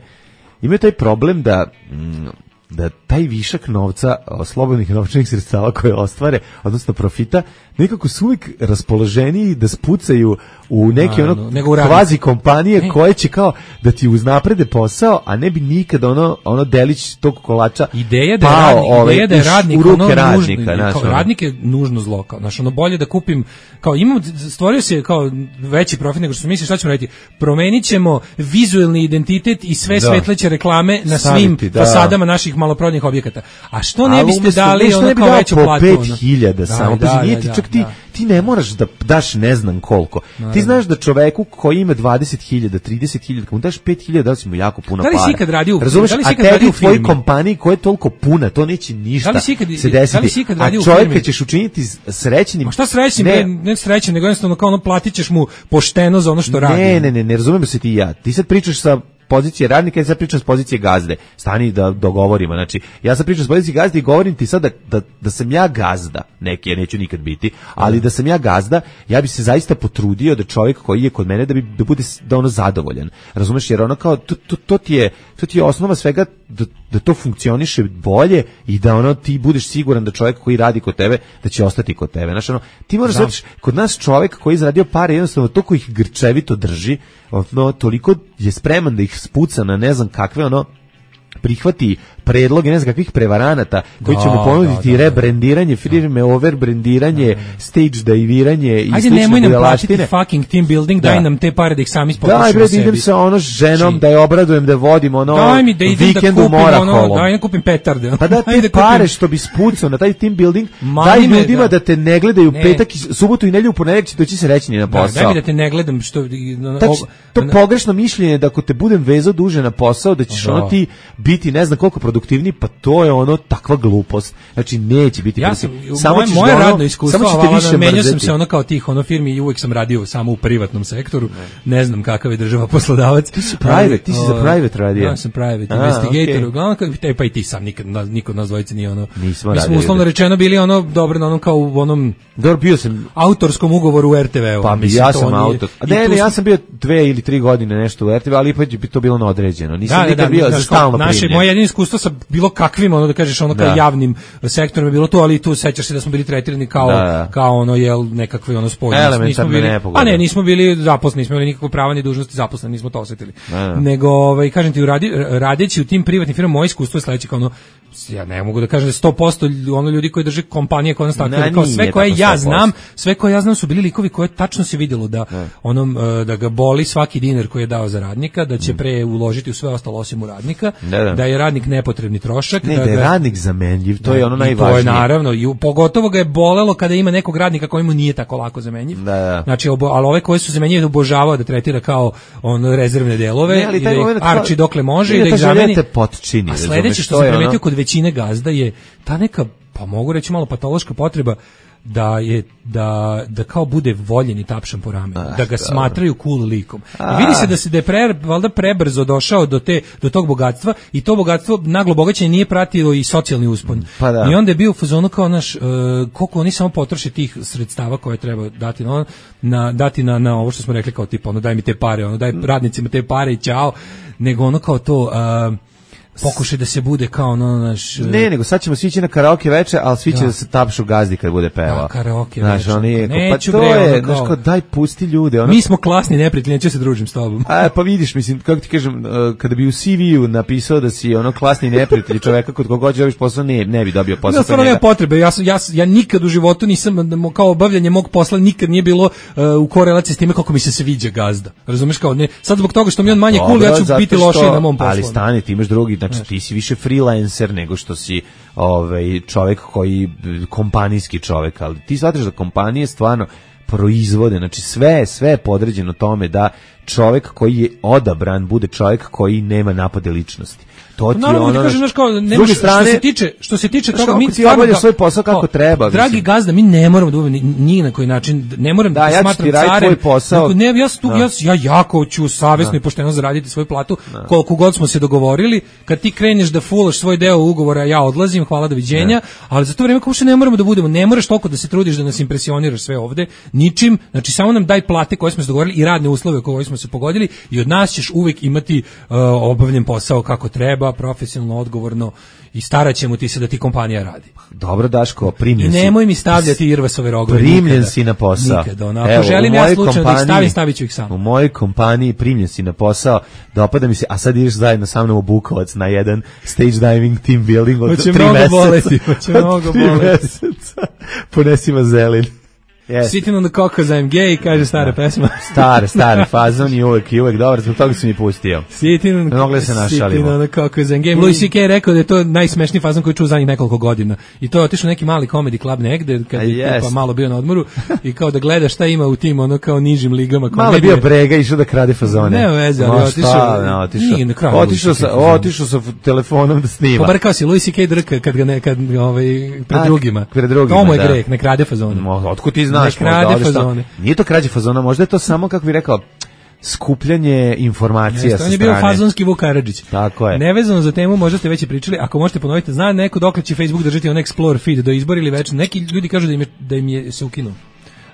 imaju taj problem da... M, da taj višak novca, slobodnih novčanih sredstava koje ostvare, odnosno profita, nekako su uvijek raspoloženiji da spucaju u neke ono kvazi kompanije e. koje će kao da ti uznaprede posao, a ne bi nikada ono, ono delić tog kolača ideja da je pao, radnik, ove, ideja da je radnik, u ruke ono radnika. Nužno, naš, kao, ono. Radnik je nužno zlo. Kao, znaš, ono bolje da kupim, kao imam, stvorio se kao veći profit nego što se misli, šta ćemo raditi? Promenit ćemo vizuelni identitet i sve da. Svetleće reklame na Staviti, svim da. Fasadama naših maloprodajnih objekata. A što ne biste dali ono kao veću platu? pet hiljada samo, pa nije ti čak ti ti ne moraš da daš ne znam koliko. Naravno. Ti znaš da čoveku koji ima dvadeset hiljada, trideset hiljada, kad mu daš pet hiljada, da si mu jako puno para. Da li si ikad radio u Razumeš, da li si ikad radio u tvojoj kompaniji koja je toliko puna, to neće ništa da ikad, se desiti. Da li si ikad radio a čovjeka ćeš učiniti srećnim. Ma šta srećnim? Ne, ne srećnim, nego jednostavno kao ono platit ćeš mu pošteno za ono što radi. Ne, ne, ne, ne razumemo se ti i ja. Ti sad pričaš sa pozicije radnika, ja sad pričam s pozicije gazde. Stani da dogovorimo. Znači, ja sad pričam s pozicije gazde i govorim ti sad da, da, da sam ja gazda, neki, ja neću nikad biti, ali da sam ja gazda, ja bi se zaista potrudio da čovjek koji je kod mene da bi da bude da ono zadovoljan. Razumeš, jer ono kao to, to, to ti je to ti je osnova svega da, da to funkcioniše bolje i da ono ti budeš siguran da čovjek koji radi kod tebe da će ostati kod tebe. Znači ono, ti moraš da kod nas čovjek koji je zaradio pare jednostavno to koji ih grčevito drži, ono toliko je spreman da ih spuca na ne znam kakve ono prihvati predloge ne znam kakvih prevaranata koji će mu ponuditi da, da, rebrendiranje firme, overbrendiranje, stage dajviranje i ajde, nemoj nam platiti fucking team building, da. Daj nam te pare da ih sami spotušimo sebi. Daj bre, idem sa ono ženom, da je obradujem, da vodim ono daj mi da vikend u Morakolom. Daj da kupim petarde. Pa da te pare što bi spucao na taj team building, daj ljudima da te ne gledaju petak i subotu i nedelju u ponedeljak će doći srećni na posao. Daj mi da te ne gledam što... To pogrešno mišljenje da ako te budem vezao duže na posao, da ćeš ono ti biti ne znam koliko produktivniji, pa to je ono takva glupost. Znači neće biti ja sam, samo moje, ćeš moje ono, radno iskustvo, samo ćete više menjao mrzeti. sam se ono kao tih ono firmi i uvek sam radio samo u privatnom sektoru. Ne, ne znam kakav je država poslodavac. Ti si private, ti si za private radio. Ja sam private A, investigator. okay. Uglavnom, te, pa i ti sam, nikad, niko od nas dvojice nije ono... Nismo mi smo uslovno rečeno bili ono dobro na onom kao u onom... Dobro, bio sam... autorskom ugovoru u er te ve-u. Pa mislim, ja sam autor. Ne, ne, ja sam... sam bio dve ili tri godine nešto u er te ve, ali ipak bi to bilo na određeno. Nisam da, nikad da, da, bio za stalno naše, primljen. moje jedino iskustvo sa bilo kakvim, ono da kažeš, ono kao da. javnim sektorom je bilo to, ali tu sećaš se da smo bili tretirani kao, da, da. kao ono, jel, nekakve ono spojne. Elementarne bili, nepogode. a ne, nismo bili zaposleni, nismo imali nikakve prava ni dužnosti zaposleni, nismo to osetili. Da, da. Nego, ovaj, kažem ti, radi, radeći u tim privatnim firmama, moje iskustvo je sledeće kao ono, ja ne mogu da kažem da sto posto ono ljudi koji drže kompanije koje nas takve, kao sve koje ja znam, sve koje ja znam su bili likovi koje tačno se vidjelo da ne. onom da ga boli svaki dinar koji je dao za radnika, da će pre uložiti u sve ostalo osim u radnika, ne, da. da je radnik nepotrebni trošak, ne, da, da je ga, radnik zamenljiv, to da, je ono najvažnije. To je naravno, i pogotovo ga je bolelo kada ima nekog radnika koji mu nije tako lako zamenjiv. Da, da. Znači, obo, ali ove koje su zamenjive obožavao da tretira kao on rezervne delove ne, ali i da ih moment, arči dokle može ne, i da ih zameni. Potčini, a sledeće što sam primetio kod većine gazda je ta neka, pa mogu reći malo patološka potreba da je da da kao bude voljen i tapšan po ramenu, ah, da ga dobro. Smatraju cool likom. I vidi se da se da je pre, valjda prebrzo došao do te do tog bogatstva i to bogatstvo naglo bogaćenje nije pratilo i socijalni uspon. Pa da. I onda je bio u fazonu kao naš uh, koliko oni samo potroše tih sredstava koje treba dati na na dati na na ovo što smo rekli kao tipa ono daj mi te pare, ono daj radnicima te pare i ćao, nego ono kao to uh, pokušaj da se bude kao ono naš... Ne, nego sad ćemo svi ići na karaoke veče, ali svi će da, da se tapšu gazdi kad bude pevao. Da, karaoke znaš, veče. Oni, Neću pa to bre, je, ono kao... znaš, kao, daj pusti ljude. Ono... Mi smo klasni neprijatelji, neću se družim s tobom. A, pa vidiš, mislim, kako ti kažem, kada bi u ce ve-u napisao da si ono klasni neprijatelj čoveka kod koga god dobiš posao, ne, ne bi dobio posao. Da, stvarno nema potrebe, ja, sam, ja, ja nikad u životu nisam, kao obavljanje mog posla, nikad nije bilo uh, u korelaciji s time kako mi se sviđa gazda. Razumeš kao, ne, sad zbog toga što mi on manje cool, ja ću biti lošiji na mom poslu. Ali stani, ti imaš drugi, znači ti si više freelancer nego što si ovaj čovjek koji kompanijski čovjek, ali ti shvataš da kompanije stvarno proizvode, znači sve sve je podređeno tome da čovjek koji je odabran bude čovjek koji nema napade ličnosti. To ti no, ono, kažem, znaš, kao, nemaš, strane, što se tiče, što se tiče toga, mi ti obavljaš svoj posao kako treba. Dragi mislim. Gazda, mi ne moramo da budemo ni na koji način, ne moram da, da te ja smatram carem. Tvoj posao. Ne, ja, tu, ja, ja jako ću savjesno i pošteno zaraditi svoju platu, da. Koliko god smo se dogovorili. Kad ti kreneš da fulaš svoj deo ugovora, ja odlazim, hvala, doviđenja, da. Ali za to vreme kao što ne moramo da budemo, ne moraš toliko da se trudiš da nas impresioniraš sve ovde, ničim, znači samo nam daj plate koje smo se dogovorili i radne uslove koje smo se pogodili i od nas ćeš uvek imati uh, obavljen posao kako treba, profesionalno, odgovorno i staraćemo ti se da ti kompanija radi. Dobro, Daško, primljen si. I nemoj mi stavljati Irvasove rogove. Primljen nikada, si na posao. Nikada, ono. Ako Evo, želim ja slučajno da ih stavim, stavit ću ih sam. U mojoj kompaniji primljen si na posao, dopada mi se, a sad ideš zajedno sa mnom u Bukovac na jedan stage diving team building od hoće tri meseca. Boleti, hoće mnogo boleti. Ponesi vazelin. Yes. Sitting on the cockers, I'm gay, kaže stara da. Pesma. Stara, stara fazon i uvek, i uvek dobar, zbog toga si mi pustio. Sitting on, Mogli se našalimo. on the cockers, I'm gay. Louis C K je rekao da je to najsmešniji fazon koji čuo zadnjih nekoliko godina. I to je otišao neki mali comedy club negde, kad je yes. pa malo bio na odmoru, i kao da gleda šta ima u tim, ono kao nižim ligama. Malo bio brega, išao da krade fazone. Ne veze, ali otišao. Ne, otišao. Nije na kraju. Otišao sa, otišao sa telefonom da snima. Pobarkao si Louis C K drka kad ga nekad ovaj, pred A, drugima. Pred drugima, to mu je greh, ne krade fazone. Otkud ti znaš? Fazone. Nije to krađe fazona, možda je to samo, kako bih rekao, skupljanje informacija sa strane. On je bio fazonski Vuk Karadžić. Tako je. Nevezano za temu, možda ste već i pričali, ako možete ponoviti, zna neko dokle će Facebook držati on Explore feed do izbora ili već, neki ljudi kažu da im je, da im je se ukinuo.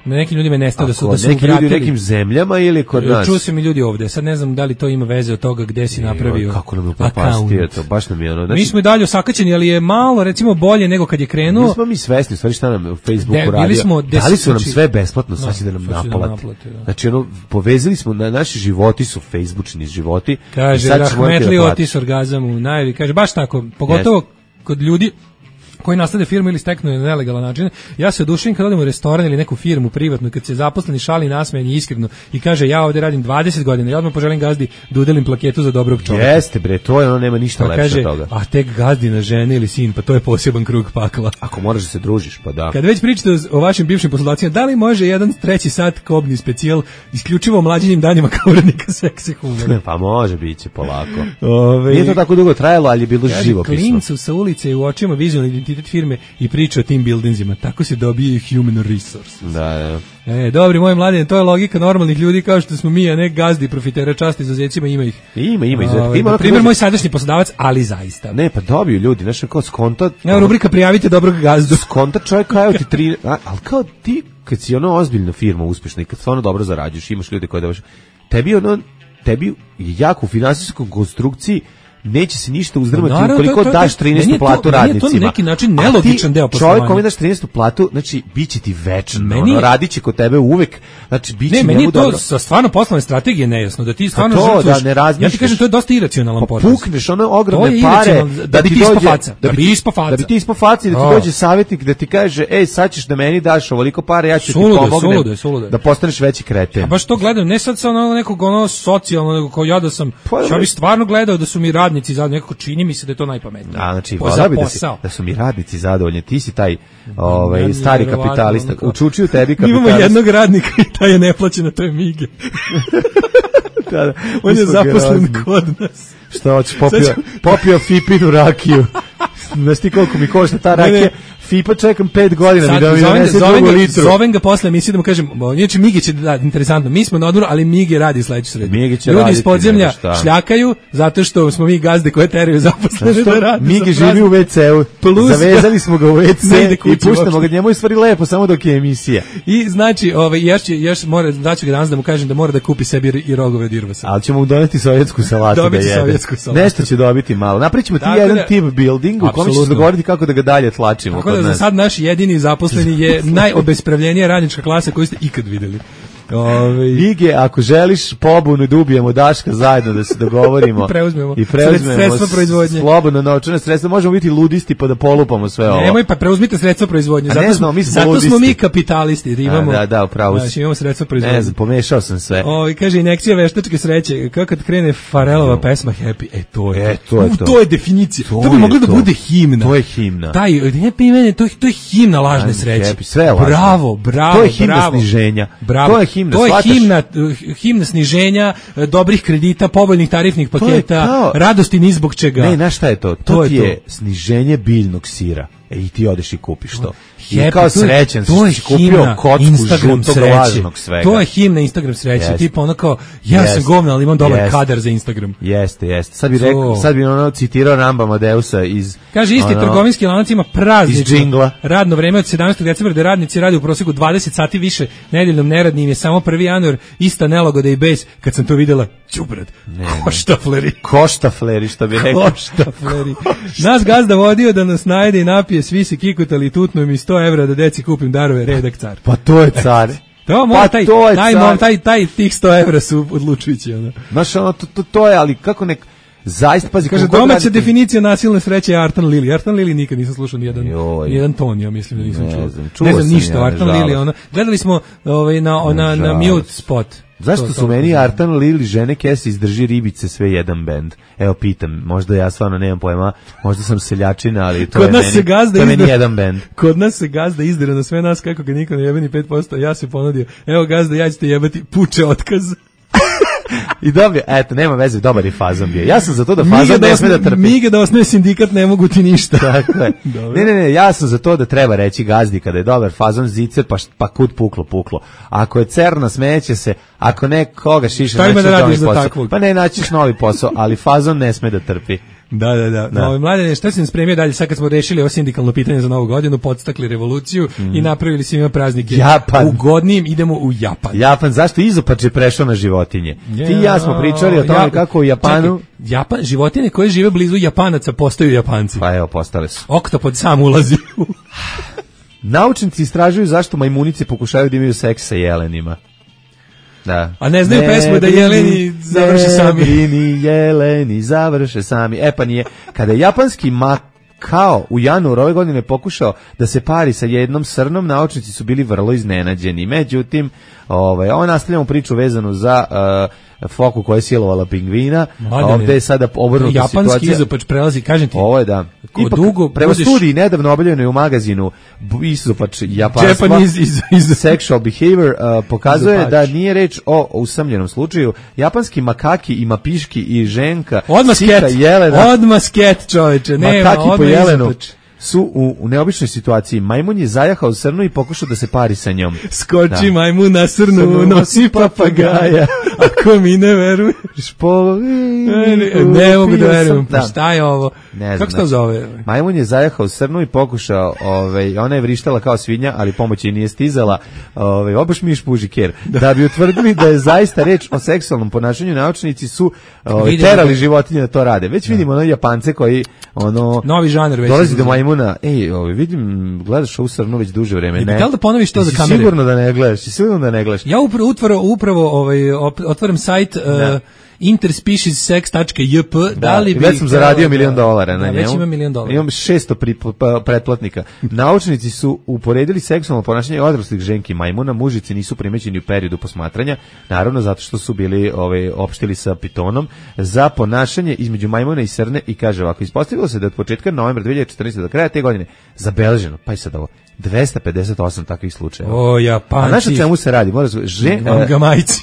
Na nekim ljudima je nestao da su da su neki ljudi u nekim zemljama ili kod nas. Čuo sam i ljudi ovde. Sad ne znam da li to ima veze od toga gde si napravio. Kako nam je upropastio to, baš nam je ono. Znači, mi smo i dalje osakaćeni, ali je malo recimo bolje nego kad je krenuo. Mi smo mi svesni, stvari šta nam u Facebooku radi. Dali su nam sve besplatno, sad će da nam naplate. Znači ono, povezali smo, na naši životi su Facebookini životi. Kaže, rahmetli otis orgazam u najavi. Kaže, baš tako, pogotovo kod ljudi koji nastade firmu ili steknu na nelegalan način. Ja se oduševim kad odem u restoran ili neku firmu privatnu, kad se zaposleni šali nasmejan i iskreno i kaže ja ovde radim dvadeset godina, ja odmah poželim gazdi da udelim plaketu za dobrog čovjeka. Jeste bre, to je ono, nema ništa pa lepše kaže, od toga. A tek gazdina žena ili sin, pa to je poseban krug pakla. Ako moraš da se družiš, pa da. Kad već pričate o vašim bivšim poslodavcima, da li može jedan treći sat kobni specijal isključivo mlađinim danima kao urednika seksi humora? Pa može, biće polako. Ove, Nije to tako dugo trajalo, ali je bilo kaže, živopisno. Klincu sa ulice u očima vizualni identitet firme i priča o tim buildingsima. Tako se dobije human resource. Da, da. E, dobri moj mladine, to je logika normalnih ljudi kao što smo mi, a ne gazdi profitera, časti izuzecima, ima ih. Ima, ima izuzetka. Ima, primjer moj sadašnji poslodavac, ali zaista. Ne, pa dobiju ljudi, znaš, kao skonta. Evo rubrika prijavite dobrog gazdu. Skonta čovjek kao ti tri, a, ali kao ti kad si ono ozbiljna firma uspješna i kad stvarno dobro zarađuješ, imaš ljude koji da baš tebi ono tebi jako u finansijskoj konstrukciji neće se ništa uzdrmati naravno, ukoliko to, to, daš trinaestu platu radnicima. To je na neki način nelogičan deo poslovanja. Čovjek koji daš trinaestu platu, znači biće ti večno, meni, ono, radit će kod tebe uvek, znači biće ne, meni je to dobro. Sa stvarno poslovne strategije nejasno, da ti stvarno to, žrtvuješ. Da ne ja ti kažem, to je dosta iracionalan potez. Pukneš ono ogromne pare da, da bi ti ispo faca. Da bi ti ispo faca. Da bi ti ispo faca i da ti oh. dođe savjetnik da ti kaže, ej, sad ćeš da meni daš ovoliko pare, ja ću sulude, ti pomognem sulude, sulude. da postaneš veći kreten. A baš to gledam, ne sad sa ono nekog ono socijalno, nego kao ja da sam, pa, ja bih stvarno gledao da su mi radnici zadovoljni, nekako čini mi se da je to najpametnije. A znači, voda bi da, si, da su mi radnici zadovoljni, ti si taj ovaj, ja, stari kapitalista, učučio tebi kapitalista. Mi imamo jednog radnika i taj je neplaćen, to je Mige. da, da, on je zaposlen kod nas. Što hoćeš, popio, popio Fipinu rakiju. Znaš ti koliko mi košta ta rakija? Fipa čekam pet godina sad, mi da mi donese drugu litru. Zovem ga posle emisije da mu kažem, inače Mige će da, interesantno, mi smo na odmoru, ali Mige radi sledeću sredu. Ljudi iz podzemlja šljakaju zato što smo mi gazde koje teraju zaposlene da radi. Mige živi u ve ce-u, zavezali smo ga u ve ce i puštamo ga, njemu je stvari lepo samo dok je emisija. I znači, ovaj, još, će, još mora, daću ga danas da mu kažem da mora da kupi sebi i rogove od Irvasa. Ali ćemo mu doneti sovjetsku salatu dobiti da jede. Sovjetsku salatu. Nešto će dobiti malo. Napričimo ti jedan da, team building u kome ćeš dogovoriti kako da ga dalje tlačimo. Za sad naš jedini zaposleni je najobespravljenija radnička klasa koju ste ikad videli. Ove... Ige, ako želiš pobunu da ubijemo Daška zajedno da se dogovorimo preuzmemo. i preuzmemo sredstva proizvodnje. Slobodno novčana sredstva, možemo biti ludisti pa da polupamo sve ovo. Nemoj, pa preuzmite sredstva proizvodnje. Zato, znam, mi smo, zato smo mi kapitalisti. Da imamo, A, da, da, upravo si. Imamo sredstva proizvodnje. Ne znam, pomešao sam sve. O, kaže, injekcija veštačke sreće. Kako kad krene Farelova no. pesma Happy, e, to je e, to. Je to. to je definicija. To, to bi moglo da bude himna. To je himna. Taj Happy mene, to, to je himna lažne sreće. Happy, sve je lažno. Bravo, bravo, to je himna bravo. sniženja. Bravo. To je himna, to je himna himna sniženja, dobrih kredita, povoljnih tarifnih paketa, kao... radosti ni zbog čega. Ne, znaš šta je to? To, to ti je to. Sniženje biljnog sira. E, i ti odeš i kupiš to. I Happy, kao srećan to je, si kupio kocku Instagram žutog lažnog svega. To je himna Instagram sreće. Yes. Tipa ono kao, ja yes. sam govna, ali imam dobar yes. kadar za Instagram. Jeste, jeste. Sad bi rekao, sad bi ono citirao Ramba Amadeusa iz... Kaže, isti ono, trgovinski lanac ima praznično radno vreme od sedamnaestog decembra, da radnici radi u prosjeku dvadeset sati više, nedeljnom neradnim je samo prvi januar, ista nelagoda i bes. Kad sam to videla, đubrad, koštafleri. Koštafleri, što bi rekao. Koštafleri. Nas gazda vodio da nas najede i napije, svi se kikutali i tutnu mi sto evra da deci kupim darove, redak car. Pa to je car. To mora, pa taj, to je taj, car. taj, taj, tih sto evra su odlučujući. Ono. Znaš, ono, to, to, to je, ali kako nek... Zaista, pazi, kaže, domaća radite... definicija nasilne sreće je Artan Lili. Artan Lili nikad nisam slušao nijedan, nijedan ton, ja mislim da nisam ne čuo. Znam, ne znam ništa, ja, Artan Lili, ona. Gledali smo ovaj, na, na, na mute spot. Zašto to, su to, meni Artan Lili žene kese izdrži ribice sve jedan bend? Evo pitam, možda ja stvarno nemam pojma, možda sam seljačina, ali to, je meni, to je meni jedan bend. Kod nas se gazda izdira na sve nas kako ga niko ne jebe ni pet posto, ja se ponudio, evo gazda, ja ćete jebati, puče otkaz. I dobio, eto, nema veze, dobar je fazon bio. Ja sam za to da fazon ne sme da trpi. Mige da osnoje sindikat, ne mogu ti ništa. Tako je. Ne, ne, ne, ja sam za to da treba reći gazdi kada je dobar fazon zicer, pa, pa kud puklo, puklo. Ako je cerna, smeće se, ako ne koga šiša, šta ima da radiš za takvog? Pa ne, naćiš novi posao, ali fazon ne sme da trpi. Da, da, da. da. No, mladene, šta si nam spremio dalje, sad kad smo rešili ovo sindikalno pitanje za novu godinu, podstakli revoluciju mm. i napravili svima praznike. Japan. Ugodnijim, idemo u Japan. Japan, zašto izopač je prešao na životinje? Yeah. Ti i ja smo pričali o tome ja, kako u Japanu... Čekaj, Japan, životinje koje žive blizu Japanaca postaju Japanci. Pa evo, postale su. Oktopod sam ulazi u... Naučnici istražuju zašto majmunice pokušaju da imaju seks sa jelenima. Da. A ne znaju ne pesmu da jeleni završe sami. Ne brini jeleni završe sami. E pa nije. Kada je japanski mak kao u januaru ove godine pokušao da se pari sa jednom srnom, naučnici su bili vrlo iznenađeni. Međutim, ovaj, ovo nastavljamo priču vezanu za uh, foku koja je silovala pingvina, a ovde je sada obrnuta situacija. Japanski izopač prelazi, kažem ti. Ovo je da. Ipak, dugo prema budiš... studiji nedavno objavljenoj u magazinu izopač japanstva, Japanese iz, iz... sexual behavior uh, pokazuje izopač. Da nije reč o usamljenom slučaju. Japanski makaki i mapiški i ženka, odmah sika, sket, jelena, odmah sket, čoveče, nema, makaki po jelenu. izopač. Su u, u neobičnoj situaciji. Majmun je zajahao srnu i pokušao da se pari sa njom. Skoči da. majmun na srnu, srnu nosi papagaja. Ako mi ne veruješ, po... Ne, ne, ne mogu da verujem. Pa šta je ovo? Ne kako se to zove? Majmun je zajahao srnu i pokušao, ovaj, ona je vrištala kao svinja, ali pomoć je nije stizala. Ovaj, obaš miš puži ker. Da. da bi utvrdili da je zaista reč o seksualnom ponašanju, naučnici su ovaj, terali životinje da to rade. Već da. vidimo ono Japance koji ono... Novi žanr već. Dolazi do majmuna. Ej, ovaj, vidim, gledaš ovu srnu već duže vreme. Ne. Da li da ponoviš to za kamere? Sigurno da ne gledaš, sigurno da ne gledaš. Ja upravo, upravo, upravo ovaj, otvaram sajt... Uh, interspecies sex dot j p da, da li bi već sam zaradio milion dolara na da, njemu. Već ima milion dolara. Imam šesto pretplatnika. Naučnici su uporedili seksualno ponašanje odraslih ženki majmuna, mužici nisu primećeni u periodu posmatranja, naravno zato što su bili ovaj opštili sa pitonom za ponašanje između majmuna i srne i kaže ovako, ispostavilo se da od početka novembra dve hiljade četrnaeste do kraja te godine zabeleženo, pa i sad ovo dvesta pedeset osam takvih slučajeva. O, Japanci. A znaš o čemu se radi? Moraš žen... Gamajci.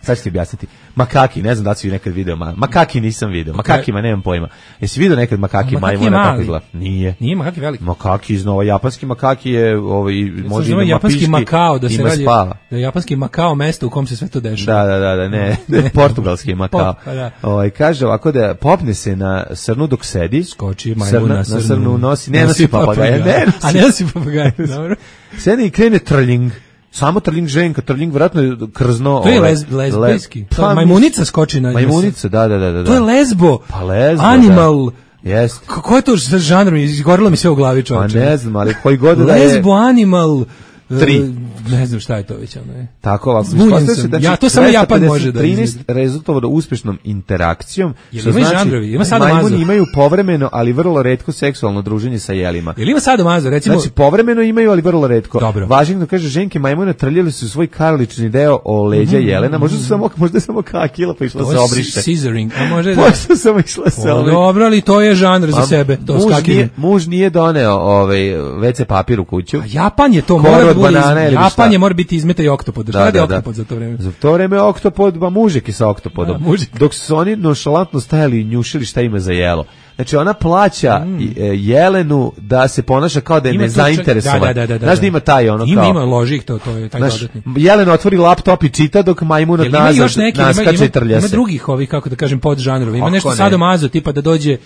Sad ću ti objasniti. Makaki, ne znam da li si nekad video. Makaki nisam video. Makakima nemam pojma. Jesi video nekad makaki majmuna kako izgleda? Nije. Nije makaki veliki. Makaki iznova. Japanski makaki je ovaj, može ima japanski Makao, da se radi. Spava. Da je japanski Makao mesto u kom se sve to dešava. Da, da, da, da ne. ne. Portugalski Makao. Pop, da. Ovaj, kaže ovako da popne se na srnu dok sedi. Skoči majmun na srnu. Na srnu nosi. Ne nosi papagaja. Ne nosi. A ne nosi papagaja. Dobro. Sedi i krene trljing. Samo trling ženka, trling vjerojatno je krzno. To je lez, lezbijski. Le, pa, majmunica skoči na... Majmunica, da, da, da, da. To je lezbo. Pa lezbo, Animal. Da. Jest. Kako je to žanr? Izgorilo mi sve u glavi, čovječe. Pa ne znam, ali koji god da je... Lezbo, animal... Tri. Uh, ne znam šta je to već, ne. Tako ovako. Se, da ja, to samo Japan može da trinaest rezultovalo uspešnom interakcijom. Što ima znači, žanrovi? Ima sadomazo. Majmuni imaju povremeno, ali vrlo retko seksualno druženje sa jelima. Jel ima sadomazo, recimo? Znači, povremeno imaju, ali vrlo retko. Dobro. Važno kaže, ženke majmuna trljali su svoj karlični deo o leđa mm, jelena, možda su samo, možda samo kakila pa išla se obriše. Scissoring, a može da... Možda samo išla se obriše. Dobro, ali to je žanr za sebe. To muž, nije, muž nije doneo ovaj, ve ce papir u kuću. A Japan je to, mora da bude Japan je mora biti izmetaj oktopod. Šta radi oktopod za to vreme? Za to vreme oktopod, ba mužik je sa oktopodom. Da, dok su oni nonšalantno stajali i njušili šta ima za jelo. Znači ona plaća mm. jelenu da se ponaša kao da je nezainteresovan. Da, da, da, da, znaš da ima taj ono ima, kao... Ima, loži ih to, to je taj znaš, dodatni. Jelen otvori laptop i čita dok majmun od nazad naskače i trlja se. Ima drugih ovih, kako da kažem, podžanrova. Ima nešto sadomazo, tipa da dođe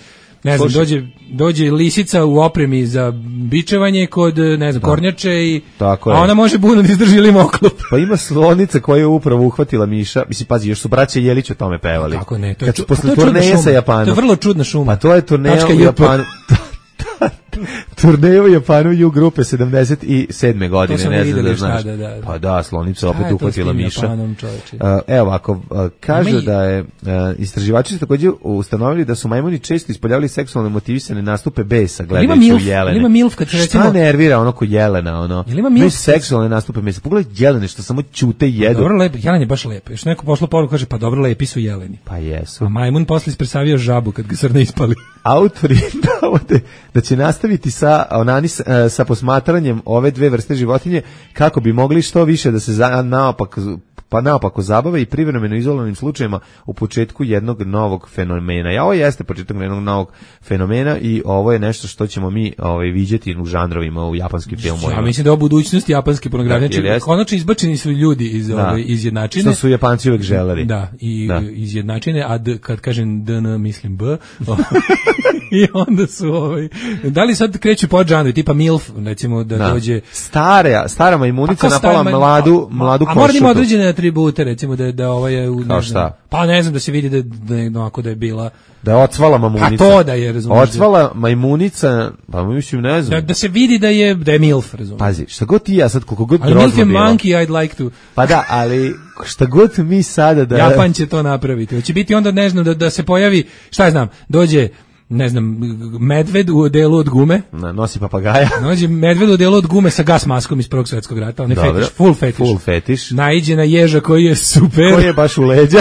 ne znam, dođe, dođe lisica u opremi za bičevanje kod, ne znam, da. kornjače i tako a ona može buno da izdrži ili moklop. Pa ima slonica koja je upravo uhvatila miša, mislim, pazi, još su braća Jelić o tome pevali. Kako ne, to je, kad su posle turneje sa Japanom. To je vrlo čudna šuma. Pa to je turneja u Japanu. Turneju u Japanu ju grupe sedamdeset sedme godine, ne znam da znaš. Da, da. Pa da, slonica opet uhvatila miša. Japanom, uh, evo ovako, uh, kaže Ima da je, uh, istraživači su također ustanovili da su majmuni često ispoljavali seksualne motivisane nastupe besa, gledajući u jelene. Ima milf, kad recimo... Šta nervira ono ko jelena, ono? Ima milf? Seksualne nastupe mesa. Pogledaj jelene što samo ćute i jedu. Dobro, lep, jelen je baš lep. Još neko pošlo poruku, kaže, pa dobro, lepi su jeleni. Pa jesu. A majmun posle ispresavio žabu kad ga srne ispali. Autori navode da će nastaviti sa onanis, sa posmatranjem ove dve vrste životinje kako bi mogli što više da se za, naopak pa naopako zabave i privremeno izolovanim slučajevima u početku jednog novog fenomena. Ja ovo jeste početak jednog novog fenomena i ovo je nešto što ćemo mi ovaj viđati u žanrovima u japanskim filmovima. Ja mislim da je ovo budućnost japanske pornografije. Znači, konačno izbačeni su ljudi iz da. ove izjednačine. Što su Japanci uvek želeli. Da, i da. izjednačine, a d, kad kažem D N mislim B. I onda su ovaj da li sad kreću pod žanri tipa milf, recimo da, da. dođe stara stara majmunica napala maj, mladu a, mladu košutu. A mora da ima određene atribute, recimo da da ovaj je kao šta? Pa ne znam, da se vidi da da je onako da je bila da je ocvala majmunica. A to da je, razumiješ. Ocvala majmunica, pa mislim ne znam. Da, da se vidi da je da je milf, razumiješ. Pazi, šta god ti ja sad koliko god grozno bilo. Milf je monkey, I'd like to. Pa da, ali šta god mi sada da Japan će to napraviti. Hoće biti onda ne znam da da se pojavi, šta ja znam, dođe ne znam, medved u odelu od gume. Na, nosi papagaja. Nođe medved u odelu od gume sa gas maskom iz Prvog svjetskog rata, on je Dobro. fetiš, full fetiš. Full fetiš. Naiđe na ježa koji je super. Koji je baš u leđa.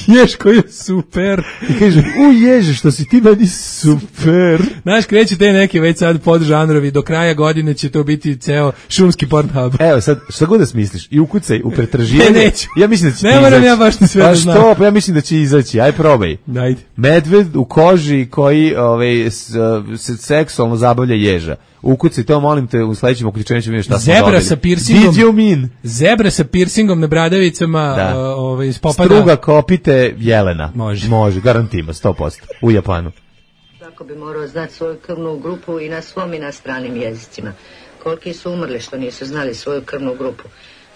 Jež koji je super. I kaže, u ježe, što si ti meni super. Znaš, kreće te neke već sad podžanrovi, do kraja godine će to biti ceo šumski Pornhub. Evo sad, šta god da smisliš, i ukucaj u pretraživanje. Ne, neću. Ja mislim da će ne ti moram izaći. ja baš ni sve pa da znam. što, pa ja mislim da će izaći, aj probaj. Ajde. Medved u koži koji ovaj, s, se seksualno zabavlja ježa. Ukucaj to, molim te, u sledećem uključenju ćemo vidjeti šta smo dobili. Zebra sa piercingom. Did you mean? Zebra sa piercingom na bradavicama, Da. uh, ovaj, spopada. Struga kopite jelena. Može. Može, garantima, sto posto. U Japanu. Svako bi morao znati svoju krvnu grupu i na svom i na stranim jezicima. Koliki su umrli što nisu znali svoju krvnu grupu.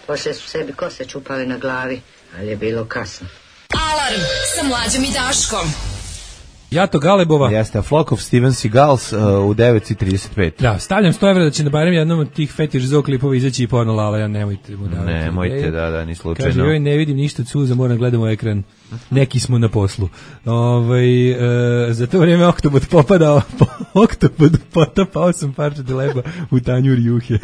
Poslije su sebi kose čupali na glavi, ali je bilo kasno. Alarm sa Mlađom i Daškom. Jato Galebova. Jeste, a Flock of Steven Seagals uh, u devet i trideset pet. Da, stavljam sto evra da će na barem jednom od tih fetiš zoo klipova izaći i porno Lala, ja nemojte mu davati. Nemojte, da, da, ni slučajno. Kaže, joj, ne vidim ništa od suza, moram gledamo ekran. Neki smo na poslu. Ovaj e, za to vrijeme Oktobot popadao, Oktobot potapao sam parče leba u tanjur juhe.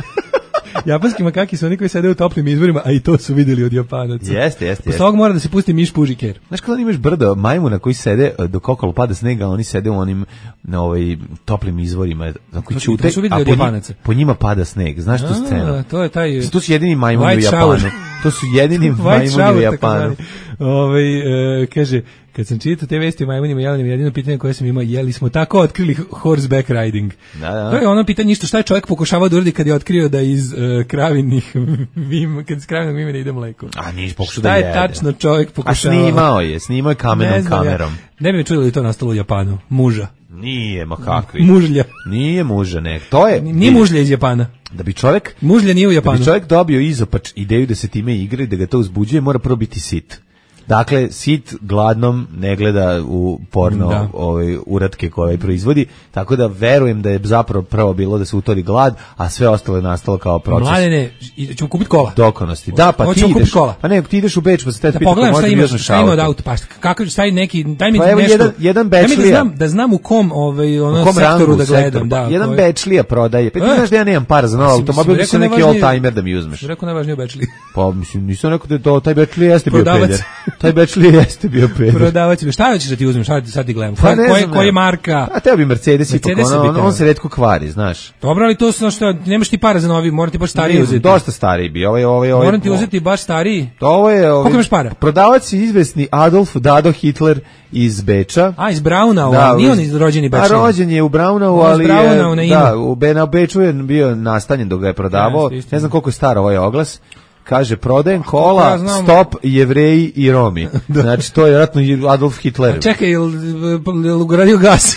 Japanski makaki su oni koji sede u toplim izvorima, a i to su vidjeli od Japanaca. Jeste, jeste. Posle ovog mora da se pusti miš pužiker. Znaš kada imaš brdo majmuna koji sede dok okolo pada snega, a oni sede u onim na ovaj toplim izvorima, na koji ćute, a po, njima, po njima pada sneg. Znaš tu scenu? To je taj. To su jedini majmuni u Japanu. To su jedini majmuni u Japanu. Ovaj e, kaže, kad sam čitao te vesti o majmunima jelenima, jedino pitanje koje sam imao, je li smo tako otkrili horseback riding? Da, da. To je ono pitanje isto, šta je čovjek pokušavao da uradi kad je otkrio da iz uh, kravinih vim, kad iz kravinog vimena ide mleko? A niš pokušao da jede. jede. Šta je tačno čovjek pokušavao? A snimao je, snimao je kamenom kamerom. Ja. Ne bi me čuli da je to nastalo u Japanu. Muža. Nije, ma kakvi. Mužlja. Nije muža, ne. To je... Nije mužlja iz Japana. Da bi čovjek... Mužlja nije u Japanu. Da bi čovjek dobio izopač ideju da se time igra i da ga to uzbuđuje, mora prvo biti sit. Dakle, sit gladnom ne gleda u porno da. ovaj, uratke koje proizvodi, tako da verujem da je zapravo prvo bilo da se utori glad, a sve ostalo je nastalo kao proces. Mladene, ćemo kupiti kola. Dokonosti. Da, pa ti ideš. Kola. Pa ne, ti ideš u Beč, pa se te da pita pogledam šta imaš, šta ima od auto. auto, pa kako taj neki, daj mi pa evo nešto. jedan jedan Bečlija. Da znam, da znam u kom ovaj ono kom sektoru da gledam, sektor, da. Jedan koji... Bečlija prodaje. Pa ti znaš da ja nemam para za novo automobil, bi se neki oldtimer da mi uzmeš. Rekao najvažnije Bečlija. Pa mislim, nisam rekao da to taj Bečlija jeste bio peder. Taj Bečlija jeste bio peder. Prodavac, šta hoćeš da ti uzmeš, šta ti sad ti gledam? Pa Koje koje marka? A teo bi Mercedes, Mercedes ipak, on, on, on se retko kvari, znaš. Dobro, ali to su što nemaš ti para za novi, morate ti baš stariji uzeti. Dosta stariji bi, ovaj ovaj ovaj. Moram ti uzeti baš stariji. Ovo je ovaj. Koliko imaš para? Prodavac je izvesni Adolf Dado Hitler iz Beča. A, iz Braunau, da, nije on iz rođeni Beča. A rođen je u Braunau, ali je, da, u Bena Beču je bio nastanjen dok ga je prodavao. Ja, ne znam koliko je star ovaj oglas. Kaže, prodajem kola, ja stop, Jevreji i Romi. Znači, to je vjerojatno Adolf Hitler. A čekaj, je li ugradio gas?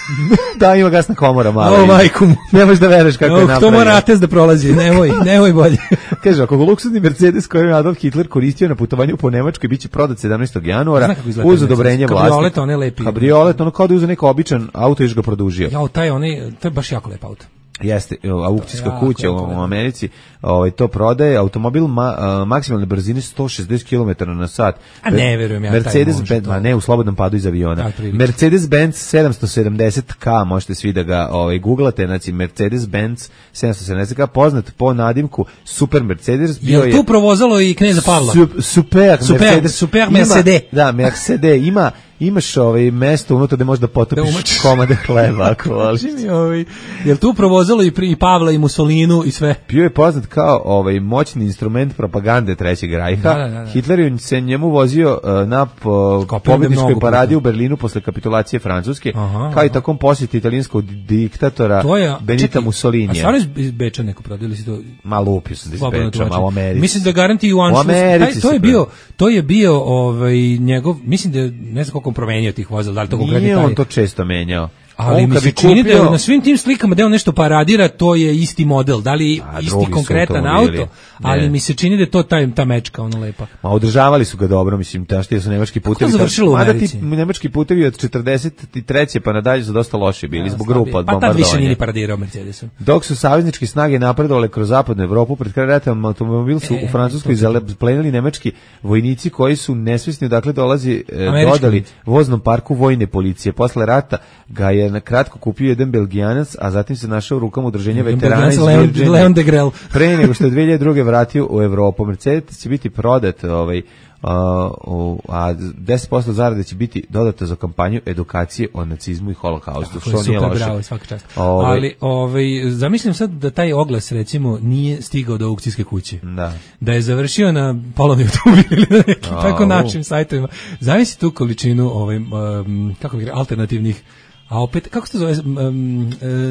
Da, ima gasna komora mala. O, majku mu. Nemaš da vereš kako o, je napravio. To mora atest da prolazi, nemoj, nemoj bolje. Kaže, ako luksuzni Mercedes koji je Adolf Hitler koristio na putovanju po Nemačkoj, bit će prodat sedamnaestog januara uz odobrenje vlasti. Kabriolet, on je lepi. Kabriolet, ono kao da je uzeo neko običan auto i još ga produžio. Jao, taj, onaj, to je baš jako lep auto. Jeste, aukcijska ja, kuća u, u Americi ovaj, to prodaje, automobil ma, uh, maksimalne brzine sto šezdeset kilometara na sat. A ne verujem ja, Mercedes Benz, ma ne, u slobodnom padu iz aviona. Mercedes-Benz sedamsto sedamdeset K, možete svi da ga ovaj, googlate, znači Mercedes-Benz sedamsto sedamdeset K, poznat po nadimku Super Mercedes. Bio je tu provozalo i kneza Pavla? Su, super, super Mercedes. Super Mercedes. Da, Mercedes ima imaš ovaj mesto unutra gde možeš da potopiš komade hleba ako voliš. ovaj, jel tu provozalo i, i Pavla i Mussolinu i sve? Bio je poznat kao ovaj moćni instrument propagande Trećeg rajha. Da, da, da. Hitler je se njemu vozio uh, na po, pobedničkoj paradi u Berlinu posle kapitulacije Francuske, aha, kao i takom posjeti italijanskog diktatora je, Benita čekaj, Mussolinija. A stvarno iz Beča neko prodali si to? Ma lupio sam da iz Beča, ma u Americi. Mislim da garanti u Anšlusu. To je bio, to je bio ovaj njegov, mislim da ne znam koliko promenio tih vozila, da li to konkretno taj. Nije on to često menjao. Ali mi se čini da na svim tim slikama da on nešto paradira, to je isti model, da li a, isti konkretan auto, ali mi se čini da je to taj, ta mečka, ono lepa. Ma održavali su ga dobro, mislim, tašti su nemački putevi. Kako završilo u Americi? Mada ti nemački putevi od četrdeset treće pa nadalje su dosta loši bili, ja, zbog grupa od bombardovanja. Pa tad više nije paradirao Mercedesom. Dok su savezničke snage napredovale kroz zapadnu Evropu, pred kraj rata automobil su e, u Francuskoj zaplenili nemački vojnici koji su nesvesni, dakle dolazi, e, dodali voznom parku vojne policije. Posle rata ga je na kratko kupio jedan Belgijanac, a zatim se našao u rukama udruženja veterana iz Leon, Virginije. Leon de Grel. Pre nego što je dve hiljade druge vratio u Evropu. Mercedes će biti prodat, ovaj, Uh, a deset posto zarade će biti dodato za kampanju edukacije o nacizmu i holokaustu, što nije super, loše. bravo, svaka čast. Ove, Ali ovaj, zamislim sad da taj oglas recimo nije stigao do aukcijske kuće. Da. Da je završio na polovni automobil ili na nekim tako našim sajtovima. Zamisli tu količinu ovaj, um, kako bih rekao, alternativnih. A opet, kako se to zove,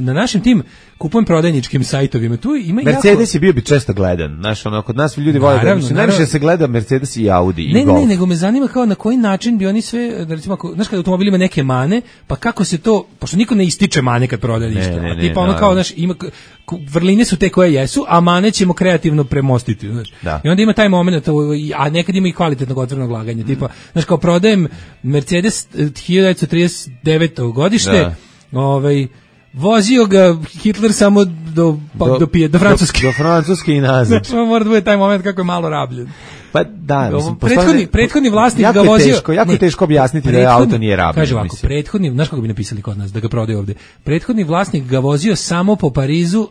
na našim tim kupujem prodajničkim sajtovima, tu ima Mercedes jako... je bio bi često gledan, znaš, ono, kod nas ljudi vole da, mislim, najviše se gleda Mercedes i Audi i ne, Golf. Ne, nego me zanima kao na koji način bi oni sve, da recimo, ako, znaš, kada automobil ima neke mane, pa kako se to, pošto niko ne ističe mane kad prodaje ništa, ne, ne, a tipa ne, ono kao, znaš, ima, vrline su te koje jesu, a mane ćemo kreativno premostiti, znaš. Da. I onda ima taj moment, a nekad ima i kvalitetnog otvorenog laganja, tipa, znaš, kao prodajem Mercedes hiljadu devetsto trideset devete godište, da. Ovaj vozio ga Hitler samo do pa, do, do, pije, do Francuske. Do, do Francuske i nazad. Znači, mora da bude taj moment kako je malo rabljen. Pa da, mislim, prethodni, prethodni vlasnik jako ga vozio... Teško, jako ne, je teško objasniti da je auto nije rabljen. Kaže ovako, prethodni, znaš kako bi napisali kod nas, da ga prodaju ovde, prethodni vlasnik ga vozio samo po Parizu,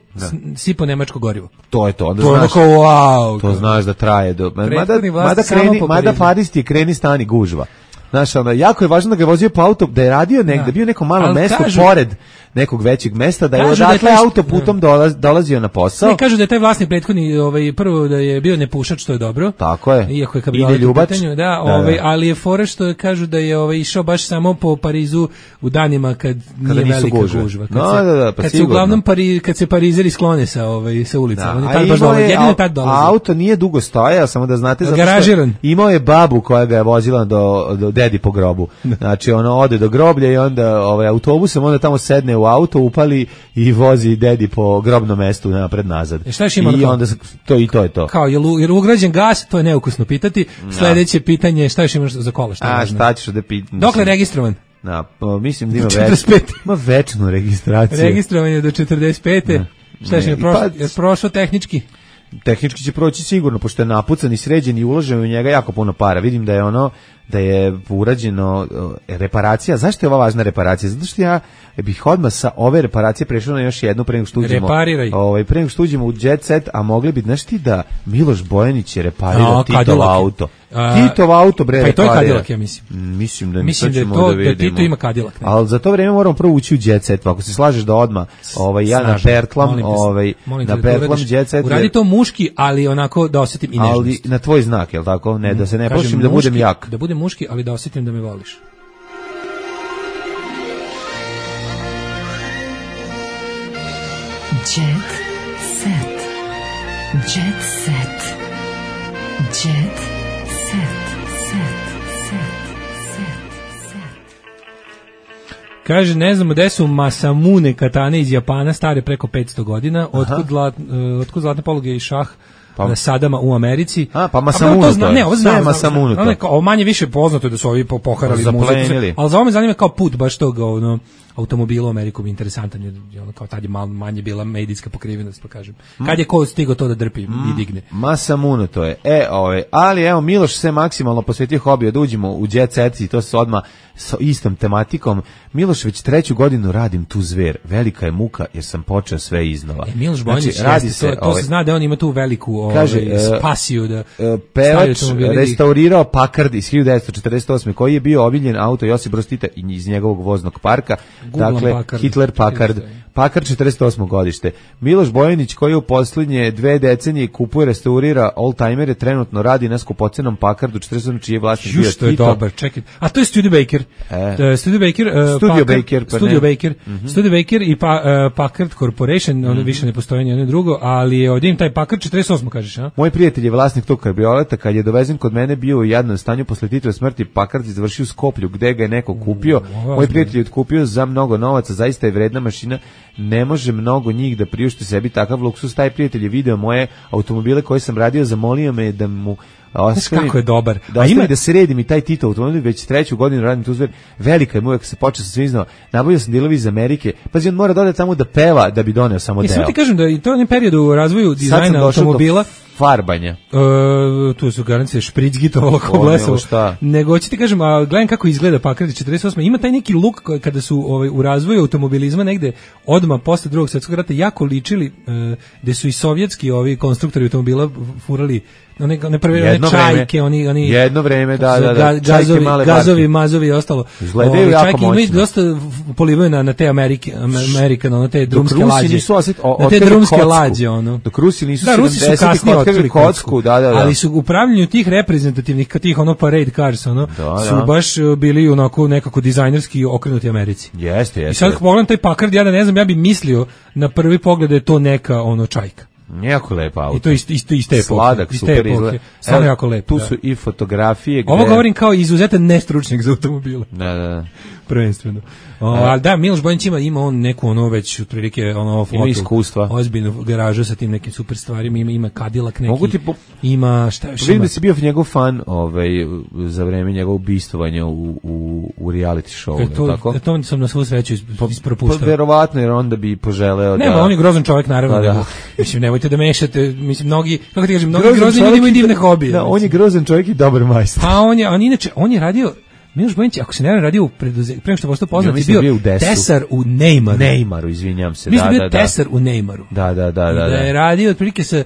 sipo nemačko gorivo. To je to, onda to znaš, kao, wow, to znaš da traje. Do, mada, mada, samo kreni, po mada Paris ti je kreni stani gužva. Znaš, onda, jako je važno da ga je vozio po auto, da je radio negde, da bio neko malo ali mesto kažu, pored nekog većeg mesta, da je odatle autoputom dolaz, dolazio na posao. Ne, kažu da je taj vlasnik prethodni, ovaj, prvo da je bio nepušač, što je dobro. Tako je. Iako je kabriolet u pitanju, da, ovaj, da. Ali je fora što kažu da je ovaj, išao baš samo po Parizu u danima kad, kad nije velika gužva. gužva. Kad, no, se, da, da, pa kad se uglavnom Pari, kad se Parizeri sklone sa, ovaj, sa ulica. Da, on je tad baš dolazi, jedino tad dolazi. Auto nije dugo stojao, samo da znate, zato Garažiran. Imao je babu koja ga je vozila do, do dedi po grobu. Znači, ono ode do groblja i onda ovaj, autobusom, onda tamo sedne u auto, upali i vozi dedi po grobnom mestu napred nazad. E šta još ima I onda to i to je to. Kao je jer ugrađen gas, to je neukusno pitati. Sledeće pitanje je šta još imaš za kola, šta A važno? šta ćeš da pitam? Dokle registrovan? Na, pa, mislim da ima već. Ima večnu registraciju. Registrovan je do četrdeset pete. Šta je prošlo? Pa, je prošlo tehnički? Tehnički će proći sigurno, pošto je napucan i sređen i uloženo u njega jako puno para. Vidim da je ono da je urađeno reparacija. Zašto je ova važna reparacija? Zato što ja bih odmah sa ove reparacije prešao na još jednu pre nego što uđemo. Repariraj. Ovaj pre nego što uđemo u Jet Set, a mogli bi, znaš ti da Miloš Bojanić je reparirao Titov auto. Titov auto bre. Pa i to je Cadillac, ja mislim. Mislim da mislim da je to da, da Tito ima Cadillac. Ali za to vreme moramo prvo ući u Jet Set. Ako se slažeš da odmah ovaj ja na Bertlam, ovaj na Bertlam Jet Set. Uradi to muški, ali onako da osetim i nežnost. Ali na tvoj znak, je l' tako? Ne, da se ne plašim da budem jak. Da budem muški, ali da osetim da me voliš. Jet set. Jet set. Jet set. Set. Set. Set. Kaže, ne znamo gde su Masamune katane iz Japana, stare preko petsto godina, otkud, zlat, uh, otkud zlatne poluge i šah pa. Sadama u Americi. A, pa Masamune to, zna, ne, ovo znam, Masamune to. Ovo manje više poznato je da su ovi poharali muziku, ali za ovo me zanima kao put baš tog, ono, automobila u Ameriku mi interesantan, jer ono kao tad je malo manje bila medijska pokrivenost, pa kažem. Kad je ko stigao to da drpi mm. i digne? Masamune to je. E, ovaj, ali evo, Miloš se maksimalno posvetio hobiju da uđemo u Jet Set i to se odmah sa istom tematikom. Miloš, već treću godinu radim tu zver. Velika je muka jer sam počeo sve iznova. E, Miloš Bojanić, znači, radi se, to, to ovaj, se zna da on ima tu veliku kaže, ovaj, spasiju da uh, pevač restaurirao Packard iz hiljadu devetsto četrdeset osme koji je bio obiljen auto Josip Broz Tita iz njegovog voznog parka. Googlam dakle, Packard. Hitler Packard. Packard četrdeset osmo godište. Miloš Bojanić koji u posljednje dve decenije kupuje, restaurira oldtimere, trenutno radi na skupocenom Packardu četrdeset osam čiji je vlasnik bio Tito. Je dobar, čekaj. A to je Studebaker. E. Uh, Studebaker, uh, Studio Packard, Baker, pa Studebaker, mm-hmm. Studebaker i pa, uh, Packard Corporation, mm-hmm. ono više ne postoji ni jedno drugo, ali je ovdje im taj Packard četrdeset osmo kažeš, a? Moj prijatelj je vlasnik tog kabrioleta, kad je dovezen kod mene bio u jadnom stanju posle Titove smrti, Packard je završio u Skoplju, gde ga je neko kupio. Mm, Moj prijatelj je otkupio za mnogo novaca, zaista je vredna mašina, ne može mnogo njih da priušti sebi takav luksus. Taj prijatelj je video moje automobile koje sam radio, zamolio me da mu ostavim, kako je dobar. Da, ima... da se redim i taj Tito automobil, već treću godinu radim tu zver. Velika je mu uvek se počeo sa svim iznova. Nabavio sam dilovi iz Amerike. Pazi, on mora da ode tamo da peva da bi doneo samo deo. Ja sam ti kažem da i to je onaj period u razvoju dizajna automobila. farbanja. E, tu su garancije špricgitovalo kao blesovo. Nego hoćete kažem, a gledam kako izgleda Packard četrdeset osme. Ima taj neki luk koji, kada su ovaj, u razvoju automobilizma negde odmah posle drugog svjetskog rata jako ličili, e, gde su i sovjetski ovi konstruktori automobila furali one, one prve one čajke, oni, oni jedno vreme, da, da, da, gazovi, gazovi, mazovi i ostalo. Izgledaju jako čajke moćno. Imaju dosta polivaju na, na te Amerike, Amerikan, ono te drumske lađe. Nisu osjet, o, na te drumske kocku. Lađe, ono. Dok Rusi nisu da, Rusi su kasnije otkrili kocku, da, da, da. Ali su u upravljanju tih reprezentativnih, tih ono parade cars, ono, da, su da. baš bili onako nekako dizajnerski okrenuti Americi. Jeste, jeste. I sad pogledam taj Packard, ja da ne znam, ja bih mislio na prvi pogled da je to neka ono čajka. Jako lepa auto. I to isto isto iste epoke. Sladak, super izgleda. Samo jako lepo. Tu da. su i fotografije gde... Ovo govorim kao izuzetan nestručnjak za automobile. Da, da. Prvenstveno. O, ali da, Miloš Bojanić ima, ima on neku ono već otprilike ono flotu. Ima iskustva. Ozbiljnu garažu sa tim nekim super stvarima, ima ima Cadillac neki. Mogu ti po... ima šta još ima. Vidim da si bio njegov fan, ovaj za vreme njegovog ubistvovanja u u u reality showu, e to, tako? E to sam na svu sreću ispropuštao. Pa verovatno jer onda bi poželeo da. Ne, on je grozan čovjek naravno. Pa, da. Nego, mislim nemojte da mešate, mislim mnogi, kako ti kažem, mnogi grozni ljudi imaju divne hobije. Da, on je grozan čovjek i dobar majstor. Pa on je, on inače, on je radio Miloš Bojanić, ako se ne radio u preduzeću, pre nego što postao poznat, je bio, bio tesar u Neymaru. Neymaru, izvinjam se. Mislim da, da, bio da, tesar u Neymaru. Da, da, da, da. Da je radio otprilike sa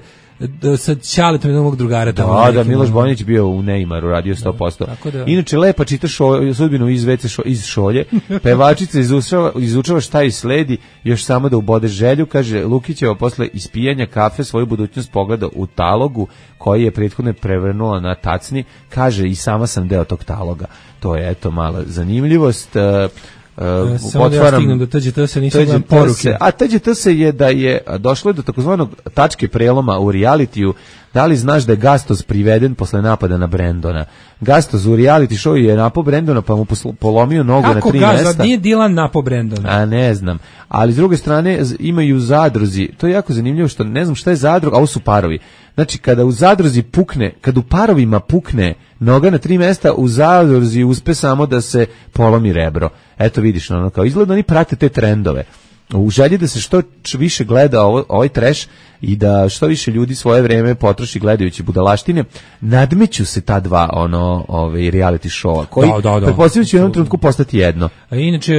sa Ćaletom jednog mog drugara tamo. Da, da, Miloš Bojanić bio u Neymaru, radio sto posto. Da, da. Inače, lepa čita šo, sudbinu iz, vece šo, iz šolje, pevačica izučava, izučava šta i sledi, još samo da ubode želju, kaže Lukićeva posle ispijanja kafe svoju budućnost pogleda u talogu, koji je prethodno prevrnula na tacni, kaže i sama sam deo tog taloga. To je, eto, mala zanimljivost. Uh, Uh, samo da ja stignem do T Đ T S, nisam gledam poruke. A T Đ T S je da je došlo do takozvanog tačke preloma u realitiju. Da li znaš da je Gastos priveden posle napada na Brendona? Gastos u reality show je napao Brendona pa mu polomio nogu kako na tri Gaza, mesta. Kako nije Dylan napao Brendona? A ne znam. Ali s druge strane imaju zadruzi. To je jako zanimljivo što ne znam šta je zadrug, a ovo su parovi. Znači kada u zadruzi pukne, kad u parovima pukne noga na tri mesta, u zadruzi uspe samo da se polomi rebro. Eto vidiš, ono kao izgleda oni prate te trendove. U želji da se što više gleda ovo, ovaj trash i da što više ljudi svoje vreme potroši gledajući budalaštine, nadmeću se ta dva ono ovaj reality showa koji da, da, da. pretpostavljam će u jednom trenutku postati jedno. A inače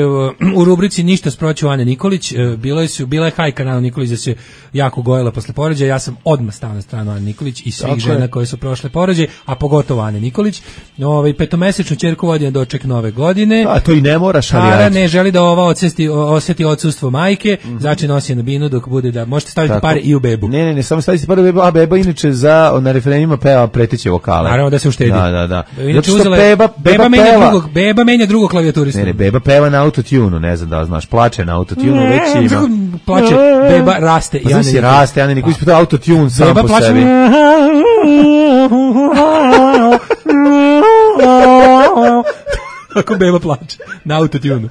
u rubrici Ništa s proću Ane Nikolić bilo je su bila je hajka na Anu Nikolić da se jako gojila posle porođaja. Ja sam odmah stao na stranu Ane Nikolić i svih žena je. Koje su prošle porođaj, a pogotovo Ane Nikolić. Ovaj petomesečnu ćerku vodi na doček nove godine. A to i ne moraš, ali Ara ne želi da ova odsesti oseti odsustvo majke, mm-hmm. znači nosi na binu dok bude da možete staviti tako. Pare i u bebu. Ne, ne, ne, samo staviti pare u bebu, a beba inače za na refrenima peva preteće vokale. Naravno da se uštedi. Da, da, da. Inače uzela beba, beba, beba menja peva. drugog, beba menja drugog klavijaturistu. Ne, ne, beba peva na autotunu, ne znam da li znaš, plače na autotunu, već ima. Plače, beba raste. Pa znači raste, ja ne niko ispita autotune sam beba po plače. sebi. Kako beba plače na autotunu.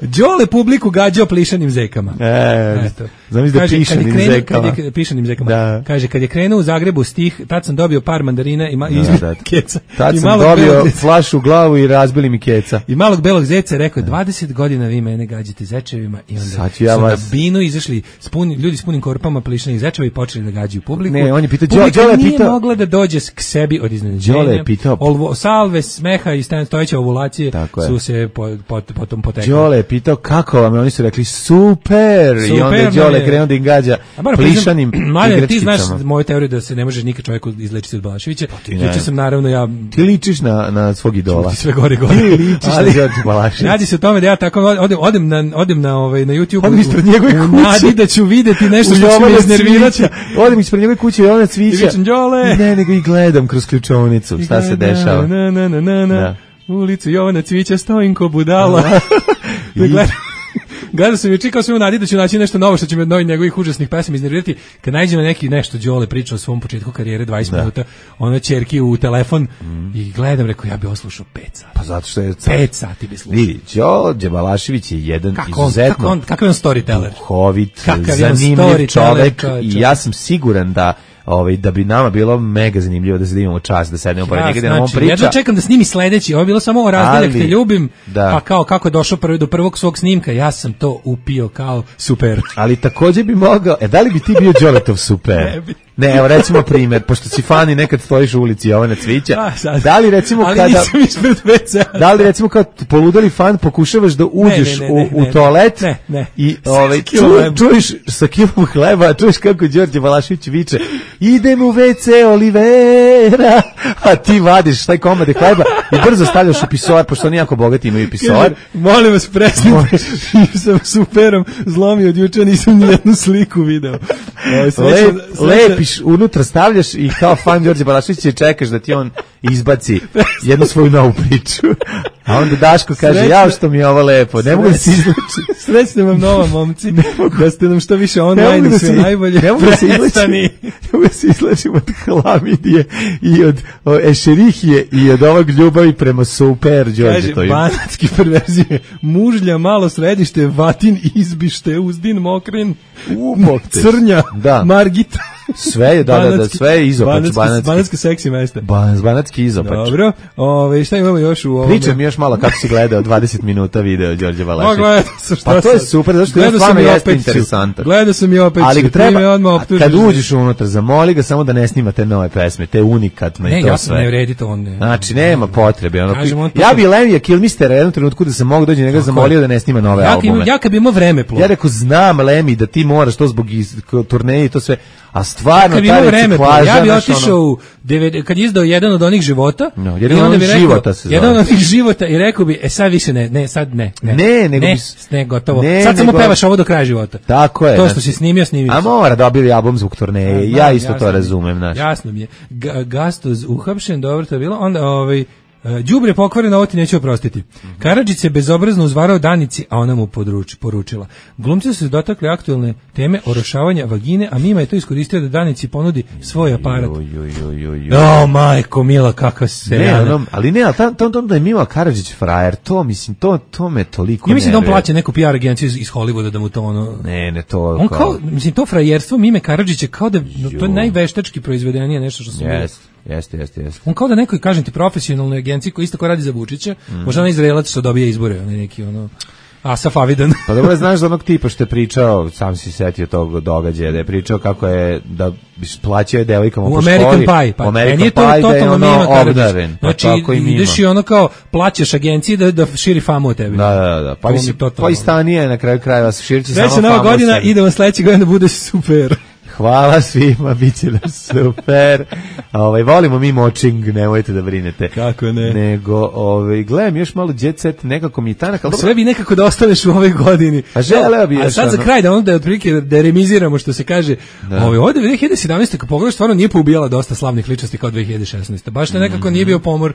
Đole publiku gađao plišanim zekama. E, znam da pišanim krenu, zekama. Kad je, pišanim zekama. Da. Kaže, kad je krenuo u Zagrebu stih, tad sam dobio par mandarina i, ma, da, izbili da. keca. Tad I sam dobio flašu u glavu i razbili mi keca. I malog belog zeca rekao, dvadeset godina vi mene gađate zečevima. I onda ja su vas... na binu izašli spuni, ljudi s punim korpama plišanih zečeva i počeli da gađaju publiku. Ne, on je pitao, Publika Đole nije pitao... mogla da dođe k sebi od iznenađenja. Đole je pitao... Olvo, salve, smeha i stojeće ovulacije su se po, po, potom potekli. Đole je pitao kako vam, oni su rekli super, super i onda je Đole krenuo da im gađa plišanim igračkicama. Ti znaš moju teoriju da se ne može nikad čovjek izlečiti od Balaševića. Juče sam naravno ja... Ti ličiš na, na svog idola. Ti sve gore gore. Ti ličiš ali, na Đorđe Balaševića. Radi se o tome da ja tako odem, odem na, odem na, ovaj, na YouTube. Odem ispred njegove kuće. Nadi da ću videti nešto što će me iznervirati. Odem ispred njegove kuće i ona cvića. I ne, nego i gledam kroz ključovnicu šta se dešava. Na, na, na, na, na. Ulicu Jovana Cvića stojim ko budala. Gledao sam juče kao sam u nadi da ću naći nešto novo što će me od novih njegovih užasnih pesama iznervirati. Kad nađe na neki nešto Đole priča o svom početku karijere dvadeset minuta, ona ćerki u telefon mm. i gledam, rekao ja bih oslušao pet sati. Pa zato što je pet sati bi slušao. Vidi, Đorđe Balašević je jedan kako izuzetno kako on, kakav je on storyteller. Duhovit, zanimljiv čovek i ja sam siguran da ovaj da bi nama bilo mega zanimljivo da se imamo čas da sednemo pored njega da nam on priča. Ja da čekam da snimi sledeći, ovo je bilo samo o razdeljak te ljubim, da. Pa kao kako je došao prvi do prvog svog snimka, ja sam to upio kao super. Ali takođe bi mogao, e da li bi ti bio Đoletov super? Ne bi. Ne, evo recimo primjer, pošto si fan i nekad stojiš u ulici Jovana Cvića, A, sad. da li recimo Ali kada... nisam ispred ve cea. Da li recimo kao poludeli fan pokušavaš da uđeš Ne, ne, ne, u, u ne, toalet ne, ne. i Sa ovaj, kilom ču, hleba. čuješ sa kilom hleba, a čuješ kako Đorđe Balašević viče idem u ve ce Olivera, a ti vadiš taj komade hleba i brzo stavljaš u pisoar, pošto oni jako bogati imaju pisoar. Kaže, molim vas, prestanite, sam superom zlomio od juče, nisam ni jednu sliku video. Ovaj, sreća- Lep, sreća- lepiš, unutra stavljaš i kao fan Đorđe Balaševića i čekaš da ti on izbaci jednu svoju novu priču. A onda Daško kaže, Srećno- jao što mi je ovo lepo, ne mogu da se izlučim. Srećna vam nova, momci, da ste nam što više Ne online mogu i da sve se, najbolje. ne mogu da se izlečim, Prestani. ne mogu da se izlečim od hlamidije i od o, ešerihije i od ovog ljubavi prema super Kaže, Đorđetovim. banatski perverzije, mužlja, malo središte, vatin, izbište, uzdin, mokrin, Umokte. crnja, Da. margita. Sve je, da, da, da, Banatski- sve je izopač, banatski, banatski. banatski seksi mesta. Ban, banatski izopač. Dobro, ove, šta imamo još u ovom? Pričam mi još malo kako si gledao dvadeset minuta video Đorđe Ma, Balaševića. gledao sam, šta Pa to je sad? super, zato što je Gledao sam stvarno i jeste opet ću. interesantan. Gledao sam i opet Ali ću, ga ti me treba, odmah a optužiš kad da- uđeš unutra, zamoli ga samo da ne snima te nove pesme, te unikatno i Ne, to ja sam sve. ne vredi to on. Ne. Znači, nema potrebe. Ono, Kažem, on to- ja bi Lemija Kilmistera jednom trenutku da se mogu dođe njega zamolio da ne snima nove Ja kad imam- albume. ja kad bi imao vreme plov. Ja rekao, znam Lemi da ti moraš to zbog iz, k- turneje i to sve, a stvarno Kad bi ta imao vreme, reciklaža, ja bi znaš, otišao ono- u devet kad je izdao jedan od onih života. No, i jedan od onda onih bi rekao- života se zove. Jedan od onih života i rekao bi, e sad više ne, ne, sad ne. Ne, Ne, nego ne, bi s- ne, gotovo. ne, sad samo nego- pevaš ovo do kraja života. Tako je. To što znači- si snimio, snimio. A mora da objavi album zbog turneje, Znam, ja isto jasno to mi je. razumem, znaš. Jasno mi je. Ga- Gastoz uhapšen, dobro to je bilo. Onda ovaj e, đubre pokvareno, ovo ti neću oprostiti. Karadžić se bezobrazno uzvarao Danici, a ona mu područi, poručila. Glumci su se dotakli aktuelne teme orošavanja vagine, a Mima je to iskoristio da Danici ponudi svoj aparat. Joj, joj, joj, joj, joj. O, majko, mila, kakva se Ne, rana. ono, ali ne, ali tam, tam, tam da je Mima Karadžić frajer, to, mislim, to, to me toliko Ja mislim da on nervira. plaća neku P R agenciju iz, iz Hollywooda da mu to ono... Ne, ne, to On kao, mislim, to frajerstvo Mime Karadžića kao da, no, to je Jo. najveštački proizvedenije nešto što sam vidio. Jeste, jeste, jeste, jeste. On kao da nekoj, kažem ti, profesionalnoj agenciji koji isto kao radi za Vučića, Mhm. možda onaj Izraelac što dobije izbore, onaj neki ono... Asaf Avidan. Pa dobro, znaš za onog tipa što je pričao, sam si setio tog događaja, da je pričao kako je, da plaćao je devojkama U po American školi, Pie, pa u American meni je to Pie, da je totalno ono Mima Karadžić. obdaren, pa Znači, tako i Mima. ideš i ono kao, plaćaš agenciji da, da širi famu o tebi. Da, da, da, pa To mi mislim, totalno- pa i Stanija je na kraju krajeva širiti samo Sreća nova famu o godina, sebi. idemo sledeće godine da bude super. Hvala svima, bit će nam super. Ovaj, volimo mi močing, nemojte da brinete. Kako ne? Nego, ovaj, gledam još malo jet set, nekako mi je tanak, ali Sve bi nekako da ostaneš u ovoj godini. A želeo bi A još sad za ono- kraj da onda otprilike da remiziramo što se kaže. Da. Ovaj ovde dve hiljade sedamnaeste kad pogledaš stvarno nije poubijala dosta slavnih ličnosti kao dve hiljade šesnaeste. Baš ne nekako nije bio pomor.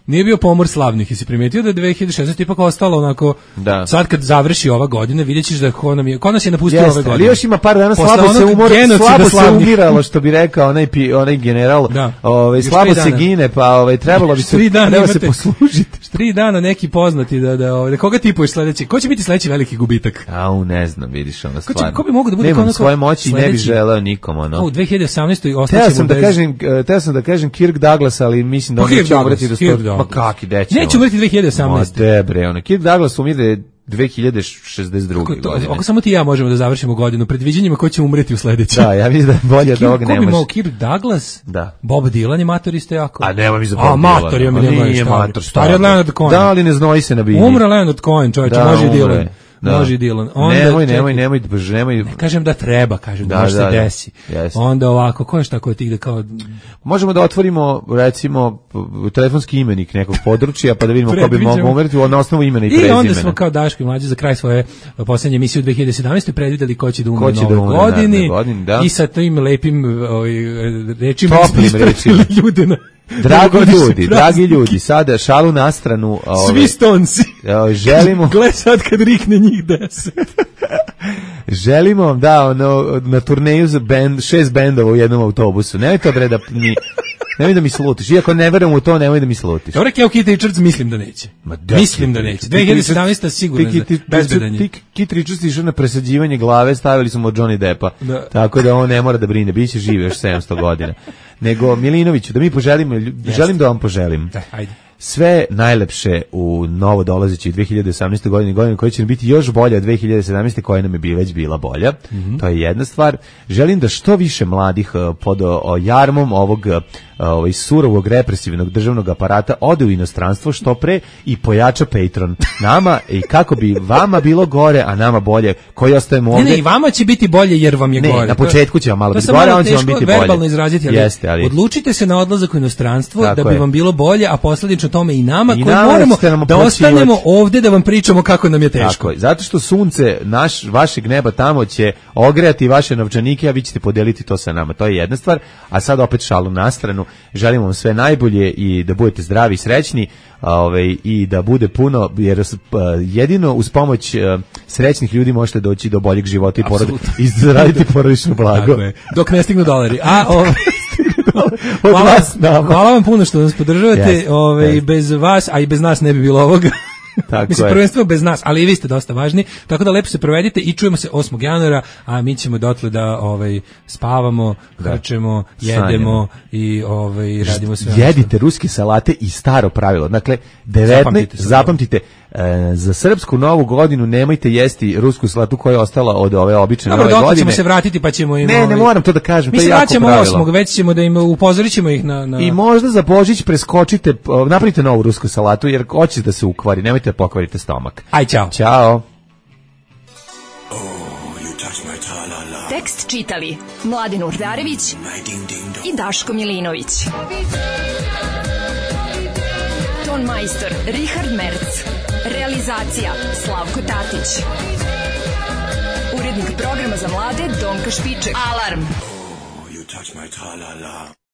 Nije bio pomor slavnih, jesi primetio da je dve hiljade šesnaeste ipak ostalo onako, Da. sad kad završi ova godina, vidjet ćeš da ko, nam je, ko nas je napustio Jeste, ove godine. ali još ima par dana Posle slabo se onog umor, genocida slabo se slavnih. umiralo, što bi rekao onaj, pi, onaj general, Da. ovaj, Još slabo tri se dana. gine, pa ovaj, trebalo bi se, Tri dana treba se imate- poslužiti. Tri dana neki poznati da da, ovaj, da koga tipuješ sledeći? Ko će biti sledeći veliki gubitak? Au, ne znam, vidiš, ono Ko, će, stvarno. ko bi mogao da bude Nemam kao svoje moći i ne bi sledeći- želeo nikom, ono. A, u dve hiljade osamnaestoj Teo ostaćemo sam da bez... kažem, eh, teo sam da kažem Kirk Douglas, ali mislim da Pa on Kirk neće Douglas, umreti do Kirk sto... Douglas. Ma kaki, deće. Neće umreti dve hiljade osamnaeste. Ma debre, ono. Kirk Douglas umire dve hiljade šezdeset druge Kako to, godine. ako samo ti i ja možemo da završimo godinu predviđanjima ko će umreti u sledećem. Da, ja mislim da je bolje da ovog Ko ne bi može. mogao, Kirk Douglas? Da. Bob Dylan je mator isto jako. A nema mi za Bob A, Dylan. mator je mi Ma njegov nije stari. mator, Stari od Leonard Cohen. Da, ali ne znoji se na bilji. Umre Leonard Cohen, čovječe, Da, može i umre. Dylan. Da. Može i Dylan. Onda, Nemoj, čekaj, nemoj, nemoj, bože, nemoj. Ne kažem da treba, kažem da, Da, može da, se da. desi. Jeste. Onda ovako, ko je šta ko ti da kao... Možemo da otvorimo, recimo, p- telefonski imenik nekog područja, pa da vidimo ko bi Predviđamo. mogao umreti na osnovu imena i I prezimena. onda smo kao Daško i Mlađe za kraj svoje posljednje emisije u dve hiljade sedamnaeste predvideli ko će da umre Ko će na da ovoj umre na godini. narednoj godini, da. I sa tim lepim ovaj, rečima Toplim ispraćali rečima. ljude na Dragi novogodišnje ljudi, praznike. dragi ljudi, sada šalu na stranu. ove, Svi stonci. e, želimo, Gle sad kad rikne njih deset. želimo vam da ono, na turneju za band, šest bendova u jednom autobusu. Nemoj to bre da mi, nemoj da mi slutiš. Iako ne verujem u to, nemoj da mi slutiš. Dobro, Kev Keith Richards mislim da neće. Mislim da neće. dve hiljade sedamnaeste sigurno je bezbedan je. Kit Richards išao na presađivanje glave, stavili su mu od Johnny Deppa. Da. Tako da on ne mora da brine, biće živ još sedamsto godina. Nego, Milinoviću, da mi poželimo, lju- želim da vam poželim. Da, ajde. sve najlepše u novo dolazećoj dve hiljade osamnaestoj godini, godini koja će biti još bolja od dve hiljade sedamnaeste koja nam je bi već bila bolja. Mm-hmm. To je jedna stvar. Želim da što više mladih pod o, jarmom ovog ovaj surovog represivnog državnog aparata ode u inostranstvo što pre i pojača Patreon nama i kako bi vama bilo gore, a nama bolje, koji ostajemo ovde. Ne, ne, i vama će biti bolje jer vam je ne, gore. Na početku će vam malo biti gore, a on će vam biti bolje. Verbalno izraziti, ali, Jeste, ali odlučite se na odlazak u inostranstvo tako da bi je. vam bilo bolje, a posledično tome i nama I koji nama moramo da ostanemo ovde da vam pričamo kako nam je teško. Tako je, zato što sunce naš, vašeg neba tamo će ogrejati vaše novčanike, a vi ćete podeliti to sa nama. To je jedna stvar, a sad opet šalu na stranu. Želimo vam sve najbolje i da budete zdravi i srećni, ovaj, i da bude puno, jer jedino uz pomoć srećnih ljudi možete doći do boljeg života i, porod, i zaraditi porodično blago. Tako je, dok ne stignu dolari. A, ovaj, hvala, hvala vam puno što nas podržavate, yes, ovaj, yes. Bez vas, a i bez nas ne bi bilo ovoga. Tako Mislim, prvenstveno bez nas, ali i vi ste dosta važni, tako da lepo se provedite i čujemo se osmog januara, a mi ćemo dotle da ovaj, spavamo, da. hrčemo, jedemo i ovaj, radimo sve. Jedite ruske salate i staro pravilo, dakle, devetnaest, zapamtite, zapamtite e, za srpsku novu godinu nemojte jesti rusku salatu koja je ostala od ove obične Dobro, nove godine. Dobro, ćemo se vratiti pa ćemo im... Ne, ovaj, ne moram to da kažem, to je jako pravilo. Mi se vraćamo osmog, već ćemo da im upozorit ćemo ih na, na... I možda za Božić preskočite, napravite novu rusku salatu, jer hoće da se ukvari, nemojte da pokvarite stomak. Aj, čao. Ćao. Tekst čitali Mladen Urdarević i Daško Milinović. Ton majstor Richard Merc. Realizacija Slavko Tatić. Urednik programa za mlade Donka Špiček. Alarm!